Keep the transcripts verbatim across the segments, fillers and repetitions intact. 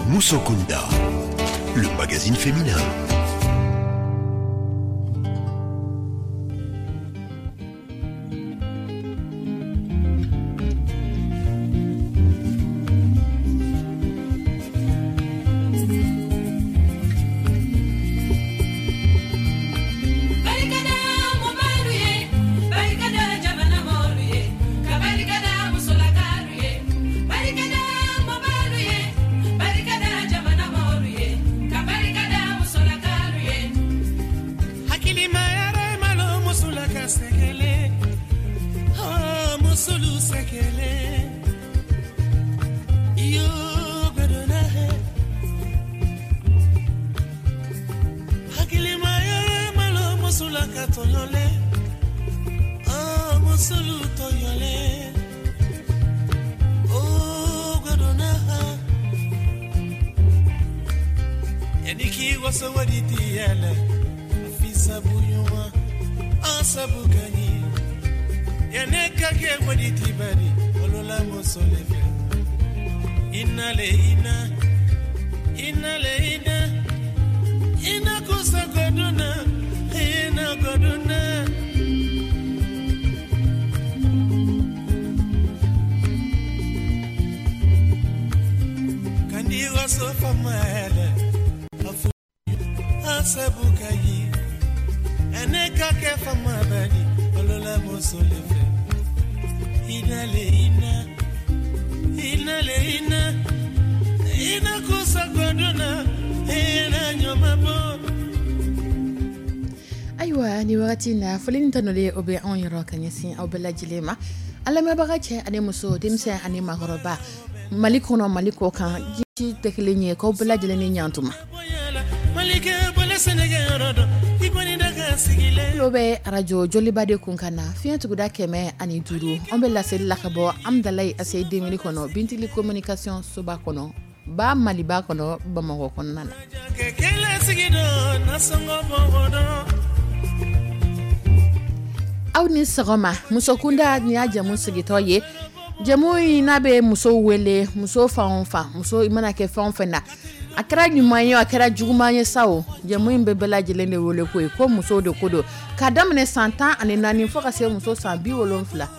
Musokunda, le magazine féminin. Ayiwa, ni wagati na, foli ni tanuli, o bɛ anw yɔrɔ ka ɲɛsin aw bɛɛ lajɛlen ma, an lamɛnbaga cɛ ani muso, denmisɛn ani maakɔrɔba, Mali kɔnɔ, Mali kɔ kan, ji tɛ kelen ye, k'aw bɛɛ lajɛlen ni ɲantuma. Tulo bɛ arajo Joliba de kun kan na, fiɲɛ tuguda kɛmɛ ani duuru. An bɛ laseli la ka bɔ Amudalayi A C I deux mille kɔnɔ, Bintili Communication soba kɔnɔ, ba Maliba kɔnɔ, Bamakɔ kɔnɔna na. Aw ni sɔgɔma. Musokunda, nin y'a jamu sigitɔ ye. Jamu in n'a bɛ musow wele, muso fan o fan, muso i mana kɛ fɛn o fɛn na, a kɛra ɲuman ye, a kɛra juguman ye sa o, jamu in bɛ bɛɛ lajɛlen de wele ko ye ko musow de ko don, k'a daminɛ san tan ani naani fo ka se muso san bi wolonfila.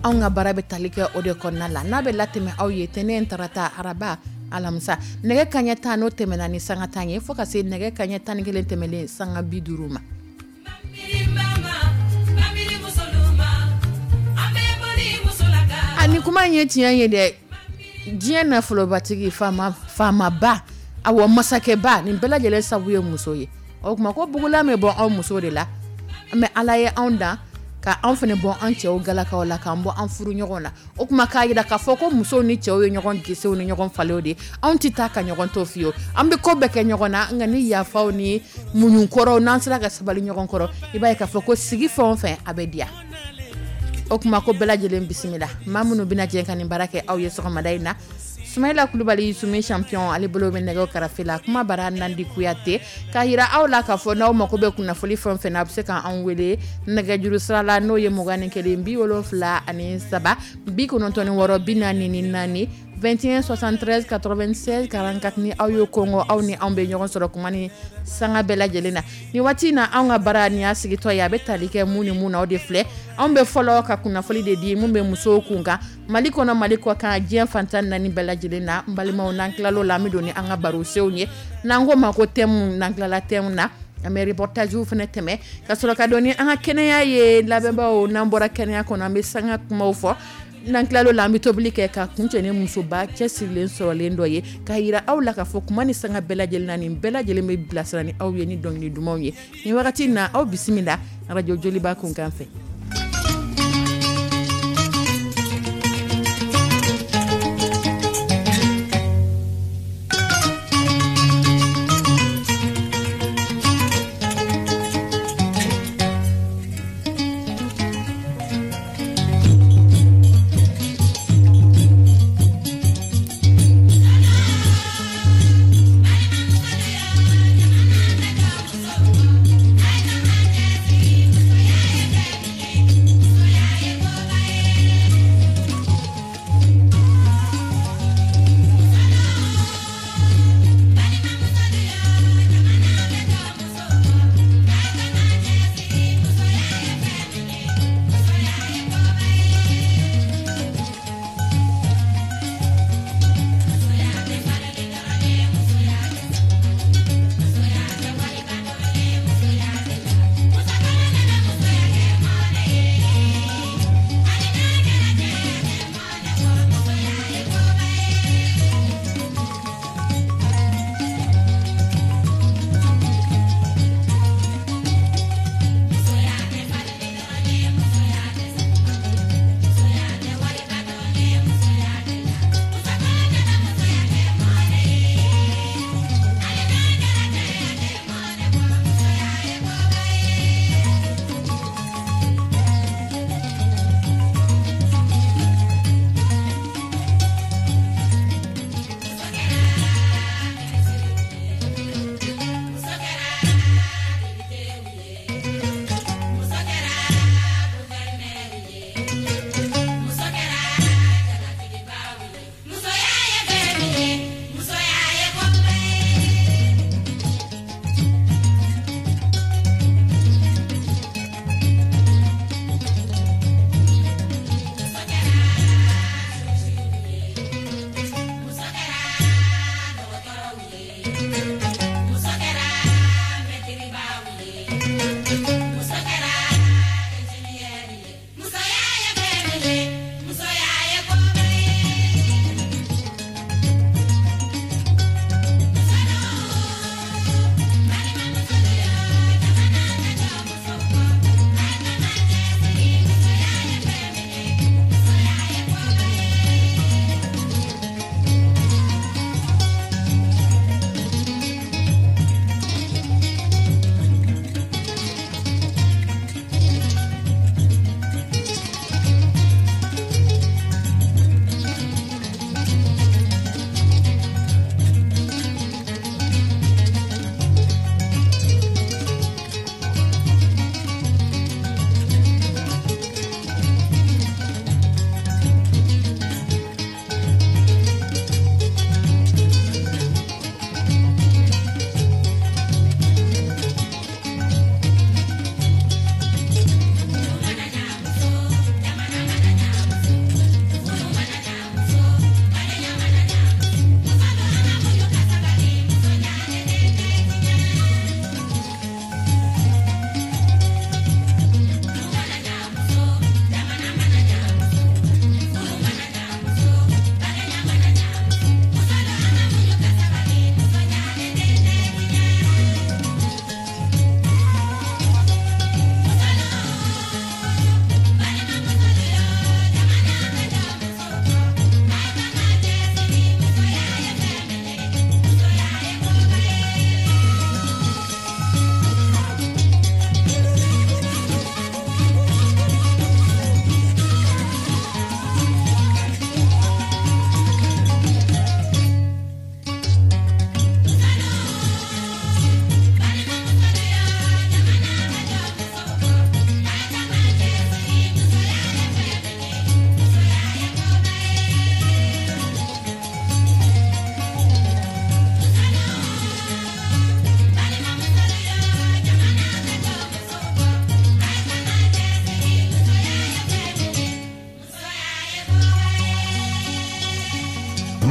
Anw ka baara bɛ tali kɛ o de kɔnɔna la, n'a bɛ latɛmɛ aw ye tɛnɛn, tarata, araba, alamisa, nɛgɛ kaɲɛ tan n'o tɛmɛna ni sanga tan ye, fo ka se nɛgɛ kaɲɛ tan ni kelen tɛmɛnen sanga bi duuru ma. Ani kuma in ye tiɲɛ ye dɛ, diɲɛ nafolobatigi, faamaba, awɔ, masakɛba, nin bɛɛ lajɛlen sabu ye muso ye. O tuma ko bugulan bɛ bɔ anw muso de la. Mɛ Ala ye anw dan ka anw fana bɔ an cɛw galakaw la, k'an bɔ an furu ɲɔgɔn na. O tuma k'a jira k'a fɔ ko musow ni cɛw ye ɲɔgɔn gesew ni ɲɔgɔn falew de. Anw tɛ taa ka ɲɔgɔn to fiyewu, an bɛ ko bɛɛ kɛ ɲɔgɔn na, nka ni yafaw ni muɲukɔrɔw, n'an sera ka sabali ɲɔgɔn kɔrɔ, i b'a ye k'a fɔ ko sigi fɛn o fɛn, a bɛ diya. O tuma ko bɛɛ lajɛlen bisimila. Maa minnu bɛna jɛ ka nin baara kɛ aw ye sɔgɔmada in na, Sumayila Kulubali, Sumi Champion, ale bolo bɛ nɛgɛw karafe la. Kuma bara Nandi Kuyate k'a yira aw la k'a fɔ n'aw mako bɛ kunnafoni fɛn o fɛn na, a bɛ se k'an wele nɛgɛjuru sira la, n'o ye mugan ni kelen bi wolonfila ani saba bi kɔnɔntɔn ni wɔɔrɔ bi naani ni naani, vingt et un soixante-treize quatre-vingt-seize quarante-quatre. Ni aw ye kɔngɔ, aw ni anw bɛ ɲɔgɔn sɔrɔ kuma ni sanga bɛɛ lajɛlen na. Ni waati in na, anw ka baara nin y'a sigitɔ ye, a bɛ tali kɛ mun ni mun na, o de filɛ. Anw bɛ fɔlɔ ka kunnafoni de di mun bɛ musow kun kan, Mali kɔnɔ, Mali kɔ kan, diɲɛ fantan naani bɛɛ lajɛlen na. N balimaw, n'an tilal'o la, an bɛ don ni an ka barosenw ye, n'an ko ma ko thème. N'an tilala thème na, an bɛ reportage fana tɛmɛ ka sɔrɔ ka don ni an ka kɛnɛya ye. Lamɛnbaaw, n'an bɔra kɛnɛya kɔnɔ, an bɛ sanga kumaw fɔ. N'an tilal'o la, an bɛ tobili kɛ ka kuncɛ ni musoba cɛsirilen sɔrɔlen dɔ ye, k'a yira aw la k'a fɔ kuma ni sanga bɛɛ lajɛlen na, nin bɛɛ lajɛlen bɛ bilasira ni aw ye ni dɔnkili dumanw ye. Nin wagati in na, aw bisimila arajo Joliba kunkan fɛ.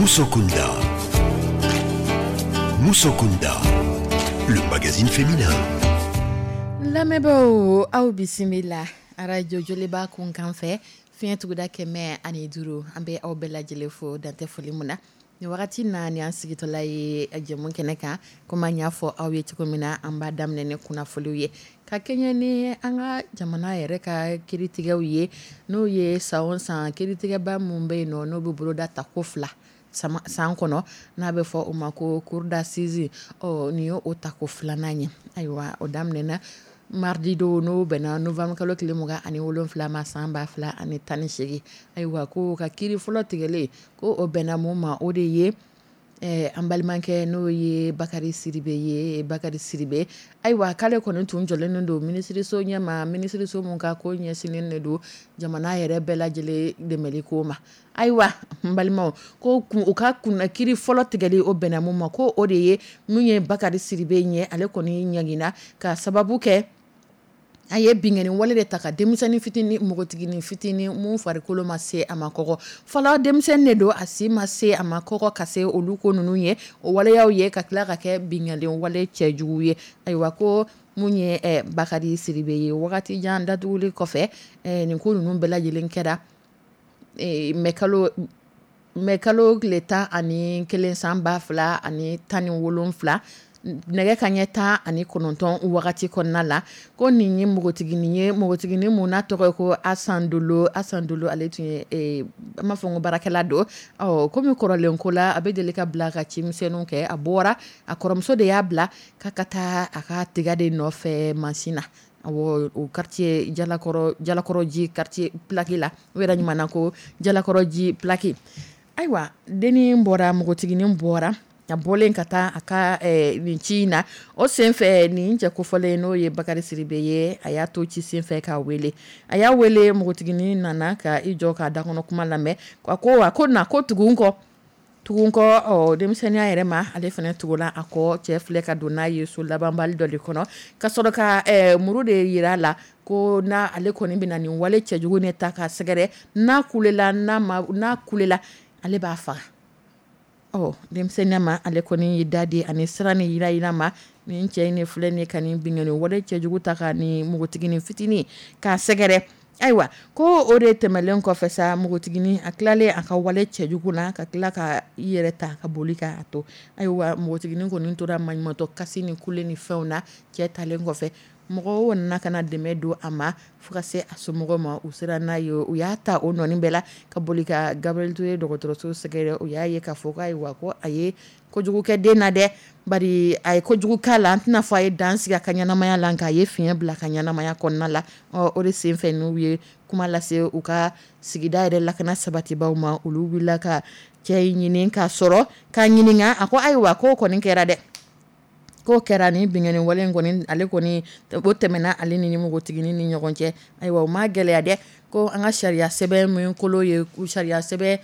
Musokunda. Musokunda, le magazine féminin. Lamɛnbaaw, aw bisimila arajo Joliba kunkan fɛ, fiɲɛ tuguda kɛmɛ ani duuru. An bɛ aw bɛɛ lajɛlen fo dantɛ foli mun na nin wagati na. Ni an sigitɔla ye jɛmu kɛnɛ kan, komi an y'a fɔ aw ye cogo min na, an b'a daminɛ ni kunnafoniw ye ka kɛɲɛ ni an ka jamana yɛrɛ ka kiiritigɛw ye, n'o ye san o san kiiritigɛba mun bɛ yen nɔ, n'o bɛ boloda tako fila san kɔnɔ, n'a bɛ fɔ o ma ko cour d'assises. Ɔ, nin ye o tako filanan ye. Ayiwa, o daminɛna mardi don, n'o bɛnna novembre kalo tile mugan ani wolonwula ma, san ba fila ani tan ni seegin. Ayiwa, ko ka kiiri fɔlɔ tigɛlen, ko o bɛnna mun ma, o de ye an balimakɛ n'o ye Bakari Sidibe ye. Bakari Sidibe, ayiwa, k'ale kɔni tun jɔlen don minisiriso ɲɛma, minisiriso mun ka ko ɲɛsinnen de don jamana yɛrɛ bɛɛ lajɛlen dɛmɛli ko ma. Ayiwa, n balimaw, ko u ka kunna kiiri fɔlɔ tigɛli, o bɛnna mun ma, ko o de ye mun ye Bakari Sidibe ɲɛ. Ale kɔni ɲangina ka sababu kɛ a ye binkanni wale de ta ka denmisɛnnin fitinin, npogotiginin fitinin mun farikolo ma se a ma kɔgɔ fɔlɔ. Denmisɛnnin de don, a si ma se a ma kɔgɔ ka se olu ko ninnu ye, o waleyaw ye, ka tila ka kɛ binkanni wale cɛjugu ye. Ayiwa, ko mun ye Bakari Sidibe ye, wagati jan datuguli kɔfɛ, nin ko ninnu bɛɛ lajɛlen kɛra mɛ kalo mɛ kalo tile tan ani kelen san ba fila ani tan ni wolonfila, nɛgɛ ka ɲɛ tan ani kɔnɔntɔn wagati kɔnɔna la. Ko nin ye npogotiginin ye, npogotiginin mun n'a tɔgɔ ye ko Asan Dolo. Asan Dolo, ale tun ye, an b'a fɔ ko baarakɛla don. Ɔ, komi kɔrɔlen ko la, a bɛ deli ka bila ka cimisɛnninw kɛ. A bɔra, a kɔrɔmuso de y'a bila k'a ka taa a ka tiga de nɔfɛ mansin na, awɔ, o quartier Jalakɔrɔ, Jalakɔrɔji quartier plaque la, o yɛrɛ ɲuman ko Jalakɔrɔji plaque. Ayiwa, dennin bɔra, npogotiginin bɔra, a bɔlen ka taa a ka nin ci in na, o senfɛ nin cɛ kofɔlen, n'o ye Bakari Sidibe ye, a y'a to ci senfɛ k'a wele. A y'a wele, npogotiginin nana ka i jɔ k'a dakɔnɔ kuma lamɛn. A ko a ko na, ko tugu n kɔ, tugu n kɔ. Ɔ, denmisɛnninya yɛrɛ ma, ale fana tugula a kɔ. Cɛ filɛ ka don n'a ye so labanbali dɔ de kɔnɔ, ka sɔrɔ ka muru de yira a la, ko n'a ale kɔni bɛna nin wale cɛjugu ne ta ka sɛgɛrɛ, n'a kulela, n'a ma, n'a kulela, ale b'a faga. Ɔ denmisɛnninya ma ale kɔni ye da di ani siran ni yira ma ni cɛ in ni filɛ ni ka nin binkanni wale cɛjugu ta ka ni npogotiginin fitinin k'a sɛgɛrɛ. Ayiwa ko o de tɛmɛnen kɔfɛ sa, npogotiginin a tilalen a ka wale cɛjugu la ka tila ka i yɛrɛ ta ka boli k'a to. Ayiwa npogotiginin kɔni tora maɲumatɔ kasi ni kule ni fɛnw na cɛ talen kɔfɛ. Mɔgɔw nana ka na dɛmɛ don a ma fo ka se a somɔgɔw ma, u sera n'a ye, u y'a ta o nɔnin bɛɛ la ka boli ka Gabriel Touré dɔgɔtɔrɔso sɛgɛrɛ. U y'a ye k'a fɔ ko ayiwa ko a ye kojugu kɛ den na dɛ, bari a ye kojugu k'a la, an tɛna fɔ a ye dan sigi a ka ɲɛnamaya la, nka a ye fiɲɛ bila a ka ɲɛnamaya kɔnɔna la. Ɔ o de senfɛ n'u ye kuma lase u ka sigida yɛrɛ lakana sabatibaw ma, olu wulila ka cɛ in ɲini k'a sɔrɔ k'a ɲininka. A ko ayiwa k'o kɔni kɛra dɛ, k'o kɛra ni binkanni wale in kɔni ale kɔni o tɛmɛna ale ni npogotiginin ni ɲɔgɔn cɛ. Ayiwa o ma gɛlɛya dɛ, ko an ka sariya sɛbɛn min kolo ye sariya sɛbɛn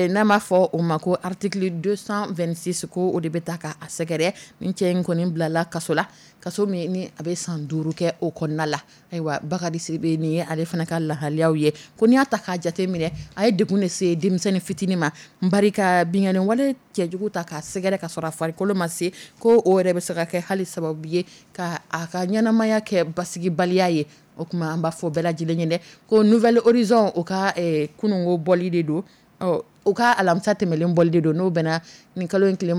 n'a m'a fɔ o ma ko article deux cent vingt-six, ko o de bɛ ta k'a sɛgɛrɛ. Ni cɛ in kɔni bilala kaso la, kaso min ni a bɛ san duuru kɛ o kɔnɔna la. Ayiwa Bakari Sidibe nin ye ale fana ka lahaliyaw ye. Ko n'i y'a ta k'a jate minɛ, a ye degun de se denmisɛnnin fitinin ma, bari ka binkanni wale cɛjugu ta k'a sɛgɛrɛ ka sɔrɔ a farikolo ma se, ko o yɛrɛ bɛ se ka kɛ hali sababu ye ka a ka ɲɛnamaya kɛ basigibaliya ye. O tuma an b'a fɔ bɛɛ lajɛlen ye dɛ ko Nouvel Horizon o ka kununko bɔli de don, ɔ u ka alamisa tɛmɛlen bɔli de don, n'o bɛnna nin kalo in tile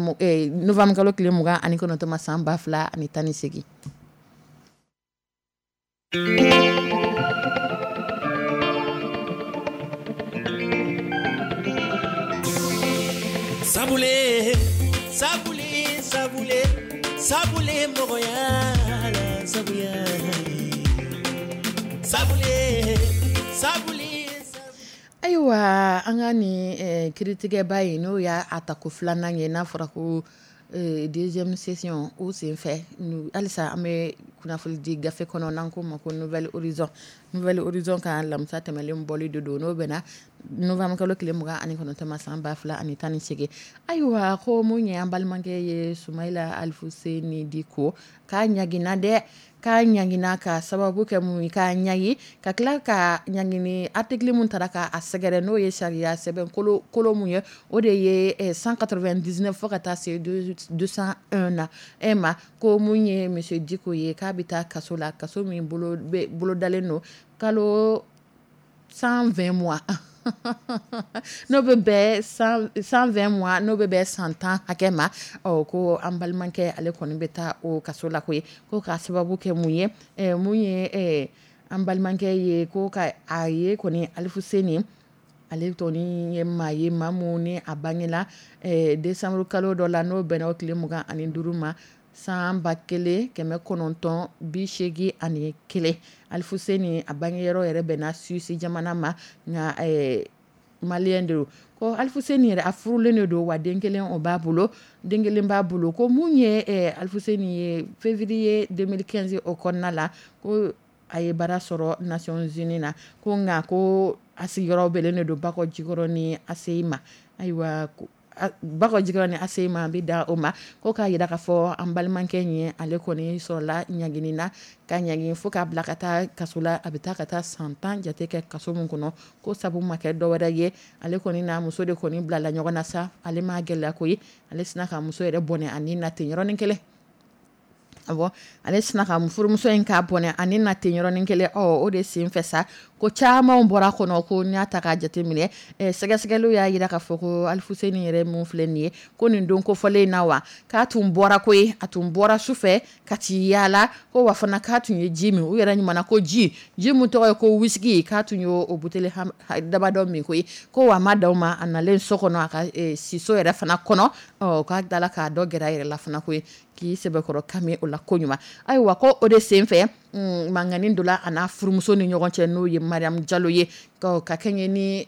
novembre kalo tile mugan ani kɔnɔntɔn ma san ba fila ani tan ni seegin. Sabule sabule sabule sabule mɔgɔya la sabuya sabule sabule. Ayiwa an ka nin eh, kiritigɛba in n'o y'a a tako filanan ye, n'a fɔra ko eh, deuxième session o senfɛ, halisa an bɛ kunnafoni di gafe kɔnɔ n'an ko ma ko Nouvel Horizon. Nouvel Horizon ka alamisa tɛmɛlen bɔli de don, n'o bɛnna novembre kalo tile mugan ani kɔnɔntɔn ma san ba fila ani tan ni seegin. Ayiwa ko mun ye an balimakɛ ye Sumayila Alifuseni Diko k'a ɲagina dɛ, k'a ɲagina ka sababu kɛ mun ye, k'a ɲagi ka tila ka ɲagini article mun taara k'a sɛgɛrɛ n'o ye sariya sɛbɛn kolo kolo mun ye, o de ye cent quatre-vingt-dix-neuf fo ka taa se deux cent un na e ma. Ko mun ye monsieur Diko ye k'a bɛ taa kaso la, kaso min bolo bolodalen don kalo cent vingt mois n'o bɛ bɛn cent vingt mois n'o bɛ bɛn san tan hakɛ ma. Ɔ ko an balimakɛ ale kɔni bɛ taa o kaso la koyi, ko k'a sababu kɛ mun ye, mun ye an balimakɛ ye ko ka a ye kɔni Alifuseni ale tɔni ye maa ye, maa mun ni a bangela décembre kalo dɔ la n'o bɛnna o tile mugan ani duuru ma san ba kelen kɛmɛ kɔnɔntɔn bi seegin ani kelen. Alifuseni a bangeyɔrɔ yɛrɛ bɛnna Suisse jamana ma, nka malien de don. Ko Alifuseni yɛrɛ a furulen de don, wa den kelen o b'a bolo, den kelen b'a bolo. Ko mun ye Alifuseni ye février deux mille quinze o kɔnɔna la, ko a ye baara sɔrɔ Nations Unies na, ko nka ko a sigiyɔrɔ bɛnnen de don Bakɔ Jikɔrɔni A C I ma. Ayiwa Bakɔ Jikɔrɔni A C I ma a bɛ da o ma, ko k'a jira k'a fɔ an balimakɛ in ye ale kɔni sɔrɔla ɲangini na, ka ɲangi fo k'a bila ka taa kaso la. A bɛ taa ka taa san tan jate kɛ kaso min kɔnɔ, ko sabu ma kɛ dɔwɛrɛ ye, ale kɔni n'a muso de kɔni bilala ɲɔgɔn na sa, ale ma gɛlɛya koyi, ale sina ka muso yɛrɛ bɔnɛ a ni na ten yɔrɔnin kelen. Awɔ, ale sina ka furumuso in k'a bɔnɛ ani na ten yɔrɔnin kelen. Ɔ o de senfɛ sa ko caman bɔra kɔnɔ. Ko n'i y'a ta k'a jateminɛ, sɛgɛsɛgɛliw y'a jira k'a fɔ ko Alifuseni yɛrɛ mun filɛ nin ye, ko nin don kofɔlen in na wa k'a tun bɔra koyi, a tun bɔra su fɛ ka t'i yaala, ko wa fana k'a tun ye ji min, u yɛrɛ ɲuman ko ji ji min tɔgɔ ye ko whisky, k'a tun y'o buteli dabadɔ min koyi. Ko wa a ma dan o ma, a nalen so kɔnɔ a ka siso yɛrɛ fana kɔnɔ, ɔ k'a dala k'a dɔ gɛrɛ a yɛrɛ la fana koyi, k'i sɛbɛkɔrɔ kami o la ko ɲuman. Ayiwa ko o de senfɛ mankanni donna a n'a furumuso ni ɲɔgɔn cɛ, n'o ye Mariam Jalo ye, ka kɛɲɛ ni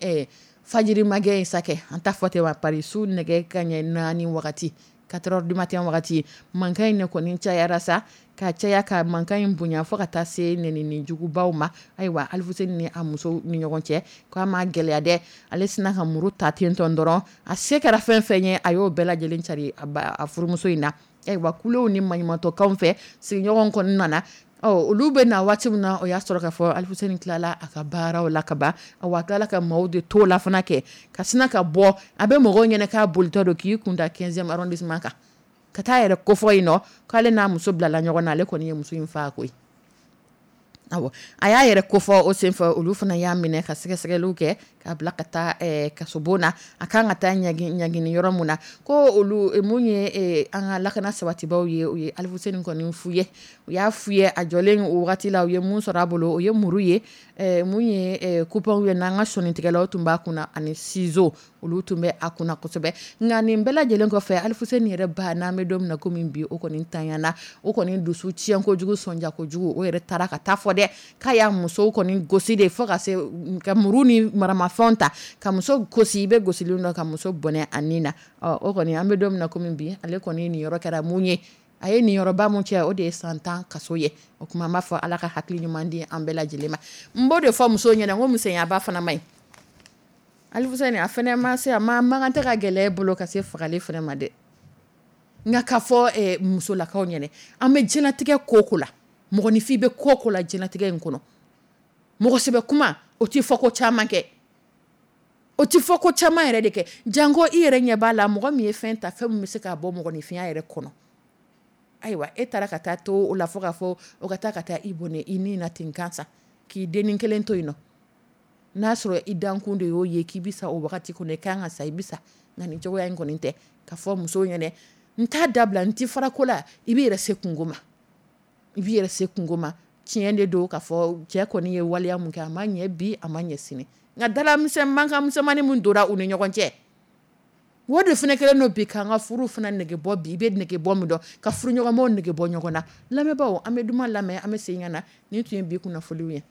fajiri magɛn ye sa kɛ, an t'a fɔ ten wa, pari su nɛgɛ kanɲɛ naani wagati, quatre heures du matin wagati, mankan in ne kɔni cayara sa, ka caya ka mankan in bonya fo ka taa se nɛnini jugubaw ma. Ayiwa Alifuseni ni a muso ni ɲɔgɔn cɛ, k'a ma gɛlɛya dɛ, ale sina ka muru ta ten tɔn dɔrɔn, a se kɛra fɛn fɛn ye a y'o bɛɛ lajɛlen cari a furumuso in na. Ayiwa kulew ni maɲumantɔkanw fɛ, sigiɲɔgɔn kɔni nana Ɔ, olu bɛ na waati min na, o y'a sɔrɔ k'a fɔ Alifuseni tilala a ka baaraw la ka ban. A tilala ka maaw de to la fana kɛ ka sin ka bɔ. A bɛ mɔgɔw ɲɛna k'a bolitɔ don, k'i kun da quinzième arrondissement kan, ka taa yɛrɛ kofɔ yen nɔ k'ale n'a muso bilala ɲɔgɔn na. Ale kɔni ye muso in faa koyi. Awɔ, a y'a yɛrɛ kofɔ o senfɛ. Olu fana y'a minɛ ka sɛgɛsɛgɛliw kɛ k'a bila ka taa kasobon na. A kan ka taa ɲagini yɔrɔ mun na, ko olu mun ye an ka lakana sabatibaw ye, u ye Alifuseni kɔni fu ye. U y'a fu ye a jɔlen o wagati la. U ye mun sɔrɔ a bolo? O ye muru ye, mun ye coupe ye n'an ka sɔnnitigɛlaw tun b'a kunna, ani ciseaux, olu tun bɛ a kunna kosɛbɛ. Nka nin bɛɛ lajɛlen kɔfɛ, Alifuseni yɛrɛ ba, n'an bɛ don min na komi bi, o kɔni tanyana. O kɔni dusu tiɲɛ kojugu, sɔnja kojugu. O yɛrɛ taara ka taa fɔ dɛ k'a y'a muso kɔni gosi de, fo ka se ka muru ni maramafɛnw ta ka muso gosi. I bɛ gosili dɔ ka muso bɔnɛ a nin na. Ɔ, o kɔni, an bɛ don min na komi bi, ale kɔni nin yɔrɔ kɛra mun ye? A ye nin yɔrɔba mun cɛ, o de ye san tan kaso ye. O tuma an b'a fɔ Ala ka hakili ɲuman di an bɛɛ lajɛlen ma. N b'o de fɔ musow ɲɛna ko misɛnyaba fana man ɲi. Alifuseni, a fana ma se, a ma man kan tɛ ka gɛlɛya e bolo ka se fagali fana ma dɛ. Nka k'a fɔ musolakaw ɲɛna, an bɛ diɲɛlatigɛ ko ko la, mɔgɔninfin bɛ ko ko la diɲɛlatigɛ in kɔnɔ, mɔgɔ sɛbɛ kuma o tɛ fɔ ko caman kɛ, o tɛ fɔ ko caman yɛrɛ de kɛ. Janko i yɛrɛ ɲɛ b'a la, mɔgɔ min ye fɛn ta, fɛn min bɛ se k'a bɔ mɔgɔninfinya yɛrɛ kɔnɔ. Ayiwa, e taara ka taa to o la fo k'a fɔ o ka taa ka taa i bɔnɛ i ni na ten gansan, k'i dennin kelen to yen nɔ. N'a sɔrɔ i dankun de y'o ye k'i bɛ sa o wagati kɔnɔ, i kan ka sa, i bɛ sa. Nka nin cogoya in kɔni tɛ ka fɔ musow ɲɛna n t'a dabila, n tɛ fara ko la. I b'i yɛrɛ se kungo ma, i b'i yɛrɛ se kungo ma. Tiɲɛ de don k'a fɔ cɛ kɔni ye waleya mun kɛ, a ma ɲɛ bi, a ma ɲɛ sini. Nka dala misɛn mankan misɛnmanin min donna u ni ɲɔgɔn cɛ, o de fana kɛlen don bi k'an ka furu fana nege bɔ bi. I bɛ nege bɔ min dɔn, ka furuɲɔgɔnmaw nege bɔ ɲɔgɔn na. Lamɛnbaaw, an bɛ duman lamɛn, an bɛ segin ka na. Nin tun ye bi kunnafoniw ye.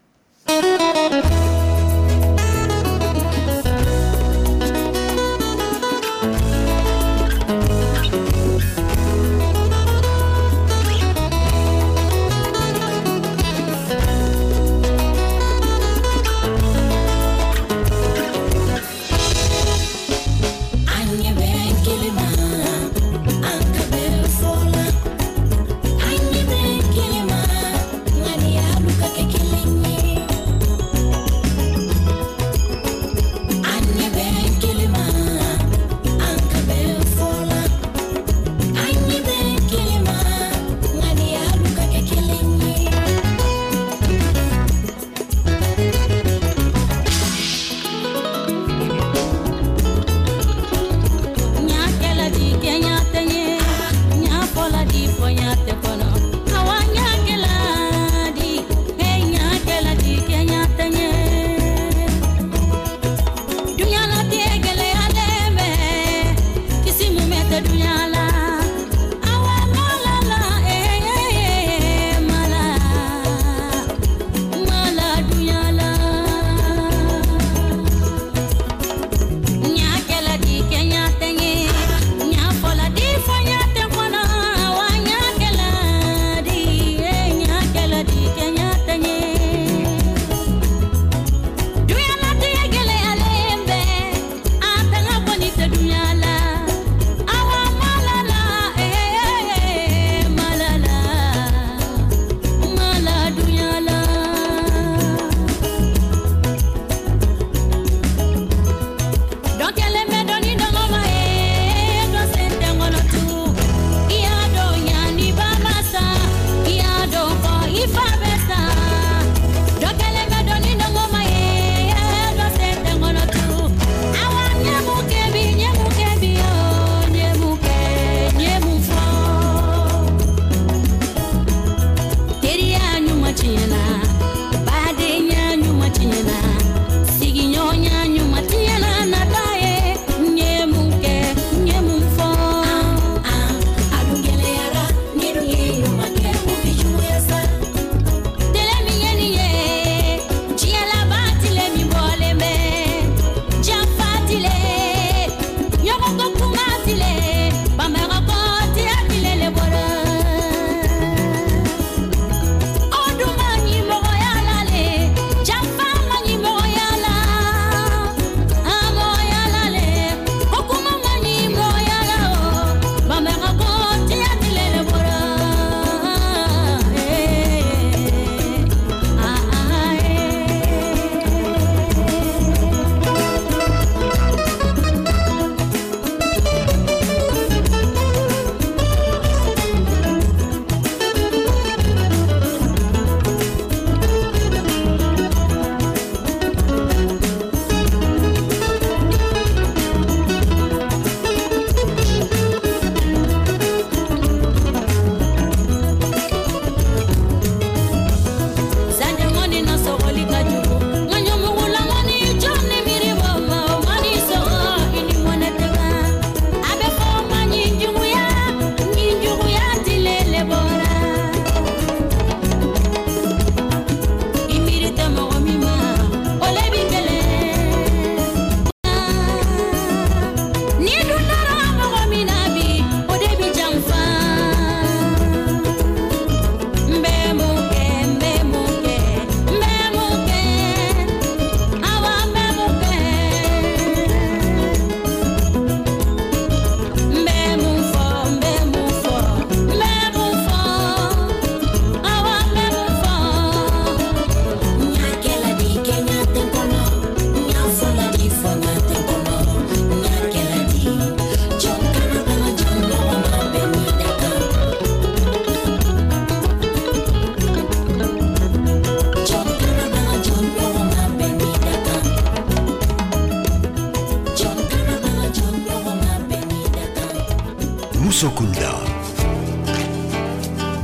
Musokunda.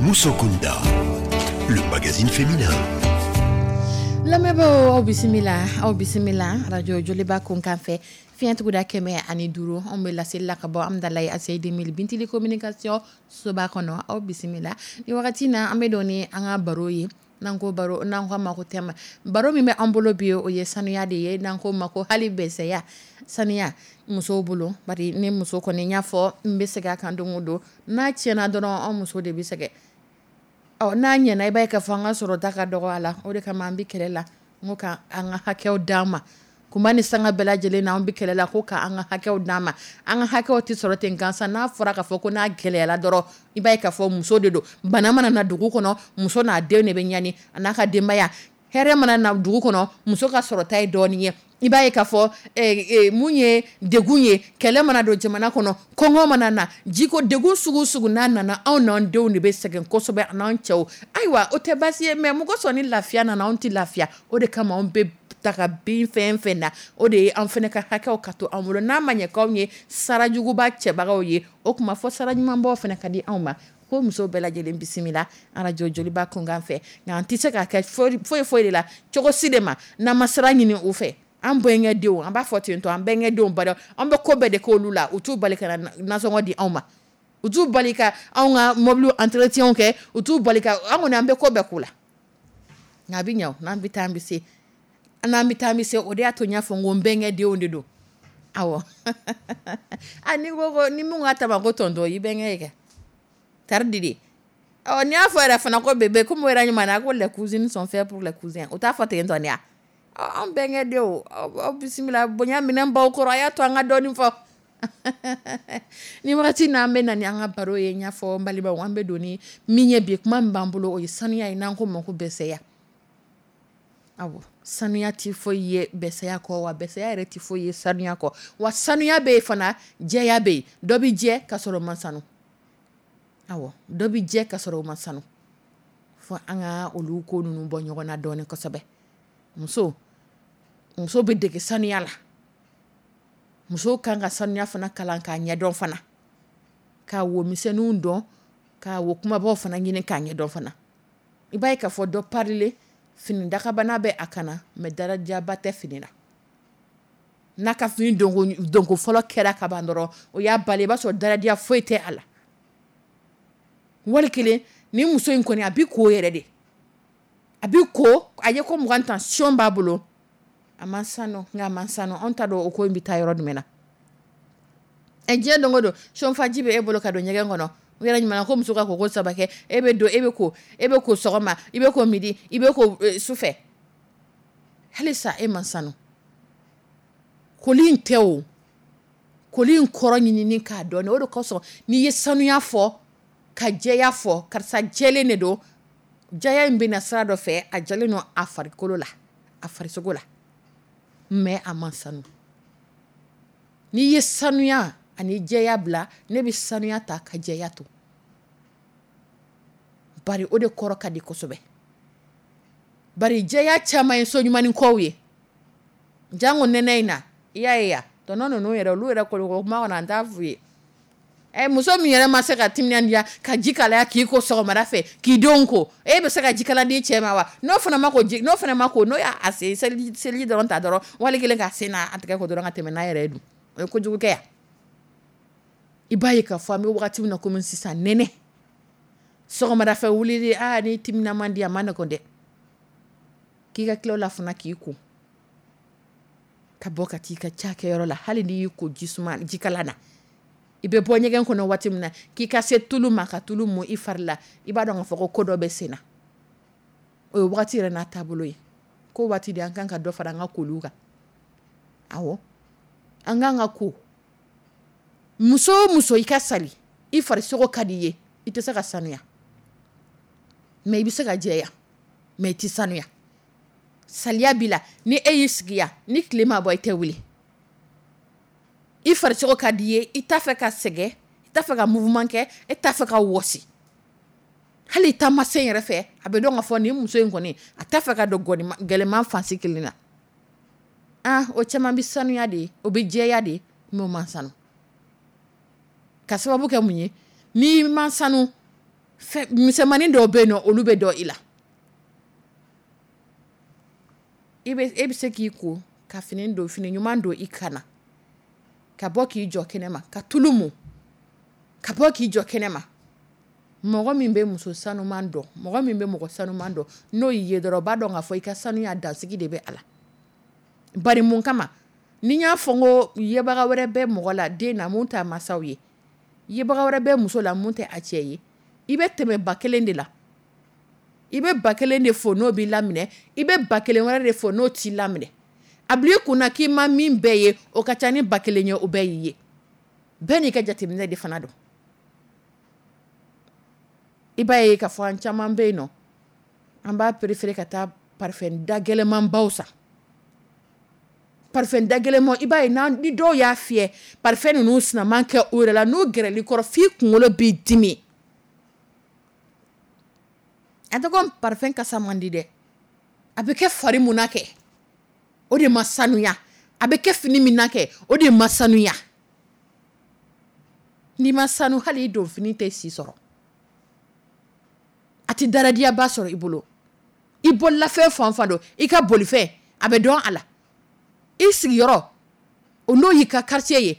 Musokunda, le magazine féminin. Lamɛnbaaw, aw bisimila, aw bisimila radio Joliba kunkan fɛ, fiɲɛ tuguda kɛmɛ ani duuru. Anw bɛ laseli la ka bɔ Amudalayi A C I deux mille Bintili communication soba kɔnɔ. Aw bisimila. Ni wagati na, an bɛ don ni an ka baro ye. N'an ko baro, n'an ko a ma ko thème, baro min bɛ an bolo bi, o ye sanuya de ye, n'an ko ma ko hali bɛsɛya, sanuya musow bolo. Bari ni muso kɔni, y'a fɔ, n bɛ segin a kan don o don, n'a tiɲɛna dɔrɔn, an muso de bɛ sɛgɛn. Ɔ n'a ɲɛna, i b'a ye k'a fɔ an ka sɔrɔta ka dɔgɔ a la. O de kama an bɛ kɛlɛ la, n ko ka an ka hakɛw d'an ma. Kuma ni sanga bɛɛ lajɛlen na, an bɛ kɛlɛ la ko k'an ka hakɛw d'an ma. An ka hakɛw tɛ sɔrɔ ten gansan. N'a fɔra k'a fɔ ko n'a gɛlɛyara dɔrɔn, i b'a ye k'a fɔ muso de don. Bana mana na dugu kɔnɔ, muso n'a den de bɛ ɲani, a n'a ka denbaya. Hɛrɛ mana na dugu kɔnɔ, muso ka sɔrɔta ye dɔɔnin ye. I b'a ye k'a fɔ mun ye degun ye, kɛlɛ mana don jamana kɔnɔ, kɔngɔ mana na, jiko degun sugu sugu n'a nana, anw n'an denw de bɛ sɛgɛn kosɛbɛ, a n'an cɛw. Ayiwa, o tɛ baasi ye, mais mɔgɔ sɔn ni lafiya nana, anw tɛ lafiya. O de kama anw bɛ taga bin fɛn fɛn na, o de ye an fana ka hakɛw ka to an bolo. N'a ma ɲɛ k'anw ye sarajuguba cɛbagaw ye, o tuma fɔ sara ɲumanbaw fana ka di anw ma. Ko musow bɛɛ lajɛlen bisimila arajo Joliba kunkan fɛ. Nka an tɛ se k'a kɛ foyi foyi de la, cogo si de ma, n'an ma sira ɲini u fɛ. An bɛnkɛ denw, an b'a fɔ ten tɔ, an bɛnkɛ denw bari an bɛ ko bɛɛ de k'olu la. U t'u bali ka na nasɔngɔ di anw ma, u t'u bali ka anw ka mobili entretien kɛ, u t'u bali ka an kɔni, an bɛ ko bɛɛ k'u la. Nka a bɛ ɲɛ o, n'an bɛ taa, an bɛ se, n'an bɛ taa, an bɛ se. O de y'a to n y'a fɔ n ko n bɛnkɛ denw de don. Awɔ, a n'i ko ko ni mun ka tama ko tonton, i bɛnkɛ ye kɛ tari di de. Ɔ n'i y'a fɔ yɛrɛ fana ko bébé, komi o yɛrɛ ɲuman na ko les cousines sont faites pour les cousins, o t'a fɔ ten tɔ de ya? Ɔ, an bɛnkɛ denw, aw bisimila. Bonya minɛn baw kɔrɔ, a y'a to an ka dɔɔnin fɔ. Ni wagati n'an bɛ na ni an ka baro ye, n y'a fɔ n balimaw, an bɛ don ni min ye bi, kuma min b'an bolo, o ye sanuya ye, n'an ko ma ko bɛsɛya. Awɔ, sanuya tɛ foyi ye bɛsɛya kɔ, wa bɛsɛya yɛrɛ tɛ foyi ye sanuya kɔ. Wa sanuya bɛ yen fana, jɛya bɛ yen. Dɔ bɛ jɛ ka sɔrɔ o ma sanu. Awɔ, dɔ bɛ jɛ ka sɔrɔ o ma sanu. Fɔ an ka olu ko ninnu bɔ ɲɔgɔn na dɔɔnin kosɛbɛ. Muso, muso bɛ dege sanuya la. Muso kan ka sanuya fana kalan k'a ɲɛdɔn fana, k'a wo misɛnninw dɔn, k'a wo kumabaw fana ɲini k'a ɲɛdɔn fana. I b'a ye k'a fɔ dɔ parilen, fini dakabana bɛ a kana, mais darajaba tɛ fini na. N'a ka fini donko donko fɔlɔ kɛra ka ban dɔrɔn, o y'a bali, i b'a sɔrɔ daradiya foyi tɛ a la. Wali kelen ni muso in kɔni, a bi ko yɛrɛ de, a bi ko, a ye ko mugan tension b'a bolo, a ma sanu, nka a ma sanu. Anw t'a dɔn o ko in bɛ taa yɔrɔ jumɛn na. Ɛ, diɲɛ don o don, sɔnfaji bɛ e bolo ka don ɲɛgɛn kɔnɔ. O yɛrɛ ɲuman ko muso ka koko saba kɛ, e bɛ don, e bɛ ko, e bɛ ko sɔgɔma, i bɛ ko midi, i bɛ ko sufɛ, halisa e ma sanu. Koli in tɛ o, koli in kɔrɔ ɲinini k'a dɔn. O de kosɔn n'i ye sanuya fɔ ka jɛya fɔ, karisa jɛlen de don. Jɛya in bɛ na sira dɔ fɛ, a jɛlen don a farikolo la, a farisogo la, mais a ma sanu. N'i ye sanuya ani jɛya bila, ne bɛ sanuya ta ka jɛya to, bari o de kɔrɔ ka di kosɛbɛ. Bari jɛya caman ye so ɲumannin kɔw ye. Jango nɛnɛ in na, i y'a ye ya tɔnɔ ninnu yɛrɛ, olu yɛrɛ kɔni, kuma kɔnɔ, an t'a f'u ye. Ɛ, muso min yɛrɛ ma se ka timinandiya ka ji kalaya k'i ko sɔgɔmada fɛ, k'i denw ko, e bɛ se ka ji kala di cɛ ma wa? N'o fana ma ko ji, n'o fana ma ko, n'o y'a sen seliji seliji dɔrɔn ta dɔrɔn, wali kelen k'a sen n'a tɛgɛ ko dɔrɔn ka tɛmɛ n'a yɛrɛ ye dun, o ye kojugu kɛ ya. I b'a ye k'a fɔ an bɛ wagati min na komi sisan, nɛnɛ, sɔgɔmada fɛ wulili, aa, ni timinan man di, a ma nɔgɔn dɛ. K'i ka tila o la fana, k'i ko ka bɔ ka t'i ka cakɛyɔrɔ la, hali n'i y'i ko ji suma jikalan na, i bɛ bɔ ɲɛgɛn kɔnɔ waati min na, k'i ka se tulu ma, ka tulu mun i fari la, i b'a dɔn k'a fɔ ko ko dɔ bɛ sen na. O ye wagati yɛrɛ n'a taabolo ye. Ko waati de an kan ka dɔ fara an ka koliw kan. Awɔ, an kan ka ko. Muso o muso, i ka sali, i farisogo ka di i ye, i tɛ se ka sanuya, mais i bɛ se ka jɛya, mais i tɛ sanuya. Saliya b'i la. Ni e y'i sigi yan, ni tile ma bɔ, i tɛ wuli. I farisogo ka di i ye, i t'a fɛ ka sɛgɛn, i t'a fɛ ka mouvement kɛ, e t'a fɛ ka wɔsi. Hali taamasen yɛrɛ fɛ, a bɛ dɔn ka fɔ nin muso in kɔni, a t'a fɛ ka don gɛlɛman fansi kelen na. Ah, o caman bɛ sanuya de ye, o bɛ jɛya de, mais o man sanu. Ka sababu kɛ mun ye? N'i ma sanu, misɛnmanin dɔw bɛ yen nɔ, olu bɛ dɔn i la. I bɛ e bɛ se k'i ko ka fini don, fini ɲuman don i kan na, ka bɔ k'i jɔ kɛnɛ ma, ka tulu mu, ka bɔ k'i jɔ kɛnɛ ma. Mɔgɔ min bɛ muso sanuman dɔn, mɔgɔ min bɛ mɔgɔ sanuman dɔn, n'o y'i ye dɔrɔn, o b'a dɔn k'a fɔ i ka sanuya dansigi de bɛ a la. Bari mun kama? Ni y'a fɔ n ko yebaga wɛrɛ bɛ mɔgɔ la den na mun t'a masaw ye, yebaga wɛrɛ bɛ muso la mun tɛ a cɛ ye, i bɛ tɛmɛ ba kelen de la. I bɛ ba kelen de fo n'o b'i laminɛ, i bɛ ba kelen wɛrɛ de fo n'o t'i laminɛ. A bila i kunna k'i ma min bɛɛ ye, o ka ca ni ba kelen ye, o bɛɛ y'i ye. Bɛɛ n'i ka jateminɛ de fana don. I b'a ye k'a fɔ an caman bɛ yen nɔ, an b'a préféré ka taa parfum da gɛlɛnmanbaw san. Parfum da gɛlɛnman, i b'a ye ni dɔw y'a fiyɛ, parfum ninnu sinaman kɛ u yɛrɛ la, n'u gɛrɛl'i kɔrɔ f'i kunkolo b'i dimi. A tɛ ko parfum kasa man di dɛ, a bɛ kɛ fari mun na kɛ, o de ma sanuya. A bɛ kɛ fini min na kɛ, o de ma sanuya. N'i ma sanu, hali i don fini tɛ si sɔrɔ, a tɛ daradiyaba sɔrɔ i bolo. I bololafɛn fan fan don, i ka bolifɛn a bɛ dɔn a la, i sigiyɔrɔ o n'o y'i ka quartier ye,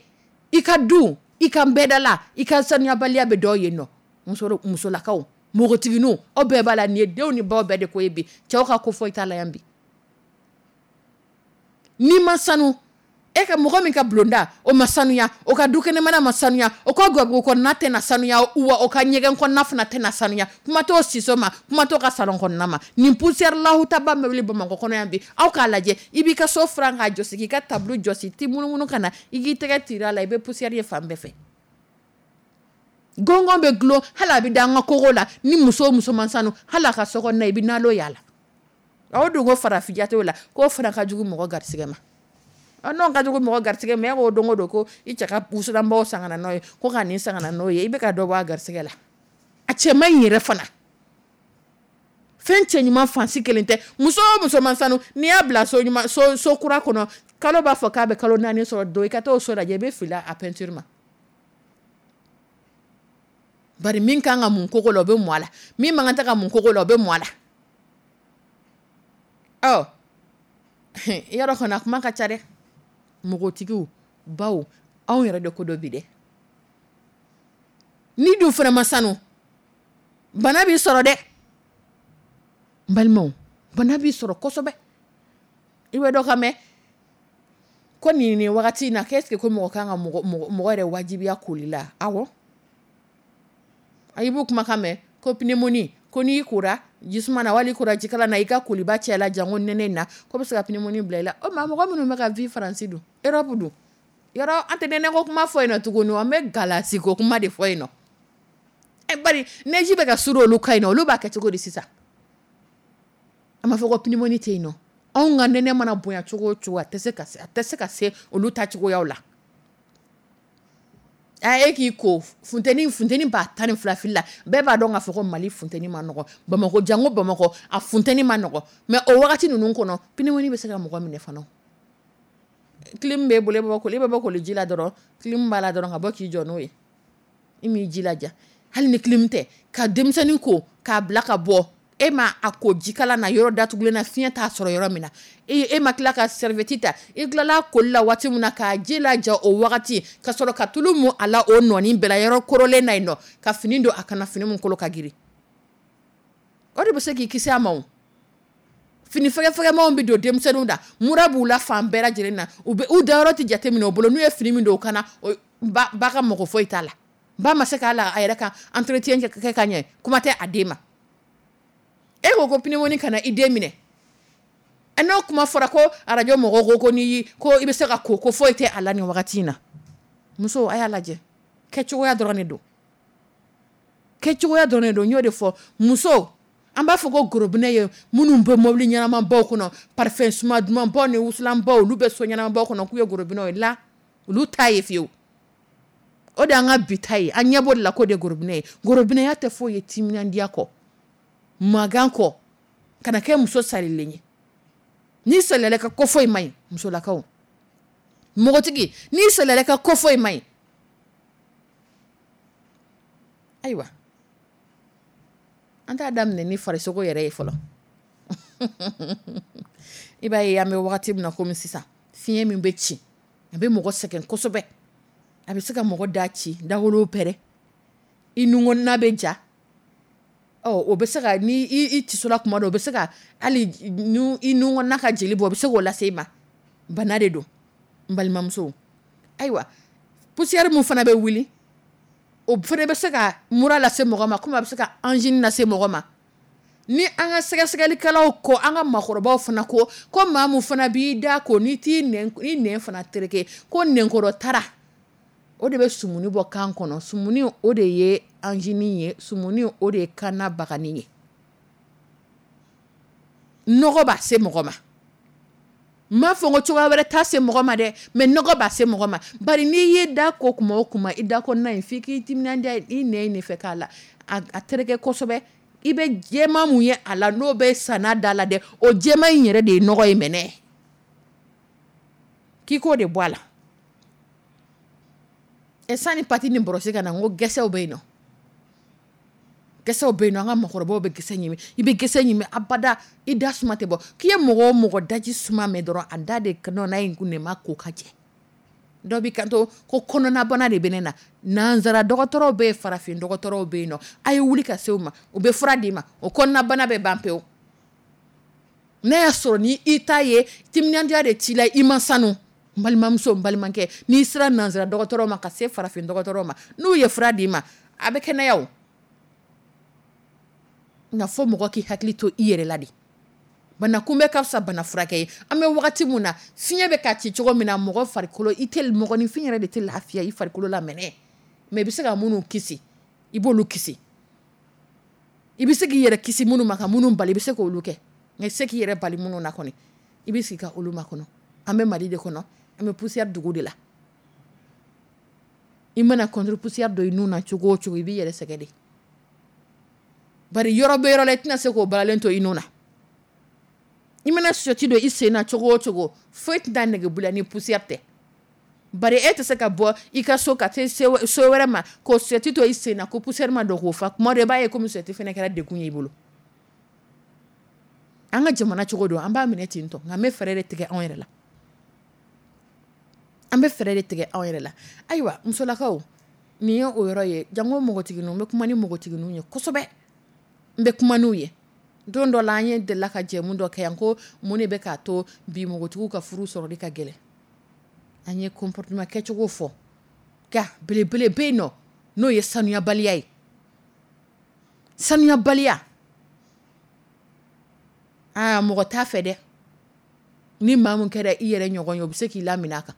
i ka du, i ka nbɛdala, i ka sanuyabaliya bɛ dɔn yen nɔ. Muso musolakaw, npogotigininw, aw bɛɛ b'a la. Nin ye denw ni baw bɛɛ de ko ye bi. Cɛw ka ko foyi t'a la yan bi. N'i ma sanu, e ka mɔgɔ min ka bulonda o ma sanuya, o ka dukɛnɛmana ma sanuya, o ka gabugu kɔnɔna tɛna sanuya, wa o ka ɲɛgɛn kɔnɔna fana tɛna sanuya. Kuma t'o siso ma, kuma t'o ka salon kɔnɔna ma. Nin poussière lahutaba bɛ wuli Bamakɔ kɔnɔ yan bi, aw k'a lajɛ. I b'i ka so furan k'a jɔsi, k'i ka tableau jɔsi, t'i munumunu ka na, i k'i tɛgɛ tira a la, i bɛ poussière ye fan bɛɛ fɛ. Gɔngɔn bɛ gulon, hali a bɛ da an ka kogo la. Ni muso muso ma sanu, hali a ka so kɔnɔna i bɛ nalo y'a la. Aw dun ko farafin t'o la, k'o fana ka jugu mɔgɔ garisigɛ ma. N'o ka jugu mɔgɔ garisigɛ ma, e ko don o don ko i cɛ ka wusulanbaw san ka na n'o ye, ko ka nin san ka na n'o ye, i bɛ ka dɔ bɔ a garisigɛ la. A cɛ man ɲi yɛrɛ fana. Fɛn cɛ ɲuman fansi kelen tɛ. Muso o muso ma sanu, n'i y'a bila so ɲuman, so, so kura kɔnɔ, kalo b'a fɔ k'a bɛ kalo naani sɔrɔ, don i ka t'o so lajɛ, i bɛ fili a peinture ma. Bari min kan ka mun koko la, o bɛ mun a la. Min man kan tɛ ka mun koko la, o bɛ mun a la. Ɔ yɔrɔ kɔni a kuma ka ca dɛ. Npogotigiw, baw, anw yɛrɛ de ko dɔ bi dɛ. Ni dun fana ma sanu, bana b'i sɔrɔ dɛ. N balimaw, bana b'i sɔrɔ kosɛbɛ. I bɛ dɔ ka mɛn ko nin nin wagati in na, qu'est-ce que ko mɔgɔ kan ka mɔgɔ mɔgɔ yɛrɛ wajibiya koli la? Awɔ, i b'o kumakan mɛn ko pneumonie, ko n'i kora jisuma na wali kora jikala na, i ka koliba cɛ la jango nɛnɛ in na, ko bɛ se ka pneumonie bila i la. O maa mɔgɔ minnu bɛ ka vie Faransi dun, Europe dun, yɔrɔ an tɛ nɛnɛ ko kuma fɔ yen nɔ tuguni, an bɛ galasi ko kuma de fɔ yen nɔ. Ɛ bari neige bɛ ka suru olu ka yen nɔ, olu b'a kɛ cogo di sisan? A ma fɔ ko pneumonie tɛ yen nɔ. Anw ka nɛnɛ mana bonya cogo o cogo, a tɛ se ka se, a tɛ se ka se olu ta cogoyaw la. A e k'i ko funteni, funteni b'a tan ni fila fili la, bɛɛ b'a dɔn k'a fɔ ko Mali funteni ma nɔgɔ, Bamakɔ jango Bamakɔ a funteni ma nɔgɔ. Mais o wagati ninnu kɔnɔ, pneumonie bɛ se ka mɔgɔ minɛ fana. Clim b'e bolo, e bɛ bɔ koli, e bɛ bɔ koli ji la dɔrɔn, clim b'a la dɔrɔn ka bɔ k'i jɔ n'o ye, i m'i jilaja. Hali ni clim tɛ, ka denmisɛnnin ko k'a bila ka bɔ, e ma a ko jikala na yɔrɔ datugulen na, fiɲɛ t'a sɔrɔ yɔrɔ min na, e ma tila ka serviette ta, i tilala koli la waati min na k'a ji laja o wagati, ka sɔrɔ ka tulu mu a la o nɔɔni bɛɛ la yɔrɔ korolen na yen nɔ, ka fini don a kana, fini min kolo ka girin, o de bɛ se k'i kisi a ma. O fini fɛgɛfɛgɛmanw bɛ don denmisɛnninw da, mura b'u la fan bɛɛ lajɛlen na, u bɛ u dayɔrɔ tɛ jateminɛ u bolo, n'u ye fini min don u kana, ba ba ka mɔgɔ foyi t'a la, ba ma se k'a la a yɛrɛ ka entretien kɛ ka ɲɛ, kuma tɛ a den ma. E ko ko pneumonie kana i den minɛ, n'o kuma fɔra ko arajo mɔgɔw ko ko n'i ko i bɛ se ka ko ko foyi tɛ a la nin wagati in na. Muso, a y'a lajɛ, kɛcogoya dɔrɔn de don, kɛcogoya dɔrɔn de don. N y'o de fɔ, muso, an b'a fɔ ko gorobinɛ ye minnu bɛ mobili ɲɛnamabaw kɔnɔ, parfum suma dumanbaw ni wusulanbaw, olu bɛ so ɲɛnamabaw kɔnɔ k'u ye gorobinɛw ye la, olu t'a ye fiyewu. O de y'an ka bi ta ye, an ɲɛ b'o de la k'o de ye gorobinɛ ye. Gorobinɛya tɛ foyi ye timinandiya kɔ, magan kɔ, kana kɛ muso salilen ye. N'i salila i ka ko foyi man ɲi, musolakaw, npogotigi, n'i salila i ka ko foyi man ɲi. Ayiwa, an t'a daminɛ ni farisogo yɛrɛ ye fɔlɔ. I b'a ye, an bɛ wagati min na komi sisan, fiɲɛ min bɛ ci, a bɛ mɔgɔ sɛgɛn kosɛbɛ. A bɛ se ka mɔgɔ da ci, dawolo pɛrɛn, i nun bɛ ja. Ɔ, o bɛ se ka ni i tisola kuma dɔ, o bɛ se ka hali i nun ka jeli bɔ, o bɛ se k'o lase i ma. Bana de don, n balimamuso. Ayiwa, poussière min fana bɛ wuli, o fana bɛ se ka mura lase mɔgɔ ma, komi a bɛ se ka angine lase mɔgɔ ma. Ni an ka sɛgɛsɛgɛlikɛlaw ko, an ka maakɔrɔbaw fana ko ko maa min fana b'i da ko n'i t'i nɛn, i nɛn fana tereke, ko nɛnkɔrɔ tara, o de bɛ sumuni bɔ kan kɔnɔ. Sumuni, o de ye angine ye. Sumuni, o de ye kanna bagani ye. Nɔgɔ b'a se mɔgɔ ma. N m'a fɔ ko cogoya wɛrɛ t'a se mɔgɔ ma dɛ, mais nɔgɔ b'a se mɔgɔ ma. Bari n'i ye da ko kuma o kuma, i da kɔnɔna in, f'i k'i timinandiya i nɛn in de fɛ k'a la a tereke kosɛbɛ. I bɛ jɛman mun ye a la, n'o bɛ sanna da la dɛ, o jɛman in yɛrɛ de ye nɔgɔ ye mɛnɛ, k'i k'o de bɔ a la. Ɛ, sani pâte ni brosse ka na, n ko gɛsɛw bɛ yen nɔ, gɛsɛw bɛ yen nɔ. An ka mɔgɔkɔrɔbaw bɛ gɛsɛ ɲimi. I bɛ gɛsɛ ɲimi abada, i da suma tɛ bɔ. K'i ye mɔgɔ o mɔgɔ daji suma mɛn dɔrɔn, a da de nɔ in kun de ma ko ka jɛ. Dɔ b'i kanto ko kɔnɔnabana de bɛ ne na. Nanzara dɔgɔtɔrɔw bɛ yen, farafin dɔgɔtɔrɔw bɛ yen nɔ. A ye wuli ka se u ma, u bɛ fura d'i ma, o kɔnɔnabana bɛ ban pewu. N'a y'a sɔrɔ ni i ta ye timinandiya de t'i la, i ma sanu, n balimamuso, n balimakɛ, n'i sera nanzara dɔgɔtɔrɔw ma ka se farafin dɔgɔtɔrɔw ma, n'u ye fura d'i ma, a bɛ kɛnɛya. O nka fo mɔgɔ k'i hakili to i yɛrɛ la de. Bana kunbɛ ka fisa bana furakɛ ye. An bɛ wagati mun na, fiɲɛ bɛ ka ci cogo min na, mɔgɔ farikolo, i tɛ mɔgɔninfin yɛrɛ de tɛ lafiya i farikolo la mɛnɛ. Mais i bɛ se ka minnu kisi, i b'olu kisi. I bɛ se k'i yɛrɛ kisi minnu ma, ka minnu bali, i bɛ se k'olu kɛ. Nka i tɛ se k'i yɛrɛ bali minnu na kɔni, i bɛ sigi ka olu makɔnɔ. An bɛ Mali de kɔnɔ, an bɛ poussière dugu de la. I mana contre poussière don i nun na cogo o cogo, i b'i yɛrɛ sɛgɛn de. Bari yɔrɔ bɛ yɔrɔ la, i tɛna se k'o balalen to i nun na. I mana soti don i sen na cogo o cogo, foyi tɛna nege bɔ i la ni poussière tɛ. Bari e tɛ se ka bɔ i ka so ka se so wɛrɛ ma k'o soti to i sen na ko poussière ma don k'o fa. Kuma dɔ, i b'a ye komi soti fana kɛra degun ye i bolo. An ka jamana cogo don, an b'a minɛ ten tɔ. Nka an bɛ fɛɛrɛ de tigɛ anw yɛrɛ la, an bɛ fɛɛrɛ de tigɛ anw yɛrɛ la. Ayiwa, musolakaw, nin ye o yɔrɔ ye. Jango npogotigininw, n bɛ kuma ni npogotigininw ye kosɛbɛ, n bɛ kuma n'u ye. Don dɔ la, an ye delila ka jɛmu dɔ kɛ yan ko mun de bɛ k'a to bi npogotigiw ka furu sɔrɔli ka gɛlɛn. An ye comportement kɛcogo fɔ, nka belebele bɛ yen nɔ, n'o ye sanuyabaliya ye. Sanuyabaliya, aa, mɔgɔ t'a fɛ dɛ. Ni maa min kɛra i yɛrɛ ɲɔgɔn ye, o bɛ se k'i lamina a kan.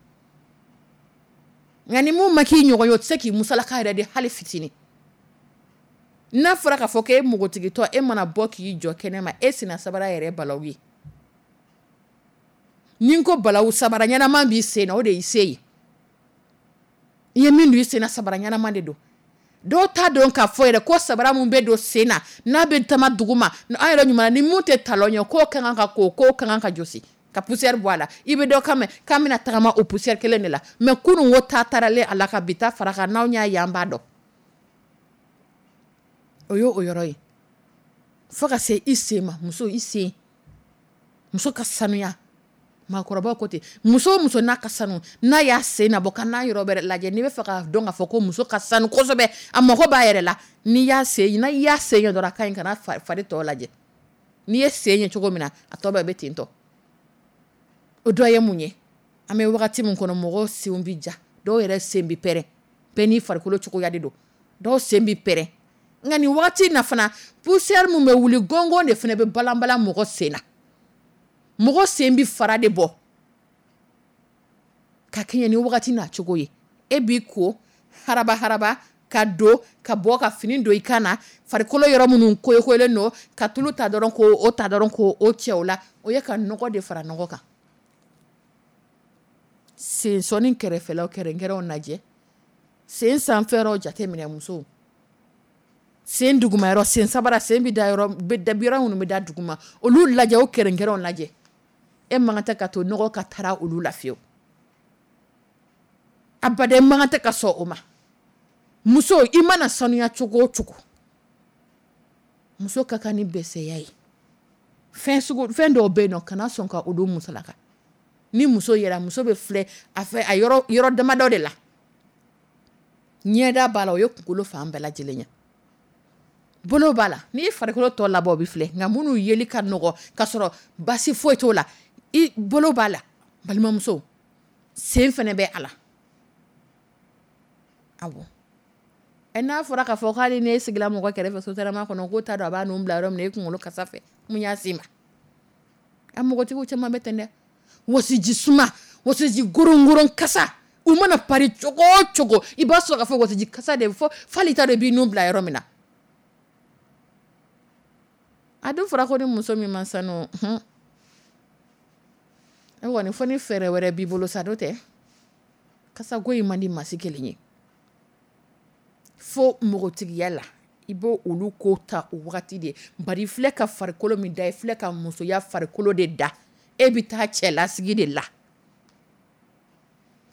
Nka ni mun ma k'i ɲɔgɔn ye, o tɛ se k'i musalaka yɛrɛ de hali fitinin. N'a fɔra k'a fɔ k'e npogotigitɔ, e mana bɔ k'i jɔ kɛnɛ ma, e senna sabara yɛrɛ balawu ye. Ni n ko balawu, sabara ɲɛnama b'i sen na, o de y'i se ye. I ye min don i sen na, sabara ɲɛnama de don. Dɔw t'a dɔn k'a fɔ yɛrɛ ko sabara min bɛ don sen na, n'a bɛ tama dugu ma, an yɛrɛ ɲuman ni mun tɛ talon ye, k'o ka kan ka ko, k'o ka kan ka jɔsi ka poussière bɔ a la. I bɛ dɔ kan mɛn k'an bɛna tagama o poussière kelen de la. Mais kunun ko ta taaralen a la ka bi ta fara kan, n'anw y'a ye, an b'a dɔn. O ye o yɔrɔ ye. Fo ka se i sen ma, muso, i sen. Muso ka sanuya, maakɔrɔbaw ko ten, muso o muso n'a ka sanu, n'a y'a sen nabɔ ka n'a yɔrɔ bɛrɛ lajɛ, n'i bɛ fɛ k'a dɔn k'a fɔ ko muso ka sanu kosɛbɛ, a mago b'a yɛrɛ la, n'i y'a sen, n'a y'a sen ye dɔrɔn, a ka ɲi, kana fari tɔ lajɛ. N'i ye sen ye cogo min na, a tɔ bɛɛ bɛ ten tɔ. O dɔ ye mun ye? An bɛ wagati min kɔnɔ, mɔgɔw senw bɛ ja, dɔw yɛrɛ sen bɛ pɛrɛn. Bɛɛ n'i farikolo cogoya de don. Dɔw sen bɛ pɛrɛn. Nka nin wagati in na fana, poussière min bɛ wuli gɔngɔn de fana bɛ balanbalan mɔgɔ sen na. Mɔgɔ sen bɛ fara de bɔ ka kɛɲɛ ni wagati n'a cogo ye. E b'i ko haraba haraba ka don ka bɔ ka fini don i kan na, farikolo yɔrɔ minnu koyokoyolen don, ka tulu ta dɔrɔn k'o o ta dɔrɔn k'o o cɛ o la, o ye ka nɔgɔ de fara nɔgɔ kan. Sen sɔnni kɛrɛfɛlaw kɛrɛnkɛrɛnw lajɛ, sen sanfɛyɔrɔw jateminɛ musow, sen duguma yɔrɔ, sen sabara, sen bɛ da yɔrɔ bɛ da yɔrɔ minnu bɛ da duguma, olu lajɛ, o kɛrɛnkɛrɛnw lajɛ. E man kan tɛ ka to nɔgɔ ka taara olu la fiyewu, abaden man kan tɛ ka sɔn o ma. Muso, i mana sanuya cogo o cogo, muso ka kan ni bɛsɛya ye. Fɛn sugu fɛn dɔw bɛ yen nɔ, kana sɔn ka olu musalaka. Ni muso yɛrɛ, muso bɛ filɛ a fɛ a yɔrɔ yɔrɔ damadɔ de la. Ɲɛda b'a la, o ye kunkolo fan bɛɛ lajɛlen ye. Bolo b'a la, n'i farikolo tɔ labɔ, o bɛ filɛ, nka minnu yeli ka nɔgɔ ka sɔrɔ basi foyi t'o la, i bolo b'a la. Balimamuso, sen fana bɛ a la. Awɔ, ɛ n'a fɔra k'a fɔ k'ale n'e sigila mɔgɔ kɛrɛfɛ sotarama kɔnɔ, k'o t'a dɔn a b'a nun bila yɔrɔ min na, e kunkolo kasa fɛ, mun y'a s'i ma? A mɔgɔtigiw caman bɛ ten dɛ. Wɔsiji suma, wɔsiji gorongoron kasa, u mana pari cogo o cogo, i b'a sɔrɔ k'a fɔ wɔsiji kasa de fɔ f'ali t'a dɔn i b'i nun bila yɔrɔ min na. A dun fɔra ko ni muso min ma sanu hun, e kɔni, fo ni fɛɛrɛ wɛrɛ b'i bolo sa, n'o tɛ kasako in man di maa si kelen ye. Fo npogotigiya la, i b'o olu ko ta o wagati de. Bari filɛ ka farikolo min da, i filɛ ka musoya farikolo de da, e bɛ taa cɛlasigi de la,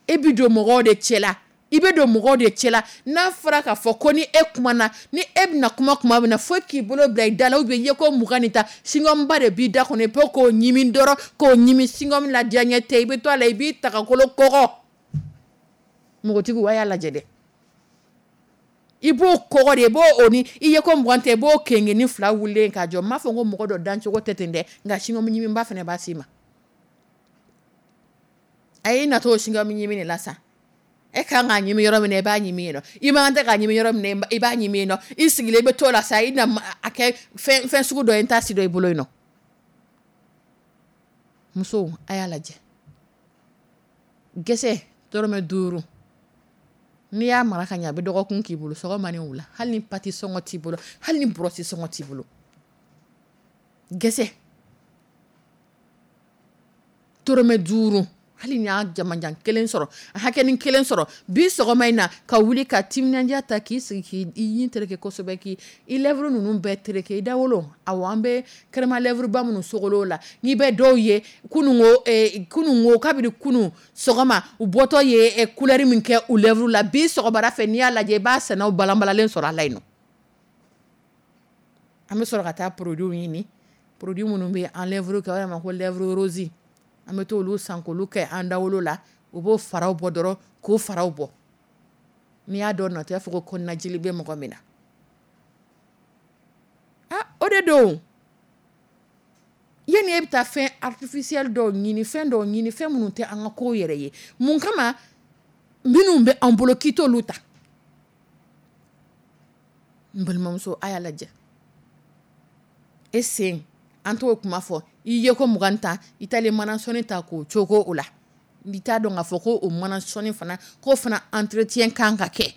e bɛ don mɔgɔw de cɛla, i bɛ don mɔgɔw de cɛla. N'a fɔra k'a fɔ ko ni e kumana, ni e bɛna kuma tuma min na, fo k'i bolo bila i da la, ou bien i ye ko mugan ni ta chewing-gum ba de b'i da kɔnɔ, i bɛ k'o ɲimi dɔrɔn, k'o ɲimi. Chewing-gum la diyaɲɛ tɛ, i bɛ to a la, i b'i tagakolo kɔgɔ. Npogotigiw, a y'a lajɛ dɛ. I b'o kɔgɔ de, i b'o o ni i ye ko mugan tɛ, i b'o kengenin fila wulilen k'a jɔ. N m'a fɔ ko mɔgɔ dɔ dancogo tɛ ten dɛ, nka chewing-gum ɲimiba fana b'a s'i ma. A y'i natɔ o chewing-gum ɲimi de la sa. E kan k'a ɲimi yɔrɔ min na, i b'a ɲimi yen nɔ. I man tɛ k'a ɲimi yɔrɔ min na, i b'a ɲimi yen nɔ. I sigilen i bɛ t'o la sa, i na a kɛ fɛn fɛn sugu dɔ ye, n t'a si dɔn i bolo yen nɔ. Musow, a y'a lajɛ. Gɛsɛ dɔrɔmɛ duuru, n'i y'a mara ka ɲɛ, a bɛ dɔgɔkun k'i bolo, sɔgɔma ni wula. Hali ni pâte sɔngɔ t'i bolo, hali ni brosse sɔngɔ t'i bolo, gɛsɛ dɔrɔmɛ duuru, hali ni y'a jamajan kelen sɔrɔ, a hakɛnin kelen sɔrɔ bi sɔgɔma in na, ka wuli ka timinandiya ta, k'i sigi, k'i ɲin tereke kosɛbɛ, k'i i lèvre ninnu bɛɛ tereke, i dawolo. Awɔ, an bɛ crème à lèvre ba minnu sogolo la, n'i bɛ dɔw ye kunungo, kunungo, kabini kunun sɔgɔma u bɔtɔ ye couleur min kɛ u lèvre la, bi sɔgɔmada fɛ, n'i y'a lajɛ, i b'a sɛnɛw balanbalalen sɔrɔ a la yen nɔ. An bɛ sɔrɔ ka taa produit ɲini, produit minnu bɛ an lèvre kɛ, o yɛrɛ ma ko lèvre rose, an bɛ t'olu san k'olu kɛ an dawolo la. U b'o faraw bɔ dɔrɔn, k'o faraw bɔ. N'i y'a dɔn nɔ, i b'a fɔ ko kɔnɔnajeli bɛ mɔgɔ min na. Ah, o de don. Yanni e bɛ taa fɛn artificiel dɔw ɲini, fɛn dɔw ɲini, fɛn minnu tɛ an ka kow yɛrɛ ye, mun kama minnu bɛ an bolo, k'i t'olu ta? N balimamuso, a y'a lajɛ. E sen, an t'o kuma fɔ. I ye ko mugan ta, i taalen mana sɔnni ta k'o cogo o la, i t'a dɔn k'a fɔ ko o mana sɔnni fana, k'o fana entretien kan ka kɛ.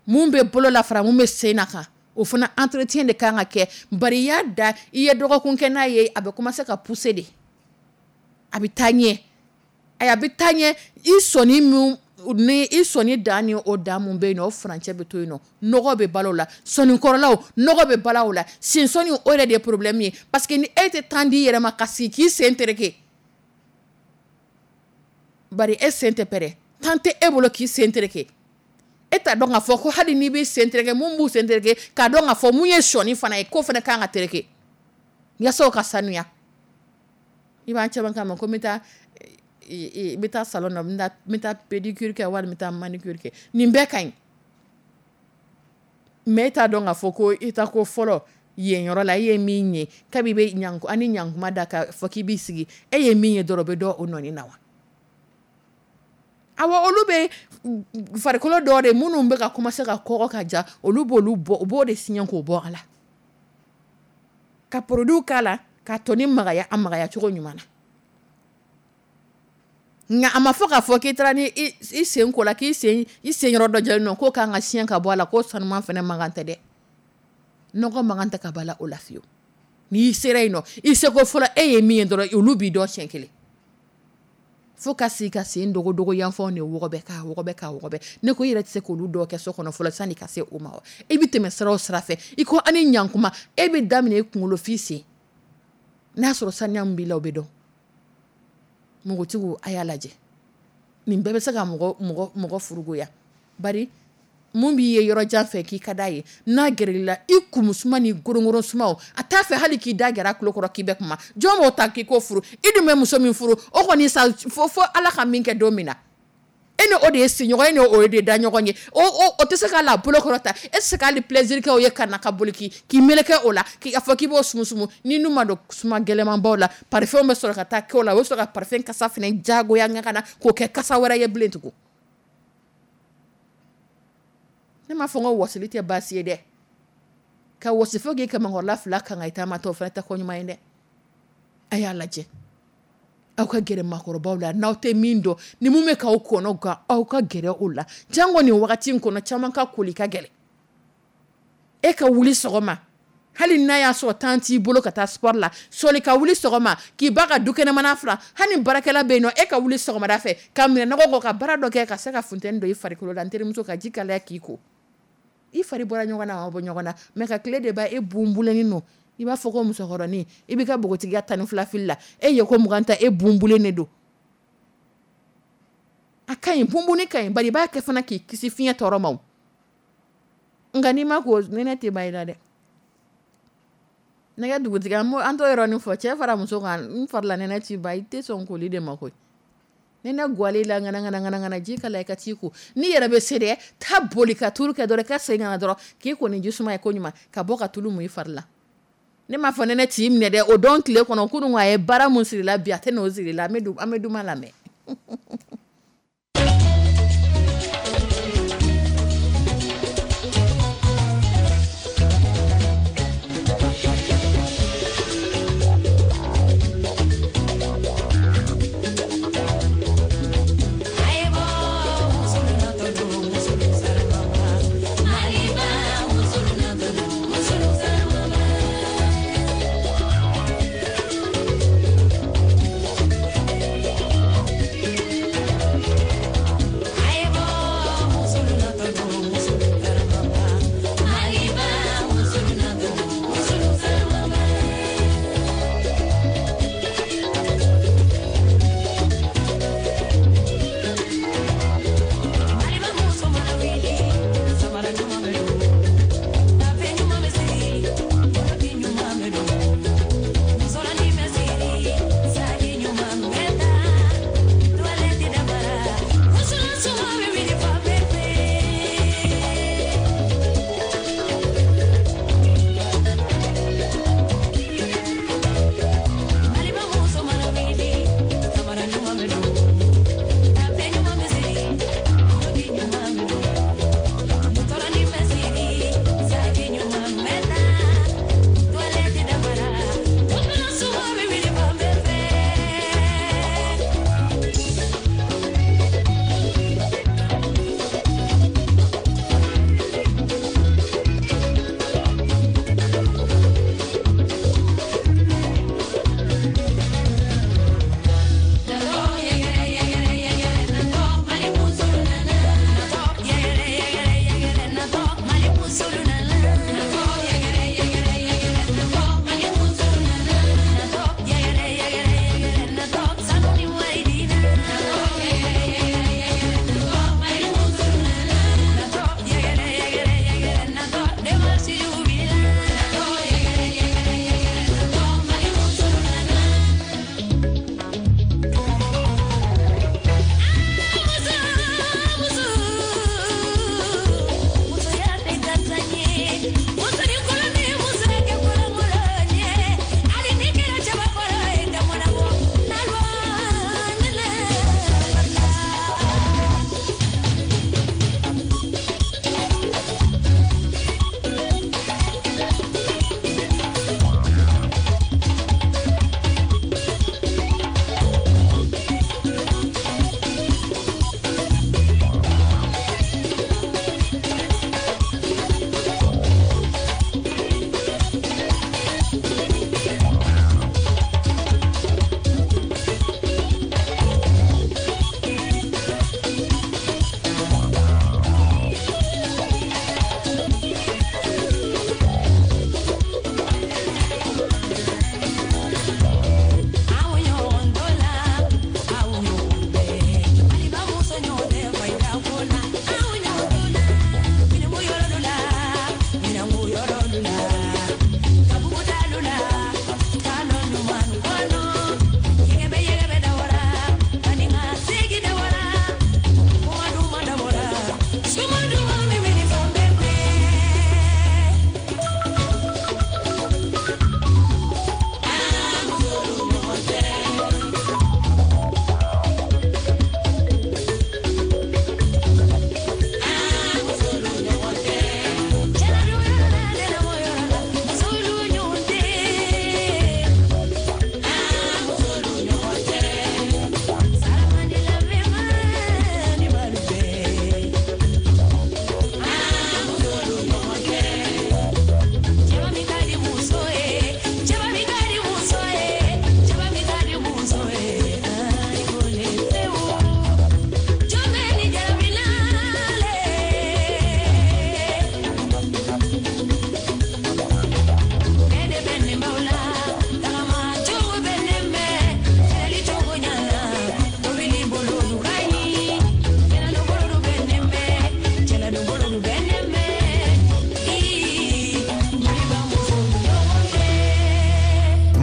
Mun bɛ bolo la fara mun bɛ sen na kan, o fana entretien de kan ka kɛ. Bari i y'a da, i ye dɔgɔkun kɛ n'a ye, a bɛ commencer ka pousser de, a bɛ taa ɲɛ, a bɛ taa ɲɛ. I sɔnni min ni i sɔnni dan ni o dan mun bɛ yen nɔ, o furancɛ bɛ to yen nɔ. Nɔgɔ bɛ balo o la, sɔnnikɔrɔlaw nɔgɔ bɛ bala o la. Sensɔnni, o yɛrɛ de ye problème ye, parce que ni e tɛ temps di i yɛrɛ ma ka sigi k'i sen tereke, bari e sen tɛ pɛrɛ, temps tɛ e bolo k'i sen tereke. E t'a dɔn k'a fɔ ko hali n'i b'i sen tereke, mun b'u sen tereke, k'a dɔn k'a fɔ mun ye sɔnni fana ye, k'o fana kan ka tereke yaasa o ka sanuya. I b'an caman kama ko n bɛ taa n bɛ taa salon na, n bɛ taa pédicure kɛ walima n bɛ taa manucure kɛ. Nin bɛɛ ka ɲi, mais e t'a dɔn k'a fɔ ko i ta ko fɔlɔ yen yɔrɔ la, e ye min ye, kabi bɛ ɲan ani ɲankuma da ka fɔ k'i b'i sigi, e ye min ye dɔrɔn, o bɛ dɔn o nɔni na wa. Awɔ, olu bɛ farikolo dɔw de minnu bɛ ka commencer ka kɔgɔ ka ja, olu b'olu bɔ, u b'o de siɲɛ k'o bɔ a la, ka produit k'a la, k'a tɔni magaya, a magaya cogo ɲuman na. Nka a ma fɔ k'a fɔ k'i taara ni i sen ko la, k'i sen i sen yɔrɔ dɔ jɛlen don, k'o kan ka siɲɛ ka bɔ a la, k'o sanuman fana man kan tɛ dɛ. Nɔgɔ man kan tɛ ka bɔ a la o la fiyewu. N'i sera yen nɔ, i seko fɔlɔ, e ye min ye dɔrɔn, olu b'i dɔn siɲɛ kelen. Fo ka sigi ka sen dogodogo yanfanw de wɔgɔbɛ, k'a wɔgɔbɛ, k'a wɔgɔbɛ. Ne ko i yɛrɛ tɛ se k'olu dɔw kɛ so kɔnɔ fɔlɔ sanni ka se o ma wa? E bɛ tɛmɛ sira o sira fɛ, i ko ani ɲankuma, e bɛ daminɛ i kunkolo f'i sen, n'a sɔrɔ saniya min b'i la, o bɛ dɔn. Npogotigiw, a y'a lajɛ. Nin bɛɛ bɛ se ka mɔgɔ mɔgɔ mɔgɔ furugoya. Bari Mun b'i ye yɔrɔ jan fɛ k'i ka d'a ye, n'a gɛrɛl'i la, i kumusuma ni gorongoro sumaw, a t'a fɛ hali k'i da gɛrɛ a tulo kɔrɔ k'i bɛ kuma. Jɔn b'o ta k'i k'o furu? I dun bɛ muso min furu, o kɔni sa fo fo Ala ka min kɛ don min na, e ni o de ye sigiɲɔgɔn ye, ni o de da ɲɔgɔn ye, o o o tɛ se k'a la bolo kɔrɔta, e tɛ se k'ale plaisir kɛ o ye ka na ka boli k'i k'i meleke o la, k'i fɔ k'i b'o sumusumu. Ni nu ma don suma gɛlɛnmanbaw la, parfum bɛ sɔrɔ ka taa kɛ o la, o bɛ sɔrɔ ka parfum kasa fana jagoya ŋa na k'o kɛ kasa wɛrɛ ye bilen tugun. Ne m'a fɔ n ko wɔsili tɛ baasi ye dɛ, ka wɔsi fo k'i kamankɔrɔla fila kan ka i taama tɔ, o fana tɛ ko ɲuman ye dɛ. A y'a lajɛ, aw ka gɛrɛ maakɔrɔbaw la, n'aw tɛ min dɔn, ni mun bɛ k'aw kɔnɔ gan, aw ka gɛrɛ o la. Jango nin wagati in kɔnɔ, caman ka koli ka gɛlɛn. E ka wuli sɔgɔma, hali n'a y'a sɔrɔ temps t'i bolo ka taa sport la, sɔli ka wuli sɔgɔma k'i ba ka dukɛnɛmana furan, hali ni baarakɛla bɛ yen nɔ, e ka wuli sɔgɔmada fɛ ka minɛ nɔgɔ kɔ ka baara dɔ kɛ ka se ka funteni don i farikolo la. N terimuso, ka ji kalaya k'i ko, i fari bɔra ɲɔgɔn na, a ma bɔ ɲɔgɔn na, mais ka tile de ba e bunbulenin don, i b'a fɔ ko musokɔrɔnin, i b'i ka npogotigiya tan ni fila fili la, e ye ko mugan ta, e bunbulen de don. A ka ɲi, bunbunni ka ɲi, bari i b'a kɛ fana k'i kisi fiɲɛ tɔɔrɔ ma. O nka n'i ma ko, nɛnɛ tɛ ban i la dɛ. Nɛgɛ dugutigi, an t'o yɔrɔnin fɔ, cɛ fara muso kan, n farila nɛnɛ ti ban, i tɛ sɔn koli de ma koyi. Nɛnɛ gwalen la ŋana ŋana ŋana ŋana, ji kalaya i ka t'i ko. N'i yɛrɛ bɛ se dɛ, taa boli ka turu kɛ dɔrɔn, i ka segin ka na dɔrɔn k'i ko ni ji suma ye ko ɲuman, ka bɔ ka tulu mun i fari la. Ne m'a fɔ nɛnɛ t'i minɛ dɛ, o dɔn tile kɔnɔ kunun a ye baara mun siri la, bi a tɛ n'o siri la. An bɛ duman lamɛn.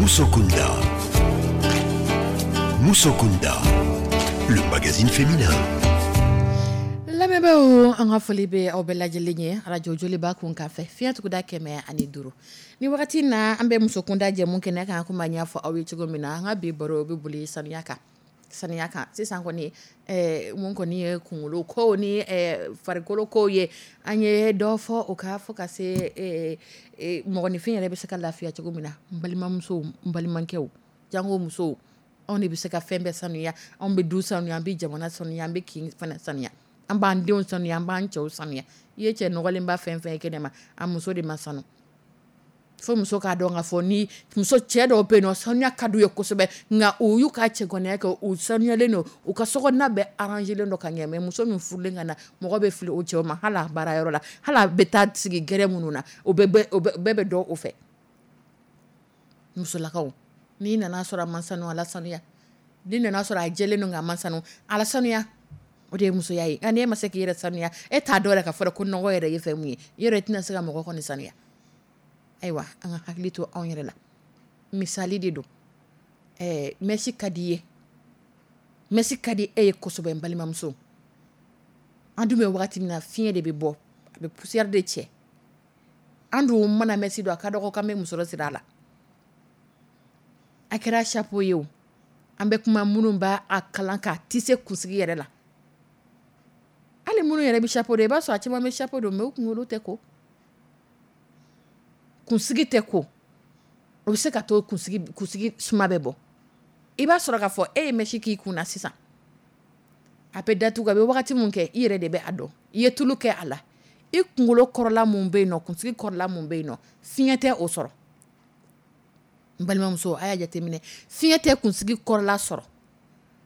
Musokunda. Musokunda, le magazine féminin. Lamɛnbaaw, an ka foli bɛ aw bɛɛ lajɛlen ye arajo Joliba kun kan fɛ, fiɲɛ tuguda kɛmɛ ani duuru. Ni wagati na, an bɛ musokunda jɛmu kɛnɛ kan. Komi an y'a fɔ aw ye cogo min na, an ka bi baro bɛ boli sanuya kan, sanuya kan. Sisan kɔni, ɛɛ mun kɔni ye kunkolo ko ni ɛɛ farikolo ko ye, an ye dɔ fɔ o kan fo ka se ɛɛ mɔgɔninfin yɛrɛ bɛ se ka lafiya cogo min na. N balimamusow, n balimakɛw, jango musow, anw de bɛ se ka fɛn bɛɛ sanuya. Anw bɛ du sanuya, an bɛ jamana sanuya, an bɛ kin fana sanuya, an b'an denw sanuya, an b'an cɛw sanuya. I ye cɛ nɔgɔlenba fɛn fɛn ye kɛnɛ ma, a muso de ma sanu. Fo muso k'a dɔn k'a fɔ ni muso, cɛ dɔw bɛ yen nɔ, sanuya ka d'u ye kosɛbɛ, nka u y'u ka cɛganaye kɛ, u sanuyalen don, u ka sokɔnɔna bɛɛ arrangelen don ka ɲɛ. Mais muso min furulen ka na, mɔgɔ bɛ fili o cɛw ma. Hali a baarayɔrɔ la, hali a bɛ taa sigi gɛrɛ minnu na, o bɛɛ bɛ dɔn o fɛ. Musolakaw, n'i nana sɔrɔ a ma sanu, a la sanuya. N'i nana sɔrɔ a jɛlen don nka a ma sanu, a la sanuya. O de ye musoya ye. Nka n'e ma se k'i yɛrɛ sanuya, e t'a dɔn yɛrɛ ka fɔ ko nɔgɔ yɛrɛ ye fɛn mun ye, i yɛrɛ tɛna se ka mɔgɔ kɔni sanuya. Ayiwa, an ka hakili to anw yɛrɛ la. Misali de don. Ɛɛ mèche ka di i ye, mèche ka di e ye kosɛbɛ. N balimamuso, an dun bɛ wagati min na, fiɲɛ de bɛ bɔ, a bɛ poussière de cɛ. An dun mana mèche don, a ka dɔgɔ k'an bɛ musɔrɔ siri a la. A kɛra chapeau ye o, an bɛ kuma minnu b'a a kalan k'a tisser kunsigi yɛrɛ la, hali minnu yɛrɛ bɛ chapeau don, i b'a sɔrɔ a caman bɛ chapeau don, mais u kunkolo tɛ ko, kunsigi tɛ ko. O bɛ se ka to kunsigi kunsigi suma bɛ bɔ. I b'a sɔrɔ k'a fɔ e ye mèche k'i kun na sisan, a bɛ datugu, a bɛ wagati min kɛ, i yɛrɛ de bɛ a dɔn. I ye tulu kɛ a la, i kunkolo kɔrɔla mun bɛ yen nɔ, kunsigi kɔrɔla mun bɛ yen nɔ, fiɲɛ tɛ o sɔrɔ. N balimamuso, a y'a jateminɛ, fiɲɛ tɛ kunsigi kɔrɔla sɔrɔ.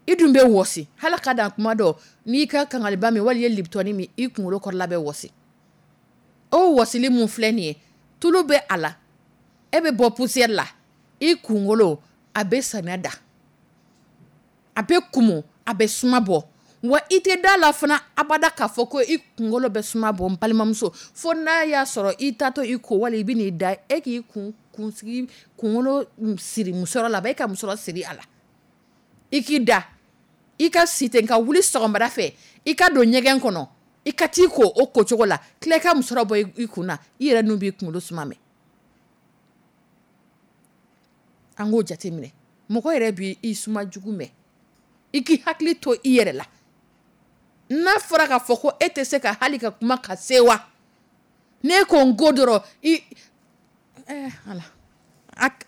I dun bɛ wɔsi, hali ka dan kuma dɔ, n'i ka kangaliba min wali i ye Lipton min, i kunkolo kɔrɔla bɛ wɔsi. O wɔsili mun filɛ nin ye, tulu bɛ a la, e bɛ bɔ poussière la, i kunkolo a bɛ samiya da, a bɛ kumu, a bɛ suma bɔ. Wa i tɛ da la fana abada k'a fɔ ko i kunkolo bɛ suma bɔ. N balimamuso, fo n'a y'a sɔrɔ i taatɔ i ko, wali i bɛ n'i da, e k'i kun kunsigi kunkolo siri musɔrɔ la, e ka musɔrɔ siri a la, i k'i da, i ka si ten ka wuli sɔgɔmada fɛ, i ka don ɲɛgɛn kɔnɔ, i ka t'i ko o ko cogo la, tila i ka musɔrɔ bɔ i kun na, i yɛrɛ nun b'i kunkolo suma mɛn. An k'o jateminɛ. Mɔgɔ yɛrɛ b'i suma jugu mɛn. I k'i hakili to i yɛrɛ la. N'a fɔra k'a fɔ ko e tɛ se ka hali ka kuma ka se wa, n'e ko n ko dɔrɔn, i ɛɛ ala,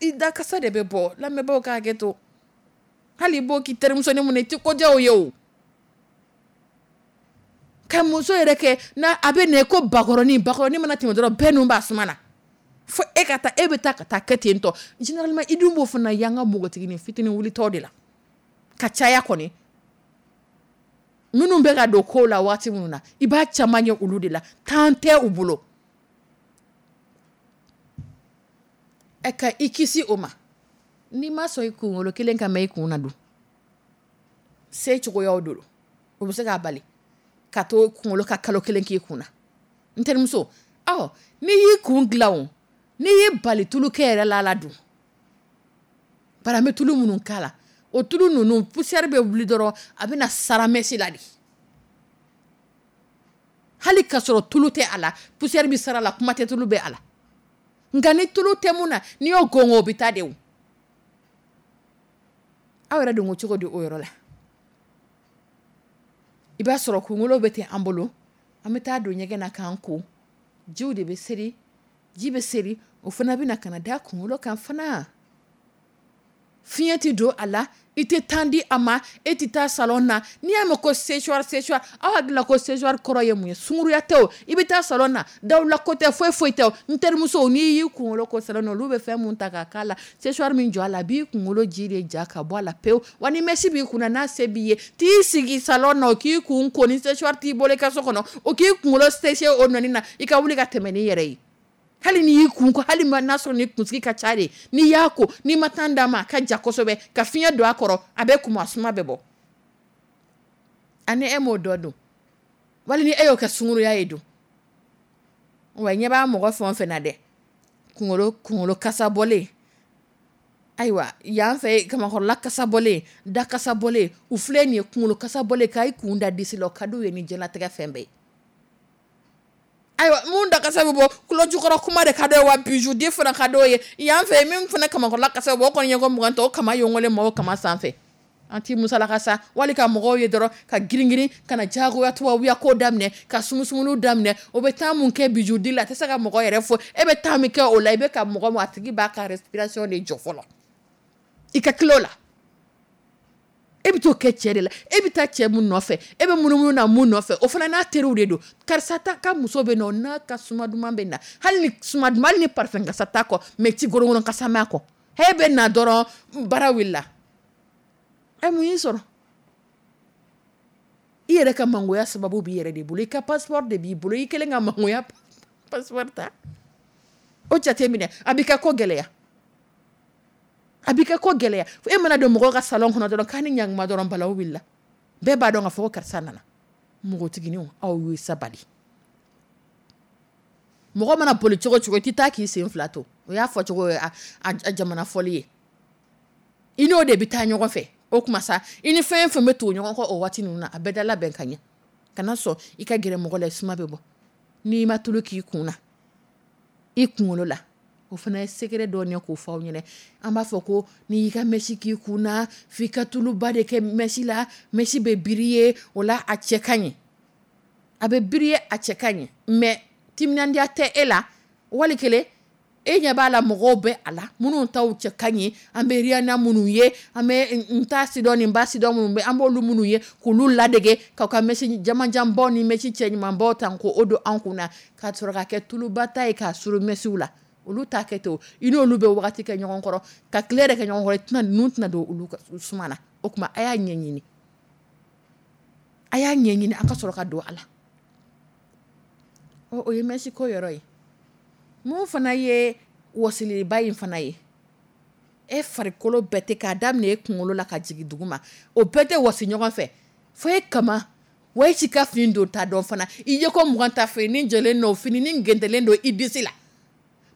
i dakasa de bɛ bɔ. Lamɛnbaaw ka hakɛ to, hali i b'o k'i terimusonin mun na, i tɛ ko diya o ye. O ka muso yɛrɛ kɛ n'a a bɛ na ko bakɔrɔnin, bakɔrɔnin mana tɛmɛ dɔrɔn, bɛɛ nun b'a suma na, fo e ka taa, e bɛ taa ka taa kɛ ten tɔ. Généralement, i dun b'o fana y'an ka npogotiginin fitinin wulitɔ de la ka caya kɔni. Minnu bɛ ka don kow la waati minnu na, i b'a caman ye olu de la, temps tɛ u bolo. Ɛ ka i kisi o ma, n'i ma sɔn i kunkolo kelen ka mɛn i kun na dun, se cogoyaw don, o bɛ se k'a bali ka to kunkolo ka kalo kelen k'i kun na. N terimuso, ɔ n'i y'i kun dilan o, n'i y'i bali tulu kɛ yɛrɛ la la dun, bari an bɛ tulu minnu k'a la, o tulu ninnu, poussière bɛ wuli dɔrɔn, a bɛ na sara mèche la de. Hali k'a sɔrɔ tulu tɛ a la, poussière bɛ sara la, kuma tɛ tulu bɛ a la. Nka ni tulu tɛ mun na, n'i y'o gɔngɔn, o bɛ taa de. O aw yɛrɛ dun ko cogo di o yɔrɔ la? I b'a sɔrɔ kunkolo bɛ ten an bolo, an bɛ taa don ɲɛgɛn na k'an ko, jiw de bɛ seri, ji bɛ seri, o fana bɛ na ka na da kunkolo kan fana. Fiɲɛ tɛ don a la, i tɛ temps di a ma, e tɛ taa salon na. N'i y'a mɛn ko séchoir, séchoir, aw hakili la ko séchoir kɔrɔ ye mun ye? Sunkuruya tɛ o. I bɛ taa salon na, dawula ko tɛ, foyi foyi tɛ o. N terimuso, n'i y'i kunkolo ko salon na, olu bɛ fɛn mun ta ka k'a la, séchoir min jɔ a la, a b'i kunkolo ji de ja ka bɔ a la pewu. Wa ni mèche b'i kun na, n'a se b'i ye, t'i sigi salon na, o k'i kun ko. Ni séchoir t'i bolo i ka so kɔnɔ, o k'i kunkolo sécher o nɔni na, i ka wuli ka tɛmɛ n'i yɛrɛ ye. Hali n'i y'i kun ko, hali n'a sɔrɔ ni kunsigi ka ca de, n'i y'a ko, n'i ma temps d'a ma, a ka ja kosɛbɛ ka fiɲɛ don a kɔrɔ, a bɛ kumu, a suma bɛ bɔ. Ani e m'o dɔ dun, wali ni e y'o kɛ sunkuruya ye dun, wa ɲɛ b'a mɔgɔ fɛn o fɛn na dɛ, kunkolo kunkolo kasa bɔlen. Ayiwa, yan fɛ, kamakɔrɔla kasa bɔlen, da kasa bɔlen, u filɛ nin ye, kunkolo kasa bɔlen, k'a kun da disi la, o ka d'u ye ni diɲɛlatigɛ fɛn bɛɛ ye. Ayiwa, mun da kasa bɛ bɔ tulo jukɔrɔ kuma de ka d'o ye, wa bijou di fana ka d'o ye. Yan fɛ, min fana kamakɔrɔla kasa bɛ bɔ, o kɔni ye ko mugan tɔ, o kama yongolen ma o kama sanfɛ. An t'i musalaka sa, wali ka mɔgɔw ye dɔrɔn ka girin-girin ka na diyagoya tubabuya ko daminɛ, ka sumusumuni daminɛ. O bɛ taa mun kɛ bijou di la, a tɛ se ka mɔgɔ yɛrɛ fɔ. E bɛ taa min kɛ o la, i bɛ ka mɔgɔ ma, a tigi b'a ka respiration de jɔ fɔlɔ i ka kilo la. E bɛ t'o kɛ cɛ de la. E bɛ taa cɛ mun nɔfɛ, e bɛ munumunu na mun nɔfɛ, o fana n'a teriw de don. Karisa ta ka muso bɛ nɔ, n'a ka suma duman bɛ na, hali ni suma duman, hali ni parfum kasa t'a kɔ, mais ti gorongoro kasa m'a kɔ. E bɛ na dɔrɔn, baara wulila. Ɛ, mun y'i sɔrɔ? I yɛrɛ ka mangoya sababu b'i yɛrɛ de bolo. I ka passeport de b'i bolo, i kɛlen ka mangoya passeport ta. O jate minɛ, a b'i ka ko gɛlɛya, a b'i ka ko gɛlɛya. E mana don mɔgɔw ka salon kɔnɔ dɔrɔn, k'a ni ɲankuma dɔrɔn, balawu wulila. Bɛɛ b'a dɔn k'a fɔ ko karisa nana. Npogotigininw, aw ye sabali. Mɔgɔ mana boli cogo cogo, i tɛ taa k'i sen fila to. O y'a fɔ cogo ye, a jamana fɔli ye. I n'o de bɛ taa ɲɔgɔn fɛ. O tuma sa, i ni fɛn fɛn bɛ tugu ɲɔgɔn kɔ o waati ninnu na, a bɛɛ da labɛn ka ɲɛ. Kana sɔn i ka gɛrɛ mɔgɔ la, suma bɛ bɔ n'i ma tulu k'i kun na, i kunkolo la. O fana ye secret dɔ ye k'o fɔ aw ɲɛna. An b'a fɔ ko n'i y'i ka mèche k'i kun na, f'i ka tuluba de kɛ mèche la, mèche bɛ briller o la, a cɛ ka ɲi. A bɛ briller, a cɛ ka ɲi, mais timinandiya tɛ e la. Wali kelen, e ɲɛ b'a la, mɔgɔw bɛ a la minnu taw cɛ ka ɲi. An bɛ Rihanna minnu ye, an bɛ n ta sidɔn ni n ba sidɔn minnu bɛ, an b'olu minnu ye k'olu ladege, k'aw ka mèche jamanjanbaw ni mèche cɛɲumanbaw ta k'o don an kun na, ka sɔrɔ ka kɛ tuluba ta ye k'a suru mèche la. Olu t'a kɛ ten. I n'olu bɛ wagati kɛ ɲɔgɔn kɔrɔ, ka tile yɛrɛ kɛ ɲɔgɔn kɔrɔ, tɛna ninnu tɛna don olu suma na. O tuma, a y'a ɲɛɲini, a y'a ɲɛɲini, an ka sɔrɔ ka don a la. O ye mèche ko yɔrɔ ye. Mun fana ye wɔsiliba in fana ye, e farikolo bɛɛ tɛ k'a daminɛ e kunkolo la ka jigin dugu ma, o bɛɛ tɛ wɔsi ɲɔgɔn fɛ. Fo e kama wa e ci ka fini don ta dɔn fana, i ye ko mugan ta, fini jɛlen don, fini ni gɛntɛlen don i disi la,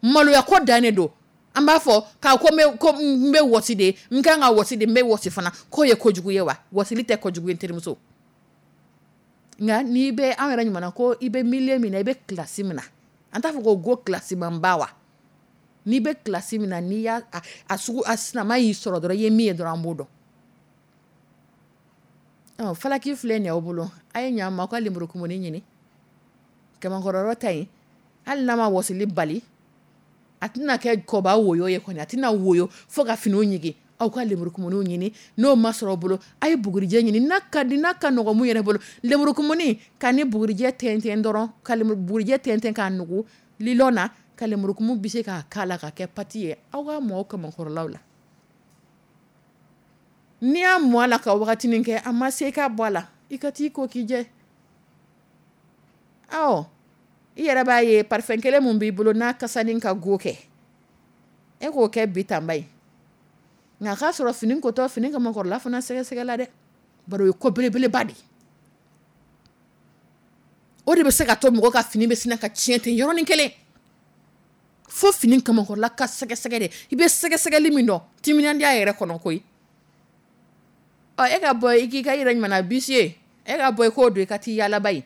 maloya ko dannen don. An b'a fɔ k'a ko n bɛ wɔsi de, n kan ka wɔsi de, n bɛ wɔsi fana, k'o ye kojugu ye wa? Wɔsili tɛ kojugu ye, terimuso. Nka n'i bɛ an yɛrɛ ɲuman ko i bɛ milieu min na, i bɛ classe min na, an t'a fɔ ko go classe manba wa? N'i bɛ classe min na, n'i y'a a sugu a sinama y'i sɔrɔ dɔrɔn, i ye min ye dɔrɔn, an b'o dɔn. Ɔ, falaki filɛ nin ye aw bolo, a ye ɲa ma, aw ka lemurukumuni ɲini. Kamakɔrɔyɔrɔ ta yen, hali n'a ma wɔsili bali, a tɛna kɛ kɔba woyo ye kɔni, a tɛna woyo fo ka finiw ɲigin. Aw ka lemurukumuniw ɲini. N'o ma sɔrɔ aw bolo, a ye bugurijɛ ɲini. N'a ka di, n'a ka nɔgɔn mun yɛrɛ bolo, lemurukumuni ka ni bugurijɛ tɛntɛn dɔrɔn, ka bugurijɛ tɛntɛn k'a nugu lilɔn na, ka lemurukumu bɛ se k'a k'a la ka kɛ pati ye. Aw ka mɔ aw kamakɔrɔlaw la. N'i y'a mɔ a la ka wagatinin kɛ, a ma se ka bɔ a la, i ka t'i ko k'i jɛ. Awɔ, i yɛrɛ b'a ye, parfum kelen mun b'i bolo, n'a kasanin ka go kɛ, e k'o kɛ bi tanba ye. Nka k'a sɔrɔ fini kotɔ, fini kamakɔrɔla fana sɛgɛsɛgɛ la dɛ, bari o ye ko belebeleba de ye. O de bɛ se ka to mɔgɔ ka fini bɛ sin ka tiɲɛ ten yɔrɔnin kelen. Fo fini kamakɔrɔla ka sɛgɛsɛgɛ de. I bɛ sɛgɛsɛgɛli min dɔn, timinandiya yɛrɛ kɔnɔ koyi. Ɔ, e ka bɔ i k'i ka yɛrɛ ɲuman bisi ye, e ka bɔ i k'o don i ka t'i yaalaba ye.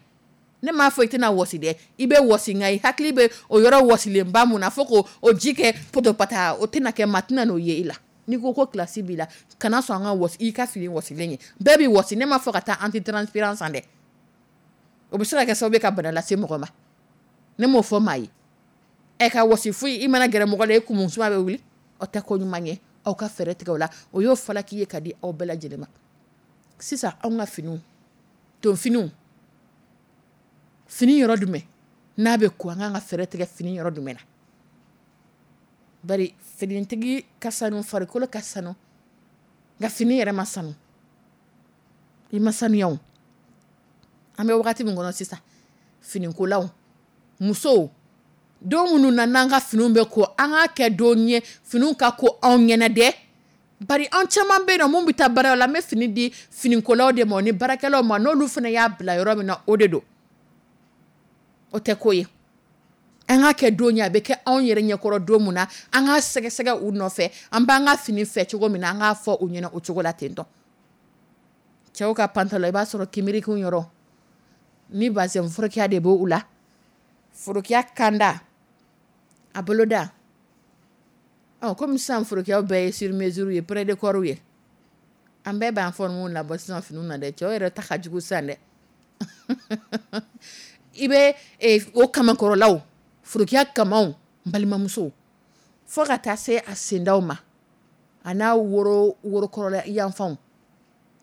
Ne m'a fɔ i tɛna wɔsi dɛ, i bɛ wɔsi, nka i hakili bɛ o yɔrɔ wɔsilenba mun na, fo k'o o ji kɛ potopata, o tɛna kɛ, maa tɛna n'o ye i la. N'i ko ko kilasi b'i la, kana sɔn an ka wɔsi i ka fini wɔsilen ye. Bɛɛ bɛ wɔsi, ne m'a fɔ ka taa antitranspirant san dɛ, o bɛ se ka kɛ sababu ye ka bana lase mɔgɔ ma. Ne m'o fɔ maa ye. Ɛ, ka wɔsi foyi, i mana gɛrɛ mɔgɔ la, e kumun suma bɛ wuli, o tɛ ko ɲuman ye. Aw ka fɛɛrɛ tigɛ o la. O y'o falaki ye ka di aw bɛɛ lajɛlen ma. Sisan, anw ka finiw, tonfiniw, fini yɔrɔ jumɛn n'a bɛ ko, an kan ka fɛɛrɛ tigɛ fini yɔrɔ jumɛn na? Bari finitigi ka sanu, farikolo ka sanu, nka fini yɛrɛ ma sanu. I ma sanuya o. An bɛ wagati min kɔnɔ sisan, finikolaw, musow, don minnu na n'an ka finiw bɛ ko, an k'a kɛ don ye finiw ka ko anw ɲɛna dɛ. Bari an caman bɛ yen nɔ mun bɛ taa baara la, an bɛ fini di finikolaw de ma ni baarakɛlaw ma, n'olu fana y'a bila yɔrɔ min na, o de don. O tɛ ko ye. An ka kɛ don ye, a bɛ kɛ anw yɛrɛ ɲɛkɔrɔ don min na, an ka sɛgɛsɛgɛ u nɔfɛ, an b'an ka fini fɛ cogo min na, an k'a fɔ u ɲɛna o cogo la ten tɔ. Cɛw ka pantalon, i b'a sɔrɔ kinbirikun yɔrɔ ni bazɛn forokiya de b'o la, forokiya kanda a boloda. Ɔ, komi sisan forokiyaw bɛɛ ye sur mesure ye, près de corps ye, an bɛɛ b'an forme labɔ sisan finiw na dɛ. Cɛw yɛrɛ ta ka jugu sisan dɛ. I bɛ o kamakɔrɔlaw, forokiya kamaw, n balimamuso, fo ka taa se a sendaw ma, a n'a woro worokɔrɔla yanfanw,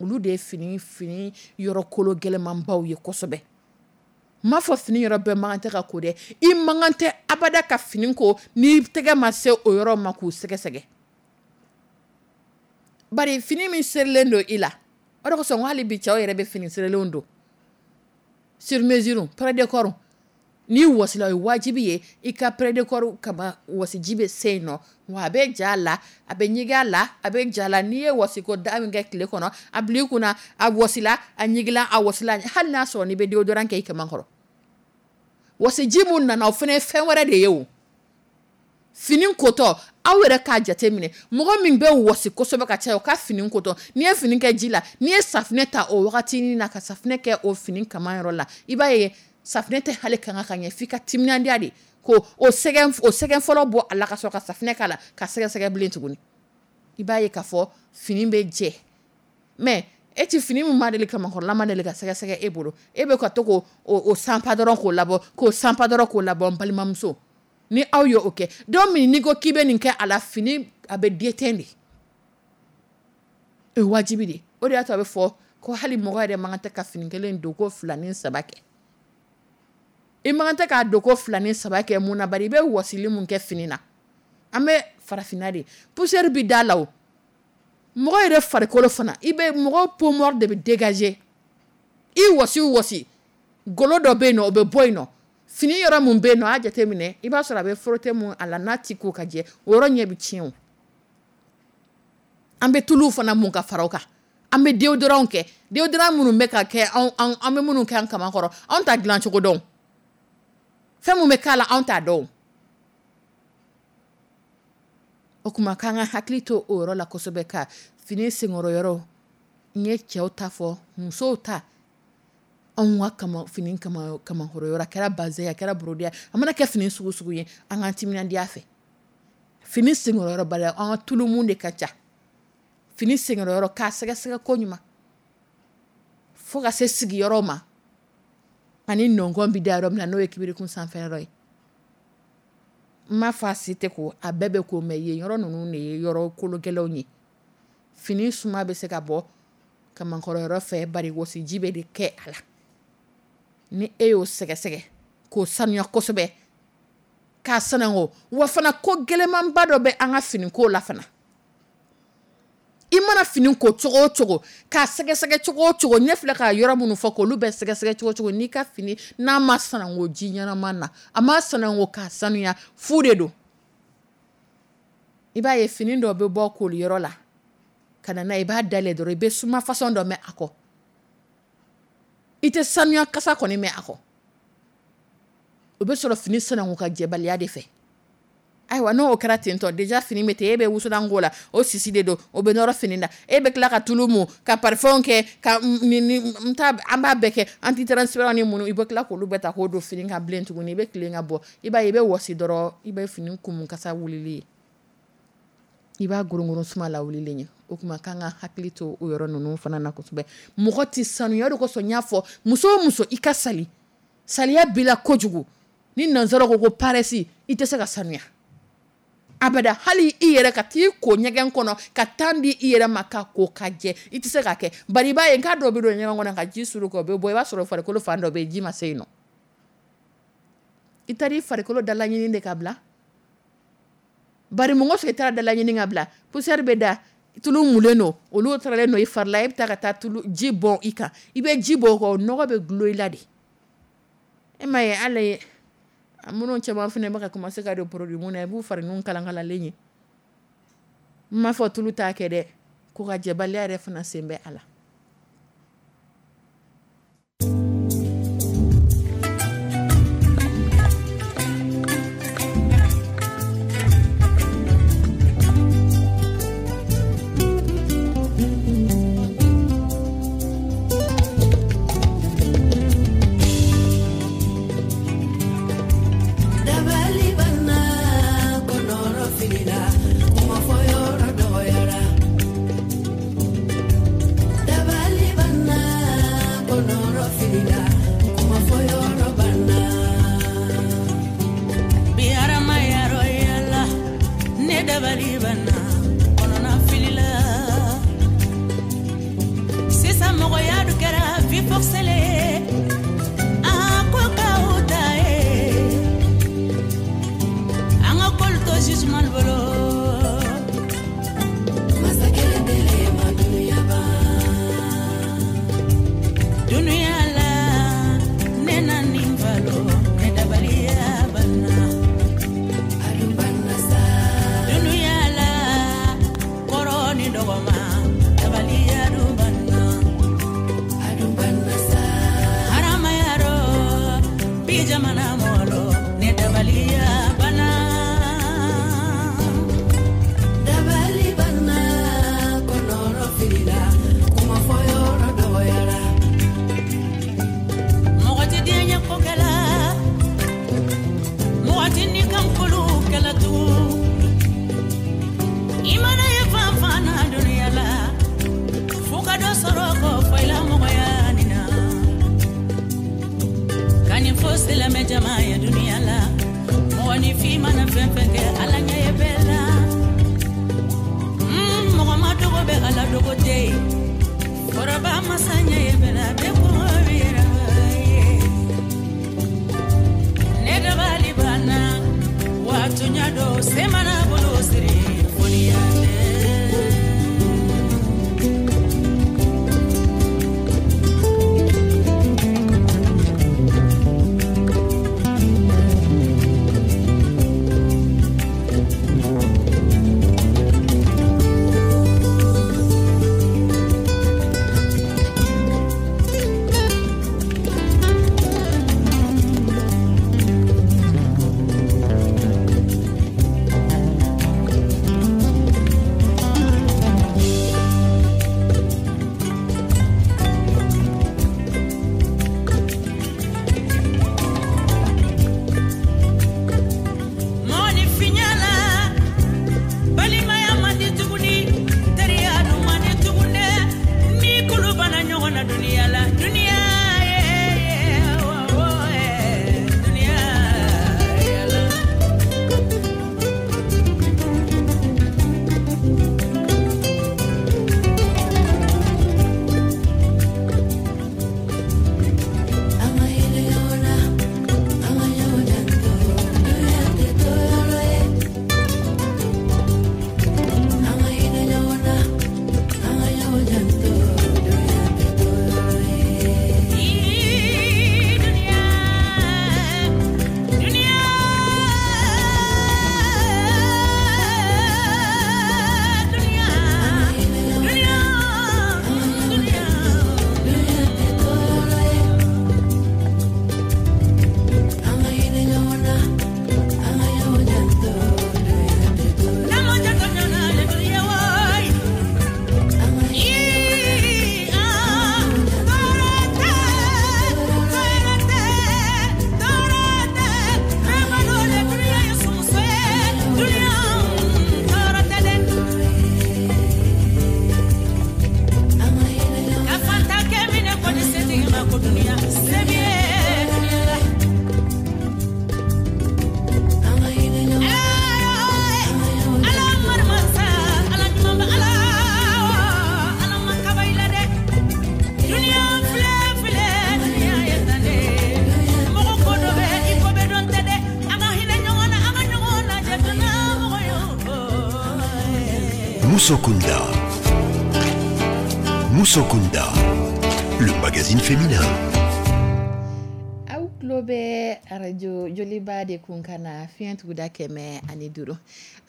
olu de ye fini fini yɔrɔ kolo gɛlɛnmanbaw ye kosɛbɛ. N m'a fɔ fini yɔrɔ bɛɛ man kan tɛ ka ko dɛ. I man kan tɛ abada ka fini ko n'i tɛgɛ ma se o yɔrɔ ma k'u sɛgɛsɛgɛ. Bari fini min serilen don i la, o de kosɔn n ko hali bi cɛw yɛrɛ bɛ fini serilenw don sur mesure, près de corps. N'i wasila, o ye wajibi ye i ka près de corps kama, wasiji bɛ se yen nɔ, wa a bɛ ja la, a bɛ ɲigin a la, a bɛ ja la. N'i ye wasiko da min kɛ tile kɔnɔ, a bila i kunna, a wasila, a ɲigila, a wasila, hali n'a sɔrɔ n'i bɛ déodorant kɛ i kaman kɔrɔ. Wasiji mun nana, o fana ye fɛn wɛrɛ de ye o. Fini kotɔ, aw yɛrɛ k'a jate minɛ, mɔgɔ min bɛ wasi kosɛbɛ ka caya, o ka fini kotɔ, n'i ye fini kɛ ji la, n'i ye safinɛ ta o wagati na ka safinɛ kɛ o fini kaman yɔrɔ la, i b'a ye safinɛ tɛ hali kanga ka ɲɛ, f'i ka timinandiya de ko o sɛgɛn, o sɛgɛn fɔlɔ bɔ a la ka sɔrɔ ka safinɛ k'a la ka sɛgɛsɛgɛ bilen tuguni. I b'a ye k'a fɔ fini bɛ jɛ. Mais e ti fini min ma deli kamakɔrɔla ma deli ka sɛgɛsɛgɛ e bolo, e bɛ ka to k'o o sanpa dɔrɔn k'o labɔ, k'o sanpa dɔrɔn k'o labɔ. N balimamuso, ni aw ye o kɛ don min, n'i ko k'i bɛ nin kɛ a la, fini a bɛ déteint de, o ye wajibi de. O de y'a to a bɛ fɔ ko hali mɔgɔ yɛrɛ man kan tɛ ka fini kelen don ko fila ni saba kɛ. I man kan tɛ k'a don ko fila ni saba kɛ mun na? Bari i bɛ wasili mun kɛ fini na, an bɛ farafinna de, poussière bi da la o. Mɔgɔ yɛrɛ farikolo fana, i bɛ mɔgɔ peau morte de bɛ dégager. I wasi wasi, golo dɔ bɛ yen nɔ, o bɛ bɔ yen nɔ. Fini yɔrɔ mun bɛ yen nɔ, a jateminɛ, i b'a sɔrɔ a bɛ frotter mun a la, n'a ti ko ka jɛ, o yɔrɔ ɲɛ bɛ tiɲɛ o. An bɛ tuluw fana mun ka fara o kan, an bɛ déodorant kɛ, déodorant minnu bɛ ka kɛ anw an bɛ minnu kɛ an kaman kɔrɔ, anw ta dilan cogo dɔn, fɛn mun bɛ k'a la, anw t'a dɔn. O kuma k'an ka hakili to o yɔrɔ la kosɛbɛ, ka fini senkɔrɔ yɔrɔ, n ye cɛw ta fɔ, musow ta, anw ka kama fini kama kamakɔrɔ yɔrɔ, a kɛra bazɛn, a kɛra brodé, a mana kɛ fini sugu sugu ye, an k'an timinandiya fɛ. Fini senkɔrɔ yɔrɔ bali, an ka tulumun de ka ca. Fini senkɔrɔ yɔrɔ k'a sɛgɛsɛgɛ ko ɲuman fo ka se sigiyɔrɔ ma, ani nɔngɔn bɛ da yɔrɔ min na, n'o ye kibirikun sanfɛ yɔrɔ ye. N m'a fɔ a si tɛ ko, a bɛɛ bɛ ko, mɛ yen yɔrɔ ninnu de ye yɔrɔ kologɛlɛnw ye. Fini suma bɛ se ka bɔ kamankɔrɔ yɔrɔ fɛ, bari wasiji bɛ de kɛ a la. Ni e y'o sɛgɛsɛgɛ k'o sanuya kosɛbɛ, k'a sanango, wa fana ko gɛlɛnmanba dɔ bɛ an ka finiko la fana. I mana fini ko cogo o cogo, k'a sɛgɛsɛgɛ cogo o cogo, ɲɛ filɛ ka yɔrɔ minnu fɔ k'olu bɛɛ sɛgɛsɛgɛ cogo o cogo, n'i ka fini n'a ma sanango ji ɲɛnama na, a ma sanango k'a sanuya, fu de don. I b'a ye fini dɔ bɛ bɔ koliyɔrɔ la ka na n'a ye, i b'a dayɛlɛ dɔrɔn, i bɛ suma façon dɔ mɛn a kɔ, i tɛ sanuya kasa kɔni mɛn a kɔ. O bɛ sɔrɔ fini sanango ka jɛbaliya de fɛ. Ayiwa, n'o kɛra ten tɔ, déjà fini bɛ ten, e bɛ wusulan k'o la, o sisi de don, o bɛ nɔrɔ fini na, e bɛ tila ka tulu mun, ka parfum kɛ, ka ni ni n t'a, an b'a bɛɛ kɛ antitranspirant ni minnu, i bɛ tila k'olu bɛɛ ta k'o don fini kan bilen tuguni, i bɛ tilen ka bɔ, i b'a ye i bɛ wɔsi dɔrɔn, i bɛ fini kumu kasa wulili ye, i b'a gorongoron suma la wulilen ye. O kuma k'an ka hakili to o yɔrɔ ninnu fana na kosɛbɛ. Mɔgɔ tɛ sanuya, o de kosɔn n y'a fɔ muso o muso, i ka sali, saliya b'i la kojugu. Ni nansara ko ko paresse, i tɛ se ka sanuya abada. Hali i yɛrɛ ka t'i ko ɲɛgɛn kɔnɔ ka temps di i yɛrɛ ma ka ko ka jɛ, i tɛ se k'a kɛ. Bari i b'a ye k'a dɔw bɛ don ɲɛgɛn kɔnɔ ka ji suru k'o bɛ bɔ, i b'a sɔrɔ farikolo fan dɔ bɛ yen, ji ma se yen nɔ. I taara i farikolo dalaɲini de ka bila. Bari mɔgɔ sɔrɔ i taara dalaɲini ka bila, poussière bɛ da, tulu mulen don, olu taralen don i fari la, e bɛ taa ka taa tulu ji bɔn i kan, i bɛ ji bɔn o kan, o nɔgɔ bɛ gulon i la de. E m'a ye hali minnu caman fana bɛ ka commencer ka don produit mun na, i b'u fari ninnu kalankalalen ye. N m'a fɔ tulu t'a kɛ dɛ, ko ka jɛbaliya yɛrɛ fana sen bɛ a la. Dabali banna kɔnɔna filila sisan mɔgɔya dun kɛra vie forcée le ye a ko k'aw ta ye an ka k'olu to jugement bolo. Masakɛ dele ma dunuya ban. Dunuya la ne na nin balo ne dabaliya banna. Adun banna sa. Dunuya la kɔrɔ ni dɔgɔma dabaliya dun banna. Adun banna sa. Haramaya rɔ bi jamana mɔlɔ ne dabaliya banna. Dabali banna kɔnɔrɔ filila kuma fɔ yɔrɔ dɔgɔyara. Mɔgɔ tɛ diɲɛ ko kɛla mɔgɔ tɛ ni kankolo kɛla tugun i mana ye fan fan na dunuya la fo ka dɔ sɔrɔ k'o fɔ i la mɔgɔya nin na ka nin fɔ silamɛ jama ye dunuya la mɔgɔninfin mana fɛn fɛn kɛ ala ɲɛ ye bɛɛ la. Mm, mɔgɔ ma dogo bɛ ala dogo tɛ yen fɔrɔba masa ɲɛ ye bɛɛ la bɛɛ ko yɛrɛ ye ne dabali banna wa tunya do se mana bolo siri foliya tɛ. Mɔgɔninfinya la balimaya man di tuguni teriya dun man di tugun dɛ ni kulu banna ɲɔgɔn na duniya la duniya ye wo, wo, eh, duniya yala. An ka hinɛ ɲɔgɔn na, an ka ɲɔgɔn janto, dunuya tɛ to yɔrɔ ye. An ka hinɛ ɲɔgɔn na, an ka ɲɔgɔn janto, dunuya tɛ to yɔrɔ ye. Dunia, dunia, dunia, dunia, dunia. Dunuya tɛ to yɔrɔ ye. An ka hinɛ ɲɔgɔn na, an ka ɲɔgɔn janto, dunuya tɛ to yɔrɔ ye. N'an ma janto ɲɔgɔn na, dunia wayi. An ka hinɛ Ii, ah, tɔɔrɔ tɛ, tɔɔrɔ tɛ, tɔɔrɔ tɛ. Bɛɛ balo le dunia ye sumuso ye. Dunia, tɔɔrɔ tɛ dɛ. An ka hinɛ ɲɔgɔn Ka fanta kɛ minɛ ko ni setigi ma ko dunia se b'i ye dunia la. An ka hinɛ ɲɔgɔn na, Ala marimasa, Ala ɲuman bɛ Ala, Ala ma kaba i la dɛ. Dunia filɛ filɛ, dunia ye tan de. Mɔgɔ ko dɔ bɛ i ko bɛ dɔn tɛ dɛ. An ka hinɛ ɲɔgɔn na, an ka ɲɔgɔn lajɛ dunia mɔgɔ ye. Musokunda. Musokunda, le magazine féminin. Aw tulo bɛ arajo joliba de kun ka na fiɲɛ tuguda kɛmɛ ani duuru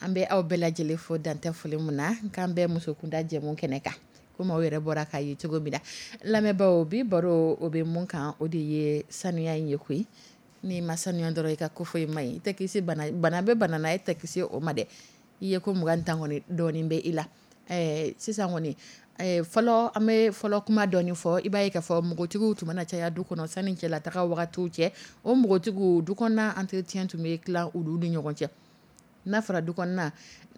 an bɛ aw bɛɛ lajɛlen fo dantɛ foli mun na k'an bɛ musokunda jɛmu kɛnɛ kan komi aw yɛrɛ bɔra k'a ye cogo min na lamɛnbaaw bi baro o bɛ mun kan o de ye sanuya in ye koyi n'i ma sanuya dɔrɔn i ka ko foyi ma ɲi i tɛ kisi bana bana bɛ bana na e tɛ kisi o ma dɛ i ye ko mugan tan kɔni dɔɔnin bɛ i la ɛɛ sisan kɔni ɛɛ fɔlɔ an bɛ fɔlɔ kuma dɔɔnin fɔ i b'a ye k'a fɔ npogotigiw tun mana caya du kɔnɔ sanni cɛlataga wagatiw cɛ o npogotigiw du kɔnɔna entretien tun bɛ tila olu ni ɲɔgɔn cɛ n'a fɔra du kɔnɔna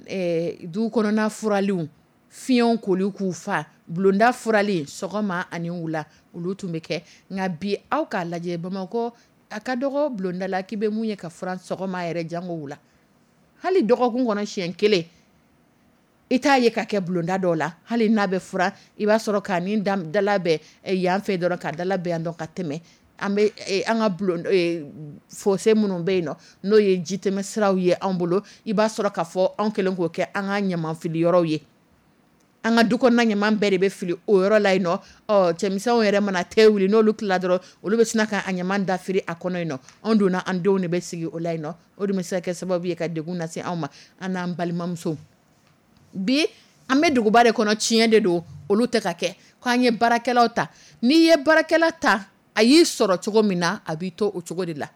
ɛɛ du kɔnɔna furaliw fiɲɛw koli k'u fa bulonda furali sɔgɔma ani wula olu tun bɛ kɛ nka bi aw k'a lajɛ bamakɔ a ka dɔgɔ bulonda la k'i bɛ mun ye ka furan sɔgɔma yɛrɛ jango wula hali dɔgɔkun kɔnɔ siɲɛ kelen I t'a ye ka kɛ bulonda dɔw la, hali n'a bɛ furan, i b'a sɔrɔ k'a ni dala bɛn yan fɛ dɔrɔn, ka dala bɛn yan dɔn ka tɛmɛ. An bɛ an ka bulon fossé minnu bɛ yen nɔ, n'o ye jitɛmɛ siraw ye an bolo, i b'a sɔrɔ k'a fɔ anw kɛlen k'o kɛ an ka ɲaman fili yɔrɔw ye. An ka du kɔnɔna ɲaman bɛɛ de bɛ fili o yɔrɔ la yen nɔ. Ɔ, cɛmisɛnw yɛrɛ mana te wuli, n'olu tilala dɔrɔn, olu bɛ sin ka a ɲaman dafiri a kɔnɔ yen nɔ. Anw donna, an denw de bɛ sigi o la yen nɔ. O de bɛ se ka kɛ sababu ye ka degun lase anw ma, an n'an balimamuso. Bi an bɛ duguba de kɔnɔ, tiɲɛ de don, olu tɛ ka kɛ k'an ye baarakɛlaw ta. N'i ye baarakɛla ta, a y'i sɔrɔ cogo min na, a b'i to o cogo de la.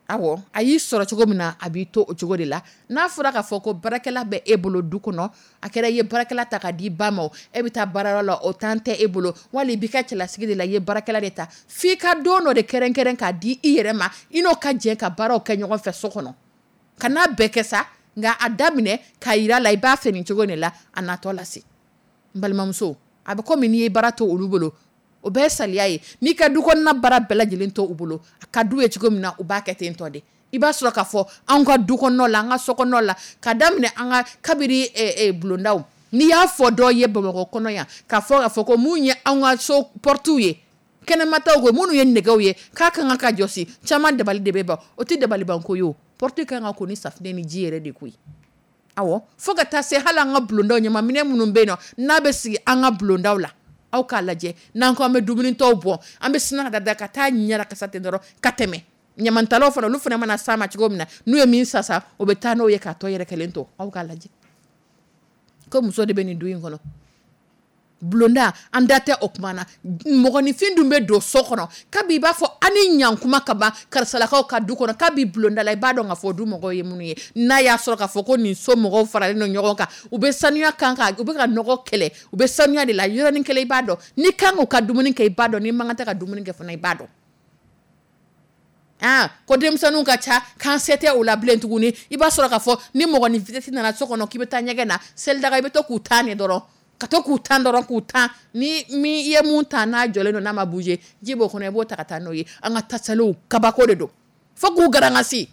Awɔ, a y'i sɔrɔ cogo min na, a b'i to o cogo de la. N'a fɔra k'a fɔ ko baarakɛla bɛ e bolo du kɔnɔ, a kɛra i ye baarakɛla ta ka di ba ma, e bɛ taa baarayɔrɔ la, o temps tɛ e bolo, wali i b'i ka cɛlasigi de la, i ye baarakɛla de ta, f'i ka don dɔ de kɛrɛnkɛrɛn k'a di i yɛrɛ ma, i n'o ka jɛ ka baaraw kɛ ɲɔgɔn fɛ so kɔnɔ. Ka n'a bɛɛ kɛ sa, nka a daminɛ k'a yira la i b'a fɛ nin cogo de la, a natɔ lase. N balimamuso, a bɛ komi n'i ye baara to olu bolo, o bɛɛ ye saliya ye. N'i ka du kɔnɔna baara bɛɛ lajɛlen to u bolo, a ka d'u ye cogo min na, u b'a kɛ ten tɔ de. I b'a sɔrɔ k'a fɔ anw ka du kɔnɔna la, an ka so kɔnɔna la, ka daminɛ an ka kabiri bulondaw, n'i y'a fɔ dɔ ye Bamakɔ kɔnɔ yan, k'a fɔ k'a fɔ ko mun ye anw ka so portew ye, kɛnɛmataw ko minnu ye nɛgɛw ye, k'a kan ka jɔsi, caman dabali de bɛ ban. O tɛ dabalibanko ye o, porte kan ka ko ni safunɛ ni ji yɛrɛ de koyi. Awɔ, fo ka taa se hali an ka bulondaw, ɲamanminɛn minnu bɛ yen nɔ, n'a bɛ sigi an ka bulondaw la, aw k'a lajɛ, n'an ko an bɛ dumunitɔw bɔ, an bɛ sina ka da ka taa ɲɛnakasa ten dɔrɔn ka tɛmɛ. Ɲamantalaw fana, olu fana mana s'a ma cogo min na, n'u ye min sasa, o bɛ taa n'o ye k'a tɔ yɛrɛ kelen to. Aw k'a lajɛ ko muso de bɛ nin du in kɔnɔ. Bulonda, an da tɛ o kuma na. Mɔgɔninfin dun bɛ don so kɔnɔ kabi i b'a fɔ an ni ɲankuma ka ban karisalakaw ka du kɔnɔ, kabi bulonda la i b'a dɔn k'a fɔ du mɔgɔw ye minnu ye. N'a y'a sɔrɔ k'a fɔ ko nin so mɔgɔw faralen don ɲɔgɔn kan, u bɛ sanuya kan kan, u bɛ ka nɔgɔ kɛlɛ, u bɛ sanuya de la yɔrɔnin kelen, i b'a dɔn. N'i kan k'u ka dumuni kɛ, i b'a dɔn. N'i man kan tɛ ka dumuni kɛ fana, i b'a dɔn. Aa, ko denmisɛnninw ka ca, k'an se tɛ o la bilen tuguni. I b'a sɔrɔ k'a fɔ ni mɔgɔninfin nana so kɔnɔ k'i bɛ taa ɲɛgɛn na, selidaga i bɛ to k'u tan de dɔrɔn, ka to k'u tan dɔrɔn, k'u tan. Ni min i ye mun tan, n'a jɔlen don, n'a ma bouger, ji b'o kɔnɔ, i b'o ta ka taa n'o ye. An ka tasaliw kabako de don, fo k'u garangasi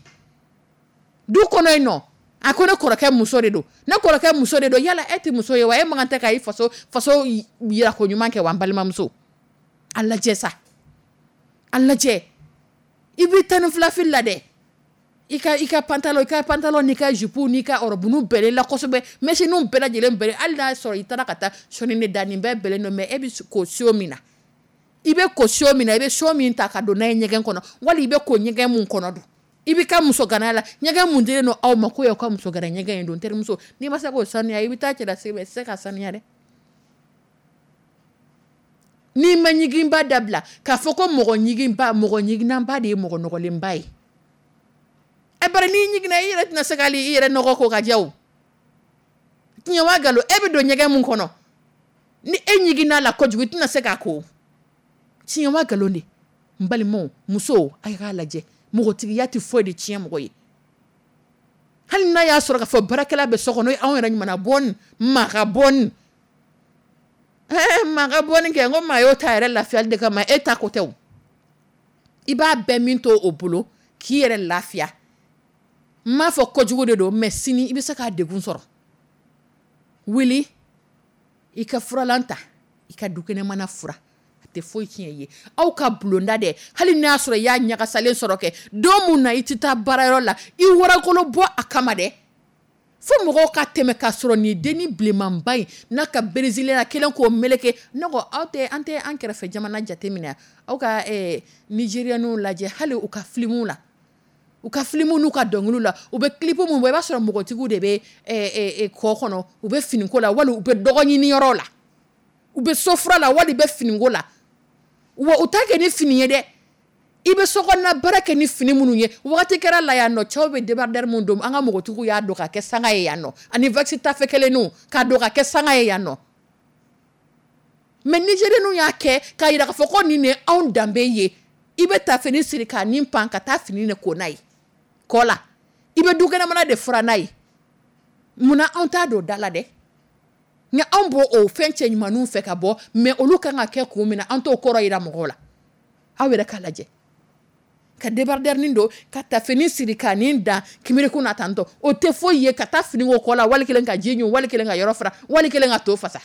du kɔnɔ yen nɔ. A ko ne kɔrɔkɛ muso de don, ne kɔrɔkɛ muso de don. Yala e tɛ muso ye wa? E man kan tɛ ka i faso faso yira ko ɲuman kɛ wa? N balimamuso, a lajɛ sa, a lajɛ. I b'i tan ni fila fili la dɛ, i ka i ka pantalon, i ka pantalon n'i ka jupe n'i ka robe bɛnnen la kosɛbɛ, mɛsiniw bɛɛ lajɛlen bɛnnen, hali n'a sɔrɔ i taara ka taa sɔnni de da, nin bɛɛ bɛnnen don. Mais e bɛ ko seau min na, i bɛ ko seau min na, i bɛ seau min ta ka don n'a ye ɲɛgɛn kɔnɔ, wali i bɛ ko ɲɛgɛn mun kɔnɔ don, i b'i ka muso ganaya la, ɲɛgɛn mun dilen don aw ma ko y'aw ka muso gana ɲɛgɛn ye don. Terimuso, n'i ma se k'o sanuya, i bɛ taa cɛlasigi, i tɛ se ka sanuya dɛ. N'i ma ɲiginba dabila, k'a fɔ ko mɔgɔ ɲiginba, mɔgɔ ɲiginnaba de ye mɔgɔ nɔgɔlenba ye. Ɛ, bari n'i ɲiginna, i yɛrɛ tɛna se k'ale i yɛrɛ nɔgɔ ko ka jɛ o. Tiɲɛ wa nkalon? E bɛ don ɲɛgɛn mun kɔnɔ, ni e ɲiginna la kojugu, i tɛna se k'a ko. Tiɲɛ wa nkalon de? N balimaw, musow, a k'a lajɛ, mɔgɔtigiya tɛ foyi de tiɲɛ mɔgɔ ye. Hali n'a y'a sɔrɔ k'a fɔ baarakɛla bɛ so kɔnɔ, anw yɛrɛ ɲumanna bɔni, maa ka bɔni, maa ka bɔni kɛ, n ko maa y'o ta yɛrɛ lafiyali de kama, e ta ko tɛ o. I b'a bɛɛ min to o bolo k'i yɛrɛ lafiya. N m'a fɔ kojugu de don, mais sini i bɛ se k'a degun sɔrɔ. Wuli i ka furalan ta, i ka dukɛnɛmana fura, a tɛ foyi tiɲɛ i ye. Aw ka bulonda dɛ, hali n'a y'a sɔrɔ i y'a ɲagasalen sɔrɔ kɛ don mun na i tɛ taa baarayɔrɔ la, i warakolo bɔ a kama dɛ, fo mɔgɔw ka tɛmɛ k'a sɔrɔ nin dennin bilenmanba in n'a ka berezilenya kelen k'o meleke. Ne ko aw tɛ, an tɛ an kɛrɛfɛ jamana jateminɛ, aw ka nigérienw lajɛ, hali u ka filimuw la, u ka filimuw n'u ka dɔnkiliw la, u bɛ clip mun bɔ, i b'a sɔrɔ mɔgɔtigiw de bɛ kɔ kɔnɔ, u bɛ finiko la, wali u bɛ dɔgɔ ɲini yɔrɔ la, u bɛ sofura la, wali u bɛ finiko la. Wa u t'a kɛ ni fini ye dɛ, i bɛ sokɔnɔna baara kɛ ni fini minnu ye. Wagati kɛra la yan nɔ, cɛw bɛ débardeur mun don, an ka mɔgɔtigiw y'a don ka kɛ sanga ye yan nɔ, ani waxi tafe kelenninw k'a don ka kɛ sanga ye yan nɔ. Mais nigérienw y'a kɛ k'a jira k'a fɔ ko nin de ye anw danbe ye. I bɛ tafeni siri k'a nin pan ka taa fini de ko n'a ye kɔ la, i bɛ dukɛnɛmana de fura n'a ye. Munna anw t'a don da la dɛ? Nka anw b'o o fɛn cɛ ɲumanninw fɛ ka bɔ, mais olu kan ka kɛ kun min na, an t'o kɔrɔ yira mɔgɔw la. Aw yɛrɛ k'a lajɛ. Ka débardeur nin don, ka tafeni siri ka nin dan kimirikun na tantɔ, o tɛ foyi ye. Ka taa fini ko kɔ la, wali kelen ka ji ɲun, wali kelen ka yɔrɔ fara, wali kelen ka to fasa.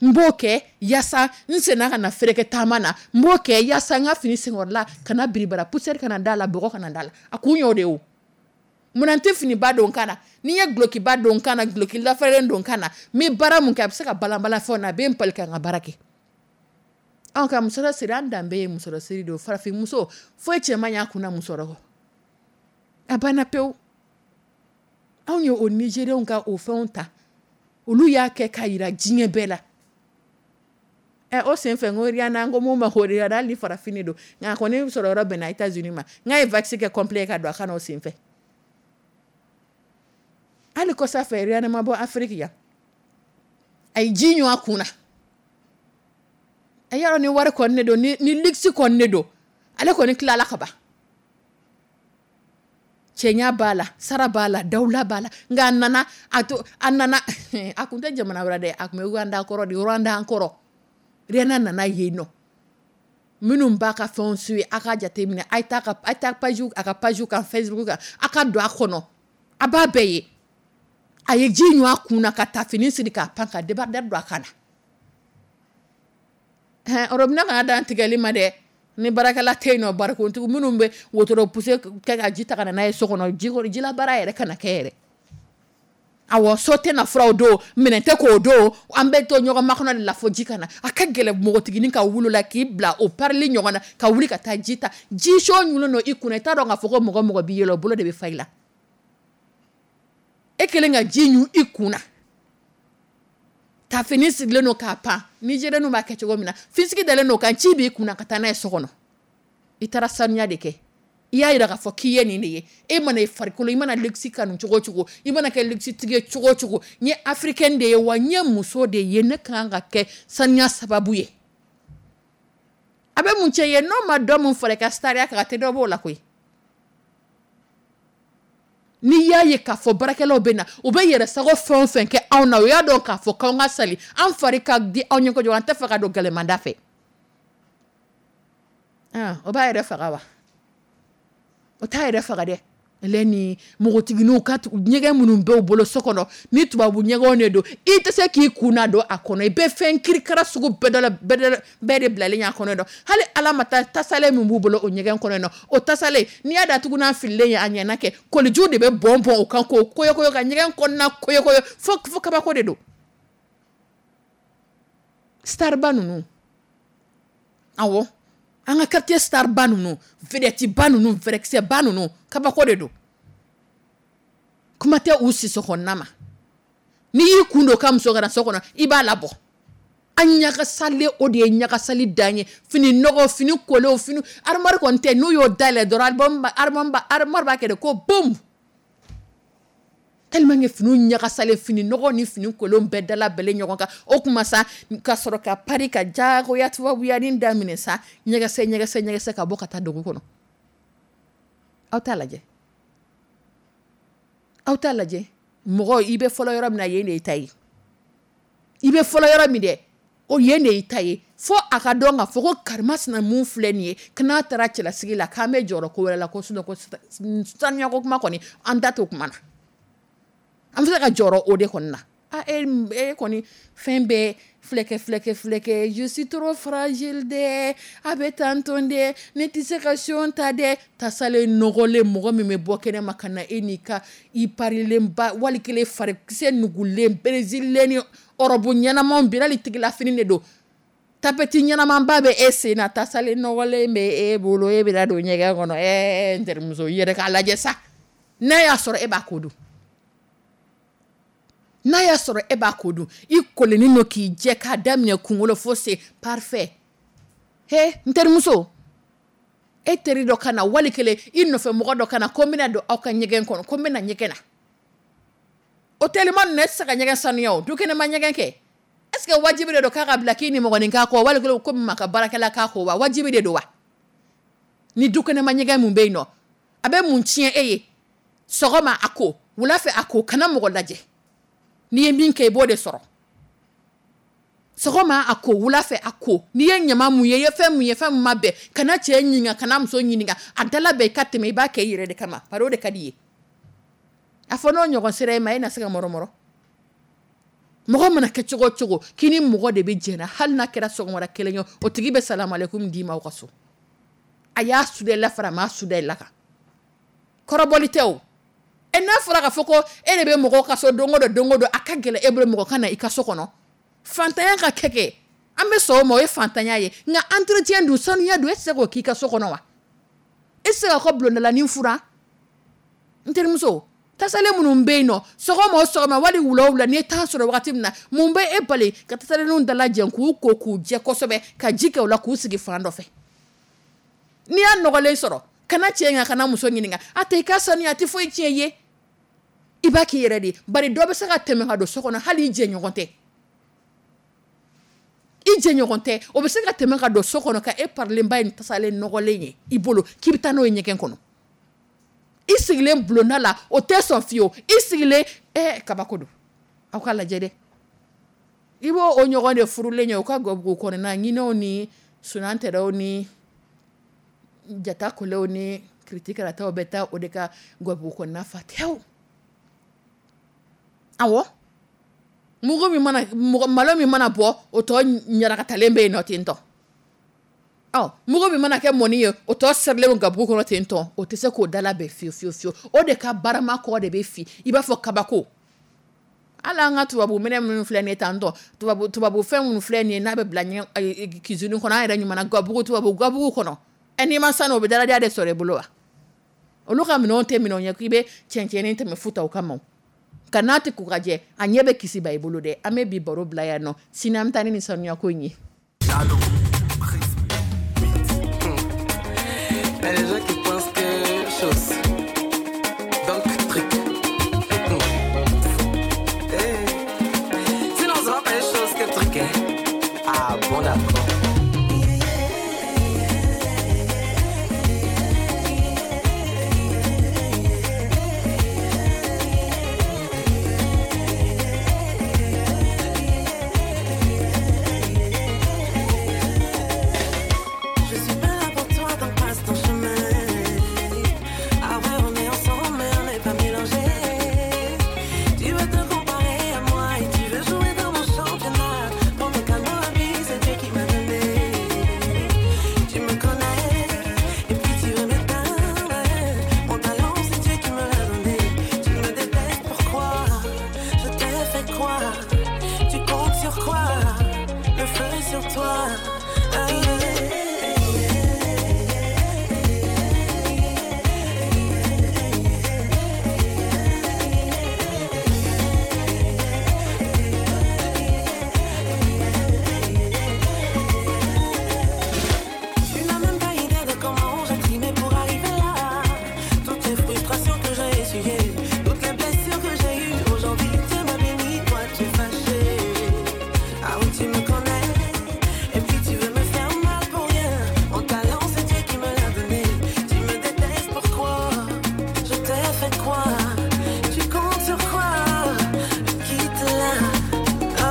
N b'o kɛ yaasa n senna ka na fereke taama na. N b'o kɛ yaasa n ka fini senkɔrɔla kana biribara, poussière kana da la, bɔgɔ kana da la. A kun y'o de ye. O munna n tɛ finiba don n kan na? Ni n ye dulokiba don n kan na, duloki lafɛrɛlen don n kan na, n bɛ baara mun kɛ, a bɛ se ka balanbalan fɛnw na, a bɛ n pali ka n ka baara kɛ. Anw ka musɔrɔ siri, an danbe ye musɔrɔ siri de ye. Farafin muso foyi cɛ man ɲ'a kunna musɔrɔ kɔ, a banna pewu. Anw ye o Nigériens ka o fɛnw ta, olu y'a kɛ k'a yira diɲɛ bɛɛ la. Ɛ, o senfɛ, n ko Rihanna, n ko mun ma ko Rihanna, hali ni farafin de don, nka a kɔni sɔrɔ yɔrɔ bɛnna États-Unis ma, n k'a ye vaccin kɛ complet ka don a kan na o senfɛ. Hali kɔsa fɛ, Rihanna ma bɔ Afrique yan, a ye ji ɲun a kun na. A y'a dɔn ni wari kɔni de don, ni ni luxe kɔni de don, ale kɔni tilala ka ban. Cɛɲa b'a la, sara b'a la, dawula b'a la. Nka a nana a to, a nana, a kun tɛ jamana wɛrɛ dɛ, a kun bɛ Rwanda kɔrɔ de, Rwanda kɔrɔ. Rihanna nana yen nɔ. Minnu b'a ka fɛnw suit, a ka jateminɛ, a ye taa ka, a ye taa page, a ka page kan Facebook kan, a ka don a kɔnɔ, a b'a bɛɛ ye. A ye ji ɲun a kun na, ka taa fini siri k'a pan, ka débardeur don a kan na. Hɛn, robinet kana dan tigɛli ma dɛ. Ni baarakɛla tɛ yen nɔ, barikontigi minnu bɛ wotoro poussé kɛ ka ji ta ka na n'a ye so kɔnɔ, ji jilabaara yɛrɛ kana kɛ yɛrɛ. Awɔ, so tɛ na furaw don, minɛn tɛ k'o don, an bɛ to ɲɔgɔn makɔnɔ de la fo ji ka na. A ka gɛlɛn npogotiginin ka wuli la k'i bila o parili ɲɔgɔn na, ka wuli ka taa ji ta. Ji so ɲunnen don i kunna, i t'a dɔn k'a fɔ ko mɔgɔ mɔgɔ b'i yɛlɛ, o bolo de bɛ fa i la. E kelen ka ji ɲun i kun na, tafini sigilen don k'a pan, Nigérienw b'a kɛ cogo min na, fisigi dalen don kan, ci b'i kun na ka taa n'a ye so kɔnɔ. I taara sanuya de kɛ, i y'a yira k'a fɔ k'i ye nin de ye. E mana i farikolo, i mana luxe kanu cogo o cogo, i mana kɛ luxe tigi ye cogo o cogo, n ye africaine de ye wa n ye muso de ye, ne kan ka kɛ sanuya sababu ye. A bɛ mun cɛ ye n'o ma dɔ mun fara i ka sariya kan, a tɛ dɔ b'o la koyi. N'i y'a ye k'a fɔ baarakɛlaw bɛ na, u bɛ yɛrɛ sago fɛn o fɛn kɛ anw na, u y'a dɔn k'a fɔ k'anw ka sali, an fari ka di anw ye kojugu, an tɛ fɛ ka don gɛlɛmanda fɛ. O b'a yɛrɛ faga wa? O t'a yɛrɛ faga dɛ. Ale ni npogotigininw ka ɲɛgɛn minnu b'u bolo so kɔnɔ, ni tubabu ɲɛgɛnw de don, i tɛ se k'i kun na don a kɔnɔ, i bɛ fɛn kirikara sugu bɛɛ dɔ la, bɛɛ bɛɛ de bilalen y'a kɔnɔ dɔn. Hali ala ma taa tasalen min b'u bolo o ɲɛgɛn kɔnɔ nɔ, o tasalen n'i y'a datugu n'a fililen ye, a ɲɛna kɛ kolijiw de bɛ bɔn bɔn o kan k'o koyokoyo ka ɲɛgɛn kɔnɔna koyokoyo, fo fo kabako de don. Starba ninnu, awɔ, an ka quartier starba ninnu, vedette ba ninnu, fɛrɛkisɛ ba ninnu, kabako de don. Kuma tɛ u siso kɔnɔna ma. N'i y'i kun don ka muso kana so kɔnɔ, i b'a labɔ. An ɲagasalen, o de ye ɲagasali dan ye. Fini nɔgɔ, fini kolenw, fini armoire kɔni tɛ, n'u y'o dayɛlɛ dɔrɔn, album ba, armoire ba, armoire b'a kɛ de ko boum. Tellement que finiw ɲagasalen, fini nɔgɔ ni fini kolenw bɛɛ dala bɛlen ɲɔgɔn kan. O kuma sa, ka sɔrɔ ka pari ka jagoya tubabuya ni daminɛ sa, ɲɛgɛsɛ ɲɛgɛsɛ ɲɛgɛsɛ ka bɔ ka taa dugu kɔnɔ. Aw t'a lajɛ, aw t'a lajɛ. Mɔgɔ, i bɛ fɔlɔ yɔrɔ min na, yen de y'i ta ye. I bɛ fɔlɔ yɔrɔ min dɛ, o yen de y'i ta ye. Fo a ka dɔn k'a fɔ ko karimasina mun filɛ nin ye, ko n'a taara cɛlasigi la, k'an bɛ jɔrɔ ko wɛrɛ la, ko sinon ko saniya ko kuma kɔni, an da t'o kuma na. An bɛ se ka jɔrɔ o de kɔni na. Ah, e, e kɔni fɛn bɛɛ filɛkɛ filɛkɛ filɛkɛ, je suis trop fragile dɛ, a bɛ tan tɔn dɛ, ne tɛ se ka son ta dɛ. Tasalen nɔgɔlen, mɔgɔ min bɛ bɔ kɛnɛ ma ka na e n'i ka i parilenba, wali kelen farikisɛ nugulen, brésilien ni ɔrɔbu ɲɛnamaw bi, hali tigila fini de don, tapeti ɲɛnamanba bɛ e sen na, tasalen nɔgɔlen bɛ e bolo, e bɛna don ɲɛgɛn kɔnɔ. Ɛɛ, n terimuso, i yɛrɛ k'a lajɛ sa, n'a y'a sɔrɔ e b'a ko dun, n'a y'a sɔrɔ e b'a ko dun, i kolenin don k'i jɛ k'a daminɛ kunkolo fo sen parfait. He, n terimuso, e teri dɔ ka na, wali kelen i nɔfɛ mɔgɔ dɔ ka na, ko n bɛna don aw ka ɲɛgɛn kɔnɔ, ko n bɛna ɲɛgɛn na. O teliman ninnu, e tɛ se ka ɲɛgɛn sanuya o, dukɛnɛma ɲɛgɛn kɛ. Est ce que wajibi de don k'a ka bila k'i ni mɔgɔnin k'a kɔ, wali kelen ko maa ka baarakɛla k'a kɔ wa? Wajibi de don wa? Ni dukɛnɛma ɲɛgɛn mun bɛ yen nɔ, a bɛ mun tiɲɛ e ye? Sɔgɔma a ko, wula fɛ a ko, kana mɔgɔ lajɛ. N'i ye min kɛ, i b'o de sɔrɔ. Sɔgɔma a ko, wula fɛ a ko. N'i ye ɲama mun ye, i ye fɛn mun ye, fɛn mun ma bɛn, kana cɛ ɲininka, kana muso ɲininka, a dala bɛn i ka tɛmɛ, i b'a kɛ i yɛrɛ de kama, bari o de ka di i ye. A fɔ n'o ɲɔgɔn sera e ma, e na se ka mɔrɔmɔrɔ. Mɔgɔ mana kɛ cogo o cogo, k'i ni mɔgɔ de bɛ jɛna, hali n'a kɛra sɔgɔmada kelen ye, o tigi bɛ salamalekun d'i ma aw ka so. A y'a suda i la fara, a m'a suda i la kan. Kɔrɔbɔli tɛ o. E n'a fɔra k'a fɔ ko e de bɛ mɔgɔw ka so don o don, don o don, a ka gɛlɛn e bolo mɔgɔ ka na i ka so kɔnɔ. Fantanya ka kɛ kɛ, an bɛ sɔn o ma, o ye fantanya ye. Nka entretien dun, sanuya dun, e tɛ se k'o k'i ka so kɔnɔ wa? E tɛ se k'a ka bulondalanin furan? N terimuso, tasalen minnu bɛ yen nɔ, sɔgɔma o sɔgɔma wali wula o wula, n'i ye temps sɔrɔ wagati min na, mun bɛ e bali ka tasalenninw dalajɛ k'u ko k'u jɛ kosɛbɛ, ka ji kɛ u la k'u sigi fan dɔ fɛ? N'i y'a nɔgɔlen sɔrɔ, kana cɛ ɲininka, kana muso ɲininka, a tɛ i ka sanuya, a tɛ foyi tiɲɛ i ye. I b'a k'i yɛrɛ de ye, bari dɔ bɛ se ka tɛmɛ ka don so kɔnɔ, hali i jɛɲɔgɔn tɛ. I jɛɲɔgɔn tɛ, o bɛ se ka tɛmɛ ka don so kɔnɔ ka e parilenba ye tasalen nɔgɔlen ye i bolo k'i bɛ taa n'o ye ɲɛgɛn kɔnɔ. I sigilen bulonda la, o tɛ sɔn fiyewu. I sigilen, eh, kabako don. Aw ka lajɛ dɛ. I b'o o ɲɔgɔn de furulen ye, o ka gabugu kɔnɔna ɲinɛw ni sunantɛrɛw ni jata kolew ni kiritikarataw bɛ taa o de ka gabugu kɔnɔna fa tewu. Awɔ. Mugu min mana, mɔgɔ, malo min mana bɔ, o tɔ ɲarakatalen bɛ yen nɔ ten tɔ. Ɔ, mugu min mana kɛ mɔni ye, o tɔ sɛrilen gabugu kɔnɔ ten tɔ, o tɛ se k'o da labɛn fiyewu fiyewu fiyewu. O de ka barama kɔ de bɛ fi, i b'a fɔ kabako. Hali an ka tubabu minɛ minnu filɛ nin ye tan tɔ, tubabu, tubabu fɛn minnu filɛ nin ye, n'a bɛ bila ɲɛ, cuisine kɔnɔ, an yɛrɛ ɲuman gabugu, tubabu gabugu kɔnɔ. Ɛ, n'i ma sanu, o bɛ daladiya de sɔrɔ i bolo wa? Olu ka minɛnw tɛ minɛnw ye k'i bɛ cɛncɛnnin tɛmɛ futa o kama. Ka n'a tɛ ko ka jɛ, a ɲɛ bɛ kisi ba i bolo dɛ. An bɛ bi baro bila yan nɔ, sini an bɛ taa ni nin sanuya ko in ye. Il y a des gens qui pensent que chose. Donc, truc. Hey. Sinon, on sera pas les choses que truc. Hein. Ah, bon, d'accord. Je suis pas là pour toi, donc passe ton chemin. Ah ouais, on est ensemble, mais on n'est pas mélangés. Tu veux te comparer à moi et tu veux jouer dans mon championnat. Bon, mais calme-toi, vie, c'est Dieu qui m'a donné. Tu me connais, et puis tu veux m'éteindre. Mon talent, c'est Dieu qui me l'a donné. Tu me détestes, pourquoi? Je t'ai fait quoi? Tu comptes sur quoi? Le feu est sur toi. Ah, Tu n'as même pas idée de comment j'ai trimé pour arriver là. Toutes les frustrations que j'ai essuyées, toutes les blessures que j'ai eues. Aujourd'hui, Dieu m'a béni, toi tu es fâché. Ah oui, tu me connais, et puis tu veux me faire mal pour rien. Mon talent, c'est Dieu qui me l'a donné. Tu me détestes, pourquoi? Je t'ai fait quoi? Tu comptes sur quoi? Quitte là. Oh.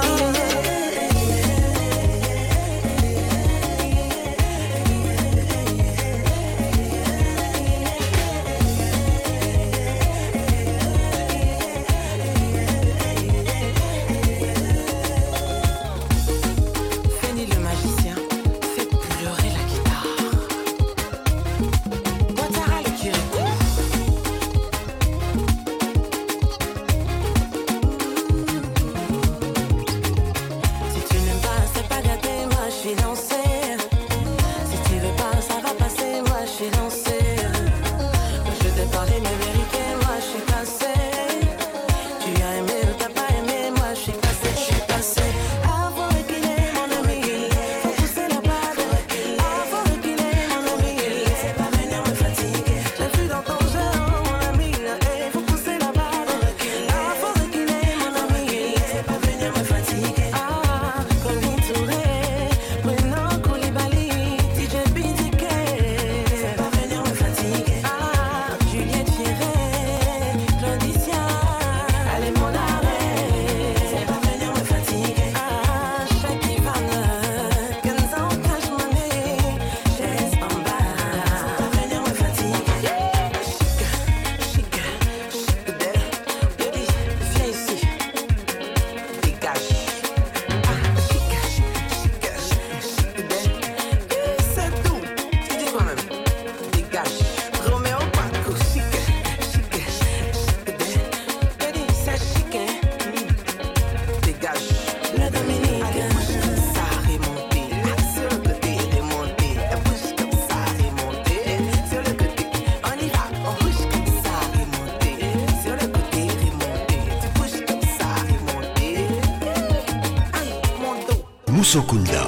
Musokunda.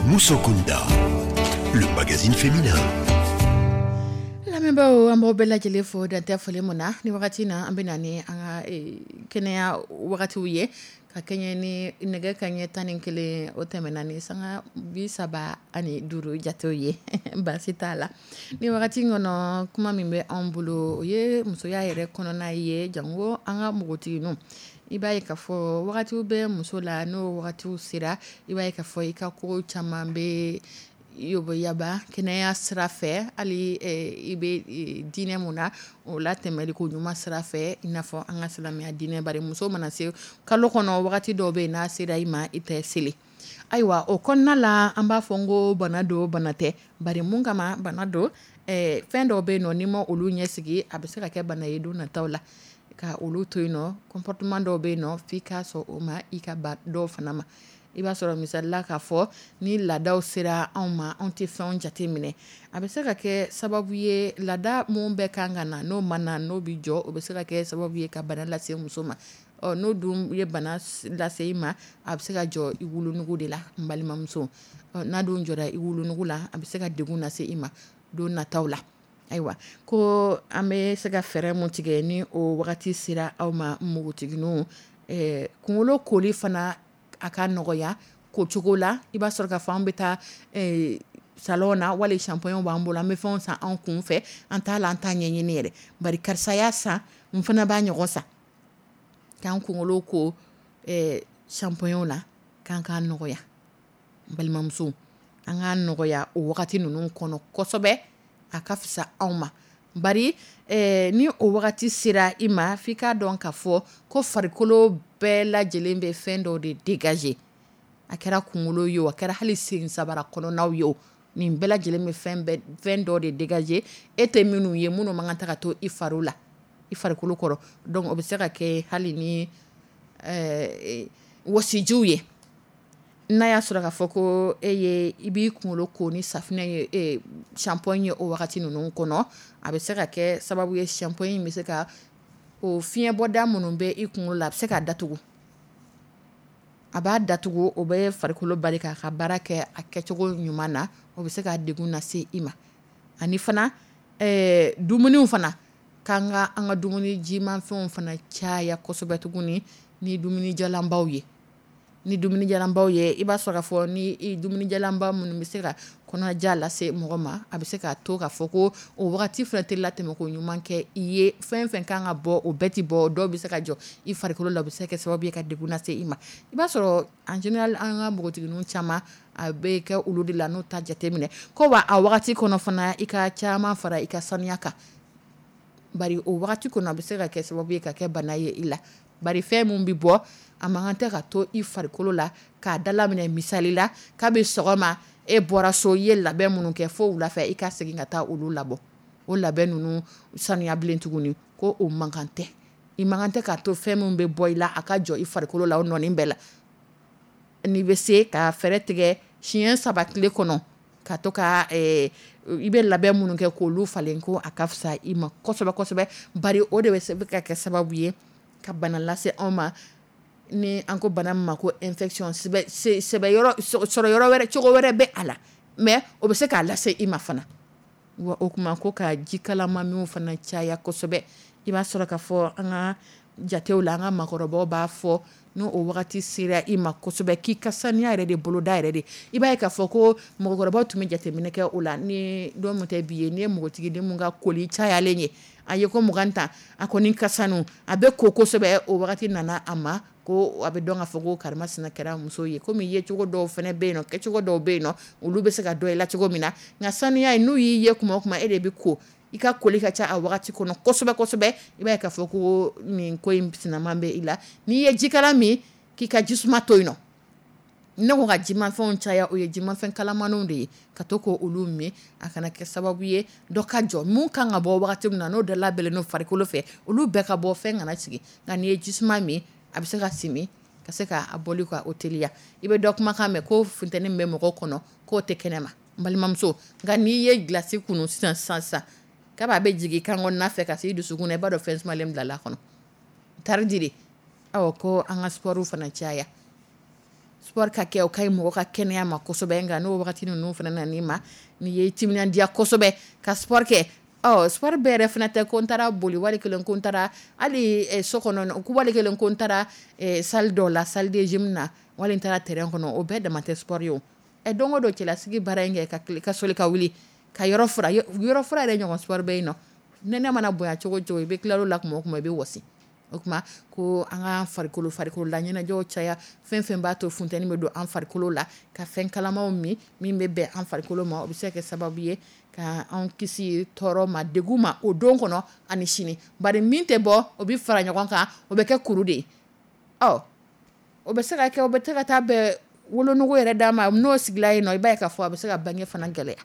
Musokunda, le magazine féminin. Lamɛnbaaw, an b'aw bɛɛ lajɛlen fo dantɛ foli mun na. Ni wagati na, an bɛ na ni an ka kɛnɛya wagatiw ye ka kɛɲɛ ni nɛgɛ kaɲɛ tan ni kelen o tɛmɛna ni sanga bi saba ani duuru jatew ye. Baasi t'a la. Ni wagati kɔnɔ, kuma min bɛ anw bolo, o ye musoya yɛrɛ kɔnɔna ye, jango an ka npogotigininw. I b'a ye k'a fɔ wagatiw bɛ muso la, n'o wagatiw sera, i b'a ye k'a fɔ i ka ko caman bɛ yaba kɛnɛya sira fɛ, hali i bɛ diinɛ mun na, o la tɛmɛli ko ɲuman sira fɛ, i n'a fɔ an ka silamɛya diinɛ. Bari muso mana se kalo kɔnɔ, wagati dɔw bɛ yen, n'a sera i ma, i tɛ seli. Ayiwa, o kɔnɔna la, an b'a fɔ n ko bana don, bana tɛ. Bari mun kama bana don? Fɛn dɔw bɛ yen nɔ, n'i ma olu ɲɛsigi, a bɛ se ka kɛ bana ye don nataw la. Ka olu to yen nɔ, comportement dɔw bɛ yen nɔ, f'i ka sɔn o ma, i ka ba dɔw fana ma. I b'a sɔrɔ misalila k'a fɔ ni laadaw sera anw ma, anw tɛ fɛnw jate minɛ, a bɛ se ka kɛ sababu ye, laada mun bɛ kan ka na, n'o ma na, n'o bɛ jɔ, o bɛ se ka kɛ sababu ye ka bana lase muso ma. Ɔ n'o dun ye bana lase i ma, a bɛ se ka jɔ i wolonugu de la, n balimamuso. Ɔ n'a dun jɔra i wolonugu la, a bɛ se ka degun lase i ma don nataw la. Ayiwa, ko an bɛ se ka fɛɛrɛ mun tigɛ ni o wagati sera aw ma, npogotigininw? Ɛɛ kunkolo koli fana, a ka nɔgɔya ko cogo la, i b'a sɔrɔ ka fɔ an bɛ taa salon na, wali shampoing b'an bolo, an bɛ fɛnw san an kun fɛ, an t'a la, an t'a ɲɛɲini yɛrɛ. Bari karisa y'a san, n fana b'a ɲɔgɔn san. K'an kunkolo ko ɛɛ shampoing la, k'an k'a nɔgɔya, n balimamuso, an k'a nɔgɔya o wagati ninnu kɔnɔ kosɛbɛ, a ka fisa anw ma. Bari ɛɛ ni o wagati sera i ma, f'i k'a dɔn k'a fɔ ko farikolo bɛɛ lajɛlen bɛ fɛn dɔw de dégager. A kɛra kunkolo ye o, a kɛra hali sen sabara kɔnɔnaw ye o, nin bɛɛ lajɛlen bɛ fɛn bɛɛ fɛn dɔw de dégager, e tɛ minnu ye, minnu man kan ta ka to i fari la, i farikolo kɔrɔ. Donc o bɛ se ka kɛ hali ni ɛɛ wɔsijiw ye. N'a y'a sɔrɔ k'a fɔ ko e ye i b'i kunkolo ko ni safinɛ ye, shampoing ye, o wagati ninnu kɔnɔ, a bɛ se ka kɛ sababu ye, shampoing bɛ se ka o fiɲɛbɔda minnu bɛ i kunkolo la, a bɛ se k'a datugu. A b'a datugu, o bɛ farikolo bali k'a ka baara kɛ a kɛcogo ɲuman na, o bɛ se ka degun lase i ma. Ani fana ɛɛ dumuniw fana, k'an ka an ka dumuni jimafɛnw fana caya kosɛbɛ tuguni ni dumunijalanbaw ye. Ni dumunijalanbaw ye, i b'a sɔrɔ k'a fɔ ni dumunijalanba minnu bɛ se ka kɔnɔja lase mɔgɔ ma, a bɛ se k'a to k'a fɔ ko o wagati fana tɛ latɛmɛ ko ɲuman kɛ i ye. Fɛn fɛn kan ka bɔ, o bɛɛ ti bɔ, dɔw bɛ se ka jɔ i farikolo la, o bɛ se ka kɛ sababu ye ka degun lase i ma. I b'a sɔrɔ en général, an ka npogotigininw caman, a bɛ kɛ olu de la, n'u ta jateminɛ ko wa a wagati kɔnɔ fana, i ka caman fara i ka saniya kan. Bari o wagati kɔnɔ, a bɛ se ka kɛ sababu ye ka kɛ bana ye i la. Bari fɛn mun bɛ bɔ, a man kan tɛ ka to i farikolo la k'a dalaminɛ. Misali la, kabi sɔgɔma e bɔra so, i ye labɛn minnu kɛ, fo wula fɛ i ka segin ka taa olu labɔ, o labɛn ninnu saniya bilen tuguni, ko o man kan tɛ. I man kan tɛ k'a to fɛn min bɛ bɔ i la, a ka jɔ i farikolo la o nɔɔni bɛɛ la. N'i bɛ se ka fɛɛrɛ tigɛ siɲɛ saba tile kɔnɔ, ka to ka i bɛ labɛn minnu kɛ k'olu falen, ko a ka fisa i ma kosɛbɛ kosɛbɛ. Bari o de bɛ se ka kɛ sababu ye ka bana lase anw ma, ni an ko bana min ma ko infection. Sɛbɛ yɔrɔ sɔrɔ yɔrɔ wɛrɛ, cogo wɛrɛ bɛ a la, mais o bɛ se k'a lase i ma fana. Wa o kuma, ko ka ji kalama minw fana caya kosɛbɛ. I b'a sɔrɔ k'a fɔ an ka jatew la, an ka maakɔrɔbaw b'a fɔ, n'o o wagati sera i ma kosɛbɛ, k'i ka saniya yɛrɛ de boloda yɛrɛ de. I b'a ye k'a fɔ ko mɔgɔkɔrɔbaw tun bɛ jateminɛ kɛ o la ni don min tɛ bi ye. N'i ye npogotigiden mun ka koli cayalen ye, a ye ko mugan ta, a kɔni ka sanu, a bɛ ko kosɛbɛ, o wagati nana a ma, ko a bɛ dɔn k'a fɔ ko karimasina kɛra muso ye. Komi yecogo dɔw fana bɛ yen nɔ, kɛcogo dɔw bɛ yen nɔ, olu bɛ se ka dɔn i la cogo min na. Nka saniya ye, n'u y'i ye kuma o kuma, e de bɛ ko, i ka koli ka ca a wagati kɔnɔ kosɛbɛ kosɛbɛ, i b'a ye k'a fɔ ko nin ko in sinaman bɛ i la. N'i ye jikala min, k'i ka jisuma to yen nɔ. Ne ko ka jimafɛnw caya, o ye jimafɛn kalamanw de ye, ka to ko olu min, a kana kɛ sababu ye dɔ ka jɔ. Mun kan ka bɔ wagati min na, n'o da labɛnnen don farikolo fɛ, olu bɛɛ ka bɔ, fɛn kana sigi. Nka n'i ye jisuma min, a bɛ se ka simi ka se k'a bɔli ka o teliya. I bɛ dɔ kumakan mɛn ko funteni bɛ mɔgɔ kɔnɔ, k'o tɛ kɛnɛ ma, n balimamuso. Nka n'i ye gilasi kunu sisan sisan sisan, k'a bɛ jigin kan kɔnɔna fɛ ka se i dusukun na, i b'a dɔn fɛn sumalen bilala a kɔnɔ tari di. Awɔ, ko an ka sport fana caya. Sport ka kɛ, o ka ɲi mɔgɔ ka kɛnɛya ma kosɛbɛ. Nka n'o wagati ninnu fana nan'i ma, n'i ye timinandiya kosɛbɛ ka sport kɛ, ɔ sport bɛɛ yɛrɛ fana tɛ ko n taara boli wali kelen ko n taara hali so kɔnɔ, ko wali kelen ko n taara salle dɔ la, salle de gym na, wali n taara terrain kɔnɔ, o bɛɛ dama tɛ sport ye o. Ɛ don o don cɛlasigi baara in kɛ, ka ka soli ka wuli ka yɔrɔ fura, yɔrɔ fura yɛrɛ ɲɔgɔn sport bɛ yen nɔ. Nɛnɛ mana bonya cogo o cogo, i bɛ tila la tuma o tuma i bɛ wɔsi. O tuma ko an ka farikolo farikolo la ɲɛnajɛw caya, fɛn fɛn b'a to funteni bɛ don an farikolo la, ka fɛn kalamaw min min bɛ bɛn an farikolo ma, o bɛ se ka kɛ sababu ye ka an kisi tɔɔrɔ ma, degun ma o don kɔnɔ ani sini. Bari min tɛ bɔ, o bɛ fara ɲɔgɔn kan, o bɛ kɛ kuru de ye. Ɔ o bɛ se ka kɛ, o bɛ se ka taa bɛn wolonugu yɛrɛ d'a ma, n'o sigila yen nɔ, i b'a ye k'a fɔ a bɛ se ka bange fana gɛlɛya.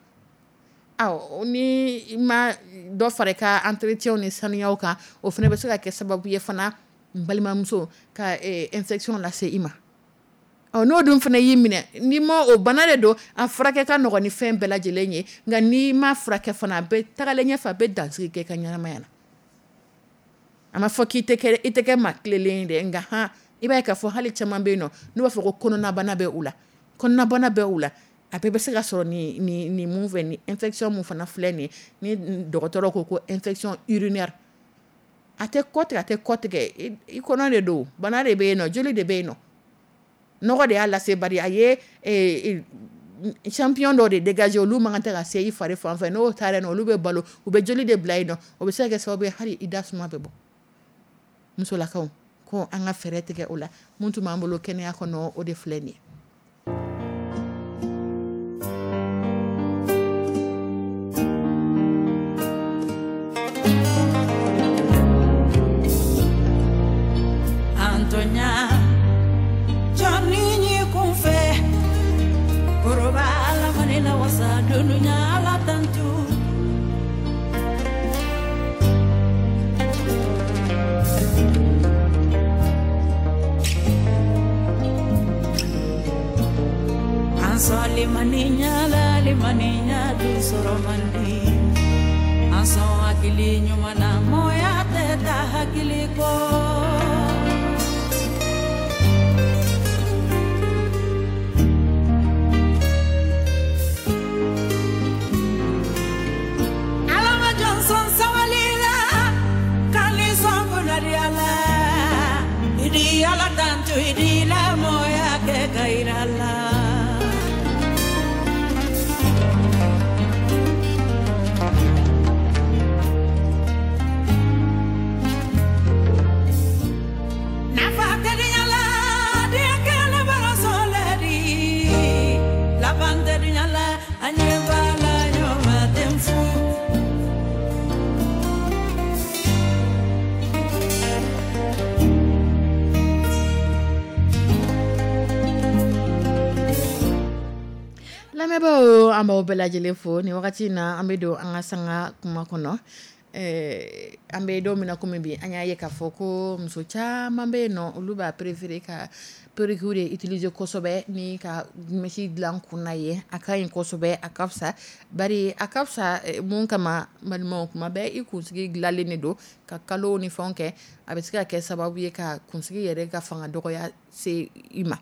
Awɔ, ni ma dɔ fara i ka entretien ni sanuyaw kan, o fana bɛ se ka kɛ sababu ye fana, n balimamuso, ka infection lase i ma. Ɔ n'o dun fana y'i minɛ, n'i ma o bana de don, a furakɛ ka nɔgɔn ni fɛn bɛɛ lajɛlen ye, nka n'i ma furakɛ fana, a bɛ tagalen ɲɛfɛ, a bɛ dansigi kɛ i ka ɲɛnamaya la. A ma fɔ k'i tɛ kɛ i tɛ kɛ maa tilenlen ye dɛ, nka han, i b'a ye k'a fɔ hali caman bɛ yen nɔ, n'u b'a fɔ ko kɔnɔnabana bɛ u la, kɔnɔnabana bɛ u la, a bɛɛ bɛ se ka sɔrɔ nin nin nin mun fɛ, nin infection mun fana filɛ nin ye, ni dɔgɔtɔrɔ ko ko infection urinaire, a tɛ kɔ tigɛ, a tɛ kɔ tigɛ, i kɔnɔ de don, bana de bɛ yen nɔ, joli de bɛ yen nɔ, nɔgɔ de y'a lase, bari a ye champion dɔ de dégager, olu man kan tɛ ka se i fari fan fɛ, n'o taara yen nɔ, olu bɛ balo, u bɛ joli de bila yen nɔ, o bɛ se ka kɛ sababu ye hali i da suma bɛ bɔ. Musolakaw, ko an ka fɛɛrɛ tigɛ o la. Mun tun b'an bolo kɛnɛya kɔnɔ, o de filɛ nin ye. Lamɛnbaaw, an b'aw bɛɛ lajɛlen fo nin wagati in na. An bɛ don an ka sanga kuma kɔnɔ. An bɛ don min na komi bi, an y'a ye k'a fɔ ko muso caman bɛ yen nɔ, olu b'a préféré ka perruque de utiliser kosɛbɛ ni ka mèche dilan kun na ye. A ka ɲi kosɛbɛ, a ka fisa, bari a ka fisa mun kama, balimaw, kuma bɛɛ i kunsigi dilanlen de don ka kalo ni fɛnw kɛ, a bɛ se ka kɛ sababu ye ka kunsigi yɛrɛ ka fanga dɔgɔya se i ma,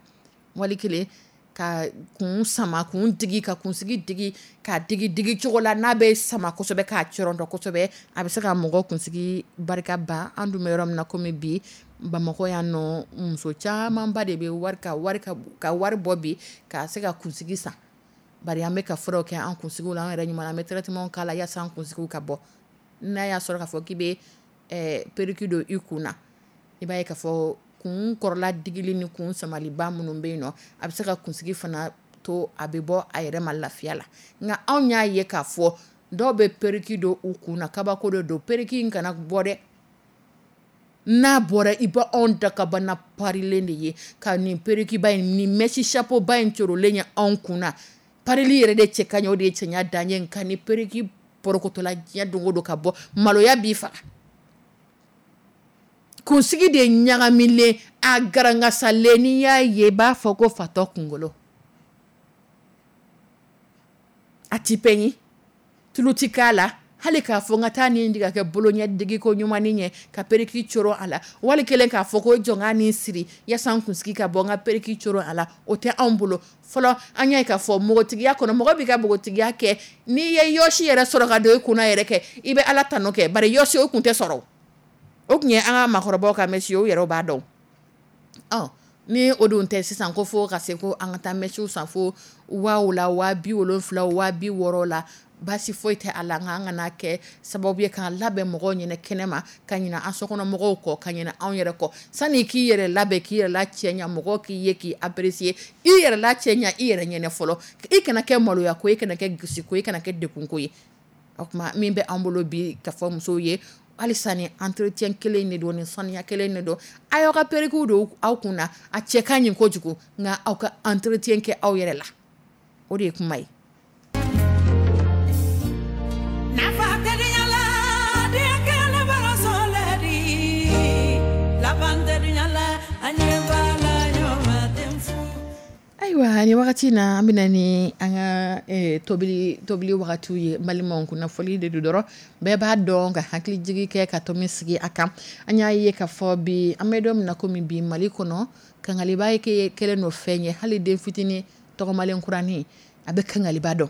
wali kelen ka kun sama, kun digi, ka kunsigi digi, k'a digi digi cogo la n'a bɛ sama kosɛbɛ, k'a cɔrɔntɔ kosɛbɛ, a bɛ se ka mɔgɔ kunsigi barika ban. An dun bɛ yɔrɔ min na komi bi, Bamakɔ yan nɔ, muso camanba de bɛ wari ka wari ka ka wari bɔ bi ka se ka kunsigi san. Bari an bɛ ka furaw kɛ an kunsigiw la, an yɛrɛ ɲuman an bɛ traitement k'a la yaasa an kunsigiw ka bɔ. N'a y'a sɔrɔ k'a fɔ k'i bɛ perruque don i kun na, i b'a ye k'a fɔ kun kɔrɔla digili ni kun samaliba minnu bɛ yen nɔ, a bɛ se ka kunsigi fana to a bɛ bɔ a yɛrɛ ma lafiya la. Nka anw y'a ye k'a fɔ dɔw bɛ perruque don u kun na, kabako de don, perruque in kana bɔ dɛ. N'a bɔra, i bɛ anw dakabana parilen de ye ka nin perruque ba in, nin mèche chapeau ba in corolen ye anw kun na. Parili yɛrɛ de cɛ ka ɲɛ, o de ye cɛɲa dan ye. Nka ni perruque porokotola diɲɛ don o don ka bɔ, maloya b'i faga. Kunsigi de ɲagamilen, a garangasalen, n'i y'a ye i b'a fɔ ko fatɔ kunkolo. A ti pɛɲi, tulu ti k'a la, Hali k'a fɔ n ka taa nin ka kɛ bolo ɲɛ digi ko ɲuman ɲɛ ka perruque coron a la, wali kelen k'a fɔ ko jɔn ka nin siri yaasa n kunsigi ka bɔ n ka perruque coron a la, o tɛ anw bolo. Fɔlɔ an y'a ye k'a fɔ npogotigiya kɔnɔ, mɔgɔ b'i ka npogotigiya kɛ, n'i ye yɔsi yɛrɛ sɔrɔ ka don i kunna yɛrɛ kɛ, i bɛ Ala tanu kɛ, bari yɔsi o tun tɛ sɔrɔ, o tun ye an ka maakɔrɔbaw ka mèche ye, o yɛrɛ b'a dɔn. Ɔ ni o dun tɛ sisan, ko fo ka se ko an ka taa mèche san fo waaw la, waa bi wolonfila, waa bi wɔɔrɔ la, baasi foyi tɛ a la. Nka an kana kɛ sababu ye k'an labɛn mɔgɔw ɲɛna kɛnɛma, ka ɲinɛ an sokɔnɔmɔgɔw kɔ, ka ɲinɛ anw yɛrɛ kɔ. Sani k'i yɛrɛ labɛn, k'i yɛrɛ la cɛɲa, mɔgɔw k'i ye k'i apprécier, i yɛrɛ la cɛɲa i yɛrɛ ɲɛnɛ fɔlɔ. I kana kɛ maloya ko ye, i kana kɛ gasi ko ye, i kana kɛ degun ko ye. O tuma min bɛ an bolo bi ka fɔ musow ye halisa, ni entretien kelen de don, ni saniya kelen de don. A y'aw ka perruque don aw kun na, a cɛ ka ɲi kojugu, nka aw ka entretien kɛ aw yɛrɛ la, o de ye kuma ye. Ayiwa, ni wagati na an bɛna ni an ka tobili tobili wagatiw ye. Balimaw, kunnafoni de don dɔrɔn, bɛɛ b'a dɔn ka hakili jigi kɛ ka tomi sigi a kan. An y'a ye ka fɔ bi, an bɛ don min na komi bi, Mali kɔnɔ, kangaliba ye kɛlen don fɛn ye. Hali den fitinin tɔgɔmalen kuranin a bɛ kangaliba dɔn.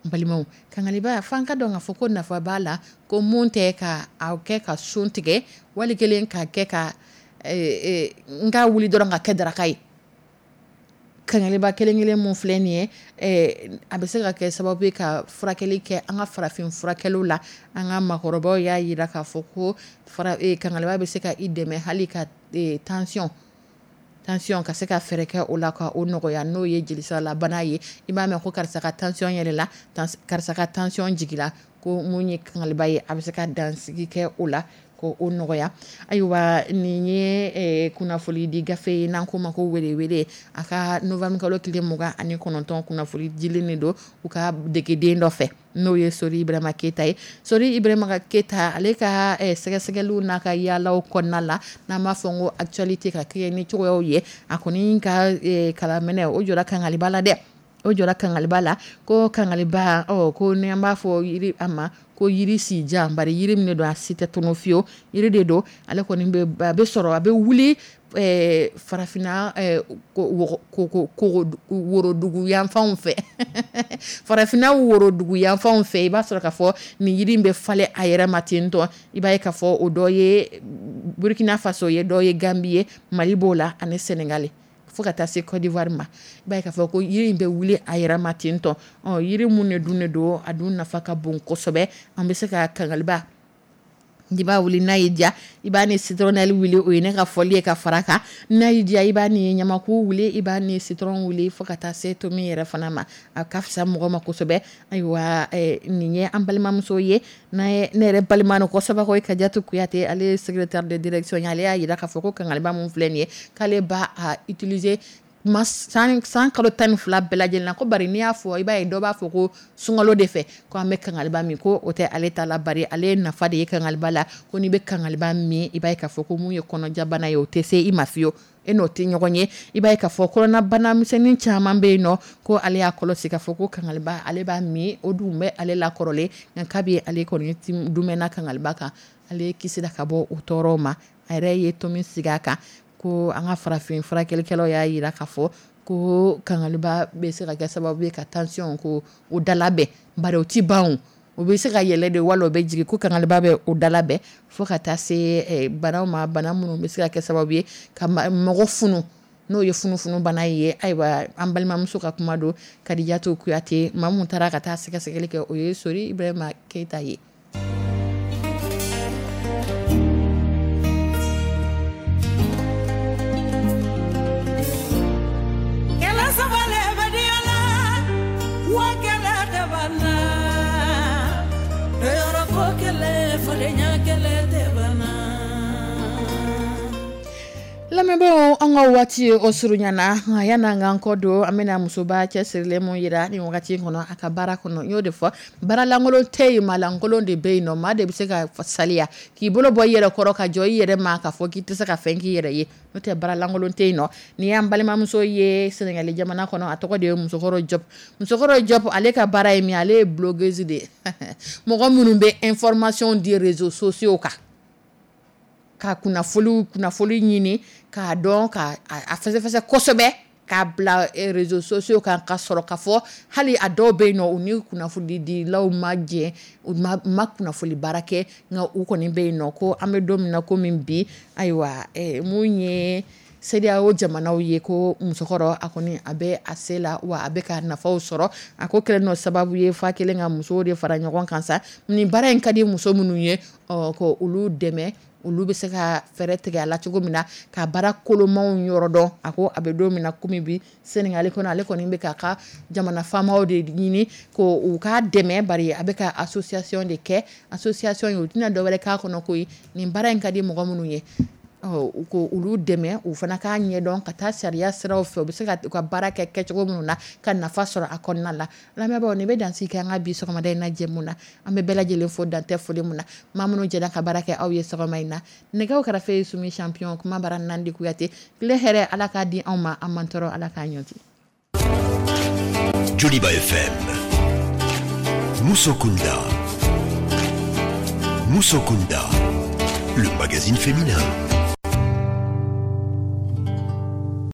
Balimaw, kangaliba f'an ka dɔn k'a fɔ ko nafa b'a la, ko mun tɛ ka aw kɛ ka sun tigɛ, wali kelen ka kɛ ka n ka wuli dɔrɔn ka kɛ daraka ye. Kangaliba kelen kelen mun filɛ nin ye, a bɛ se ka kɛ sababu ye ka furakɛli kɛ an ka farafin furakɛliw la. An ka maakɔrɔbaw y'a jira k'a fɔ ko kangaliba bɛ se ka i dɛmɛ hali ka tension tension ka se ka fɛɛrɛ kɛ o la ka o nɔgɔya, n'o ye jelisiralabana ye. I b'a mɛn ko karisa ka tension yɛlɛla, karisa ka tension jigila, ko mun ye kangaliba ye, a bɛ se ka dansigi kɛ o la ko o nɔgɔya. Ayiwa, nin ye kunnafoni di gafe ye n'an k'o ma ko welewele. A ka novembre kalo tile mugan ani kɔnɔntɔn kunnafoni dilen de don u ka degeden dɔ fɛ, n'o ye Sori Ibrahima Keyita ye. Sori Ibrahima Keyita, ale ka sɛgɛsɛgɛliw n'a ka yaalaw kɔnɔna la, n'an b'a fɔ ko actualité ka kɛ ni cogoyaw ye, a kɔni ka kalanminɛ o jɔra kangaliba la dɛ. O jɔra kangaliba la ko kangaliba, ɔ ko ni an b'a fɔ yiri a ma ko yiri si jan, bari yiri min don a si tɛ tunu fiyewu, yiri de don. Ale kɔni bɛ a bɛ sɔrɔ, a bɛ wuli farafinna worodugu yanfanw fɛ, farafinna worodugu yanfanw fɛ. I b'a sɔrɔ k'a fɔ nin yiri in bɛ falen a yɛrɛ ma ten tɔ. I b'a ye k'a fɔ o dɔ ye Burkina Faso ye, dɔ ye Gambie ye, Mali b'o la ani Sénégal, fo ka taa se Côte d'Ivoire ma. I b'a ye k'a fɔ ko yiri in bɛ wuli a yɛrɛ ma ten tɔ. Ɔ yiri mun de dun de don, a dun nafa ka bon kosɛbɛ. An bɛ se ka kangaliba, i b'a wuli n'a y'i diya, i b'a ni citronnelle wuli, o ye ne ka fɔli ye ka fara kan. N'a y'i diya, i b'a ni ɲamaku wuli, i b'a ni citron wuli, fo ka taa se tomi yɛrɛ fana ma. A ka fisa mɔgɔ ma kosɛbɛ. Ayiwa, nin ye an balimamuso ye, n'a ye ne yɛrɛ balima no kosɛbɛ, ko Kadiatou Kuyate, ale ye secrétaire de direction ye. Ale y'a jira k'a fɔ ko kangaliba mun filɛ nin ye, k'ale b'a a utiliser ma san san kalo tan ni fila bɛɛ lajɛlen na. Ko bari n'i y'a fɔ, i b'a ye dɔ b'a fɔ ko sunkalo de fɛ ko an bɛ kangaliba min, ko o tɛ ale ta la, bari ale ye nafa de ye kangaliba la. Ko n'i bɛ kangaliba min, i b'a ye k'a fɔ ko mun ye kɔnɔjabana ye, o tɛ se i ma fiyewu, e n'o tɛ ɲɔgɔn ye. I b'a ye k'a fɔ kɔnɔnabana misɛnnin caman bɛ yen nɔ, ko ale y'a kɔlɔsi k'a fɔ ko kangaliba ale b'a min, o dun bɛ ale la kɔrɔlen, nka kabi ale kɔni dumɛnna kangaliba kan, ale kisira ka bɔ o tɔɔrɔw ma. A yɛrɛ ye tomi sigi a kan ko an ka farafin furakɛlikɛlaw y'a jira k'a fɔ ko kangaliba bɛ se ka kɛ sababu ye ka tension ko o dalabɛn, bari o ti ban, o bɛ se ka yɛlɛ de wala o bɛ jigin, ko kangaliba bɛ o dalabɛn fo ka taa se banaw ma, bana minnu bɛ se ka kɛ sababu ye ka mɔgɔ funu, n'o ye funufunu bana ye. Ayiwa, an balimamuso ka kuma don, Kadiatou Kuyate, maa mun taara ka taa sɛgɛsɛgɛli kɛ, o ye Sori Ibrahima Keyita ye. Lamɛnbagaw Kanubaw, an ka waati o surunyana, nka yan'an k'an kɔ don, an bɛna musoba cɛsirilen mun yira nin wagati in kɔnɔ a ka baara kɔnɔ. N y'o de fɔ, baaralankolon tɛ yen, maalankolon de bɛ yen nɔ. Maa de bɛ se ka saliya k'i bolo bɔ i yɛrɛ kɔrɔ ka jɔ i yɛrɛ ma k'a fɔ k'i tɛ se ka fɛn k'i yɛrɛ ye, n'o tɛ baaralankolon tɛ yen nɔ. N'i y'an balimamuso ye Sɛnɛgali jamana kɔnɔ, a tɔgɔ de ye Musokɔrɔ Jɔp. Musokɔrɔ Jɔp, ale ka baara ye min ye, ale ye blogueuse de ye, mɔgɔ minnu bɛ information di réseaux sociaux kan, ka kunnafoni kunnafoni ɲini k'a dɔn, ka a fɛsɛfɛsɛ kosɛbɛ, k'a bila réseaux sociaux kan, ka sɔrɔ ka fɔ hali a dɔw bɛ yen nɔ, u ni kunnafonidilaw ma jɛ, u ma ma kunnafoni baara kɛ, nka u kɔni bɛ yen nɔ. Ko an bɛ don min na komi bi, ayiwa, mun ye CEDEAO jamanaw ye, ko musokɔrɔ a kɔni a bɛ a se la, wa a bɛ ka nafaw sɔrɔ. A ko kɛlen n'o sababu ye fa kelen ka musow de fara ɲɔgɔn kan sa. Nin baara in ka di muso minnu ye, ɔ ko olu dɛmɛ, olu bɛ se ka fɛɛrɛ tigɛ a la cogo min na ka baara kolomaw yɔrɔ dɔn. A ko a bɛ don min na komi bi, Sénégal kɔnɔ, ale kɔni bɛ k'a ka jamana faamaw de ɲini ko u k'a dɛmɛ, bari a bɛ ka association de kɛ. Association in, u tɛna dɔwɛrɛ k'a kɔnɔ koyi, nin baara in ka di mɔgɔ minnu ye, u ko olu dɛmɛ, u fana k'a ɲɛdɔn ka taa sariya siraw fɛ, u bɛ se ka u ka baara kɛ kɛcogo minnu na ka nafa sɔrɔ a kɔnɔna la. Lamɛnbaaw, nin bɛ dansigi kɛ an ka bi sɔgɔmada in na jɛmu na. An bɛ bɛɛ lajɛlen fo dantɛ foli mun na, maa minnu jɛra ka baara kɛ aw ye sɔgɔma in na. Nɛgɛw kɛrɛfɛ ye Sumi Champion, kuma bara Nandi Kuyate. Tile hɛrɛ, Ala k'a di anw ma, an man tɔɔrɔ, Ala k'a ɲɔti. Joliba F M. Musokunda. Musokunda. Le magazine féminin.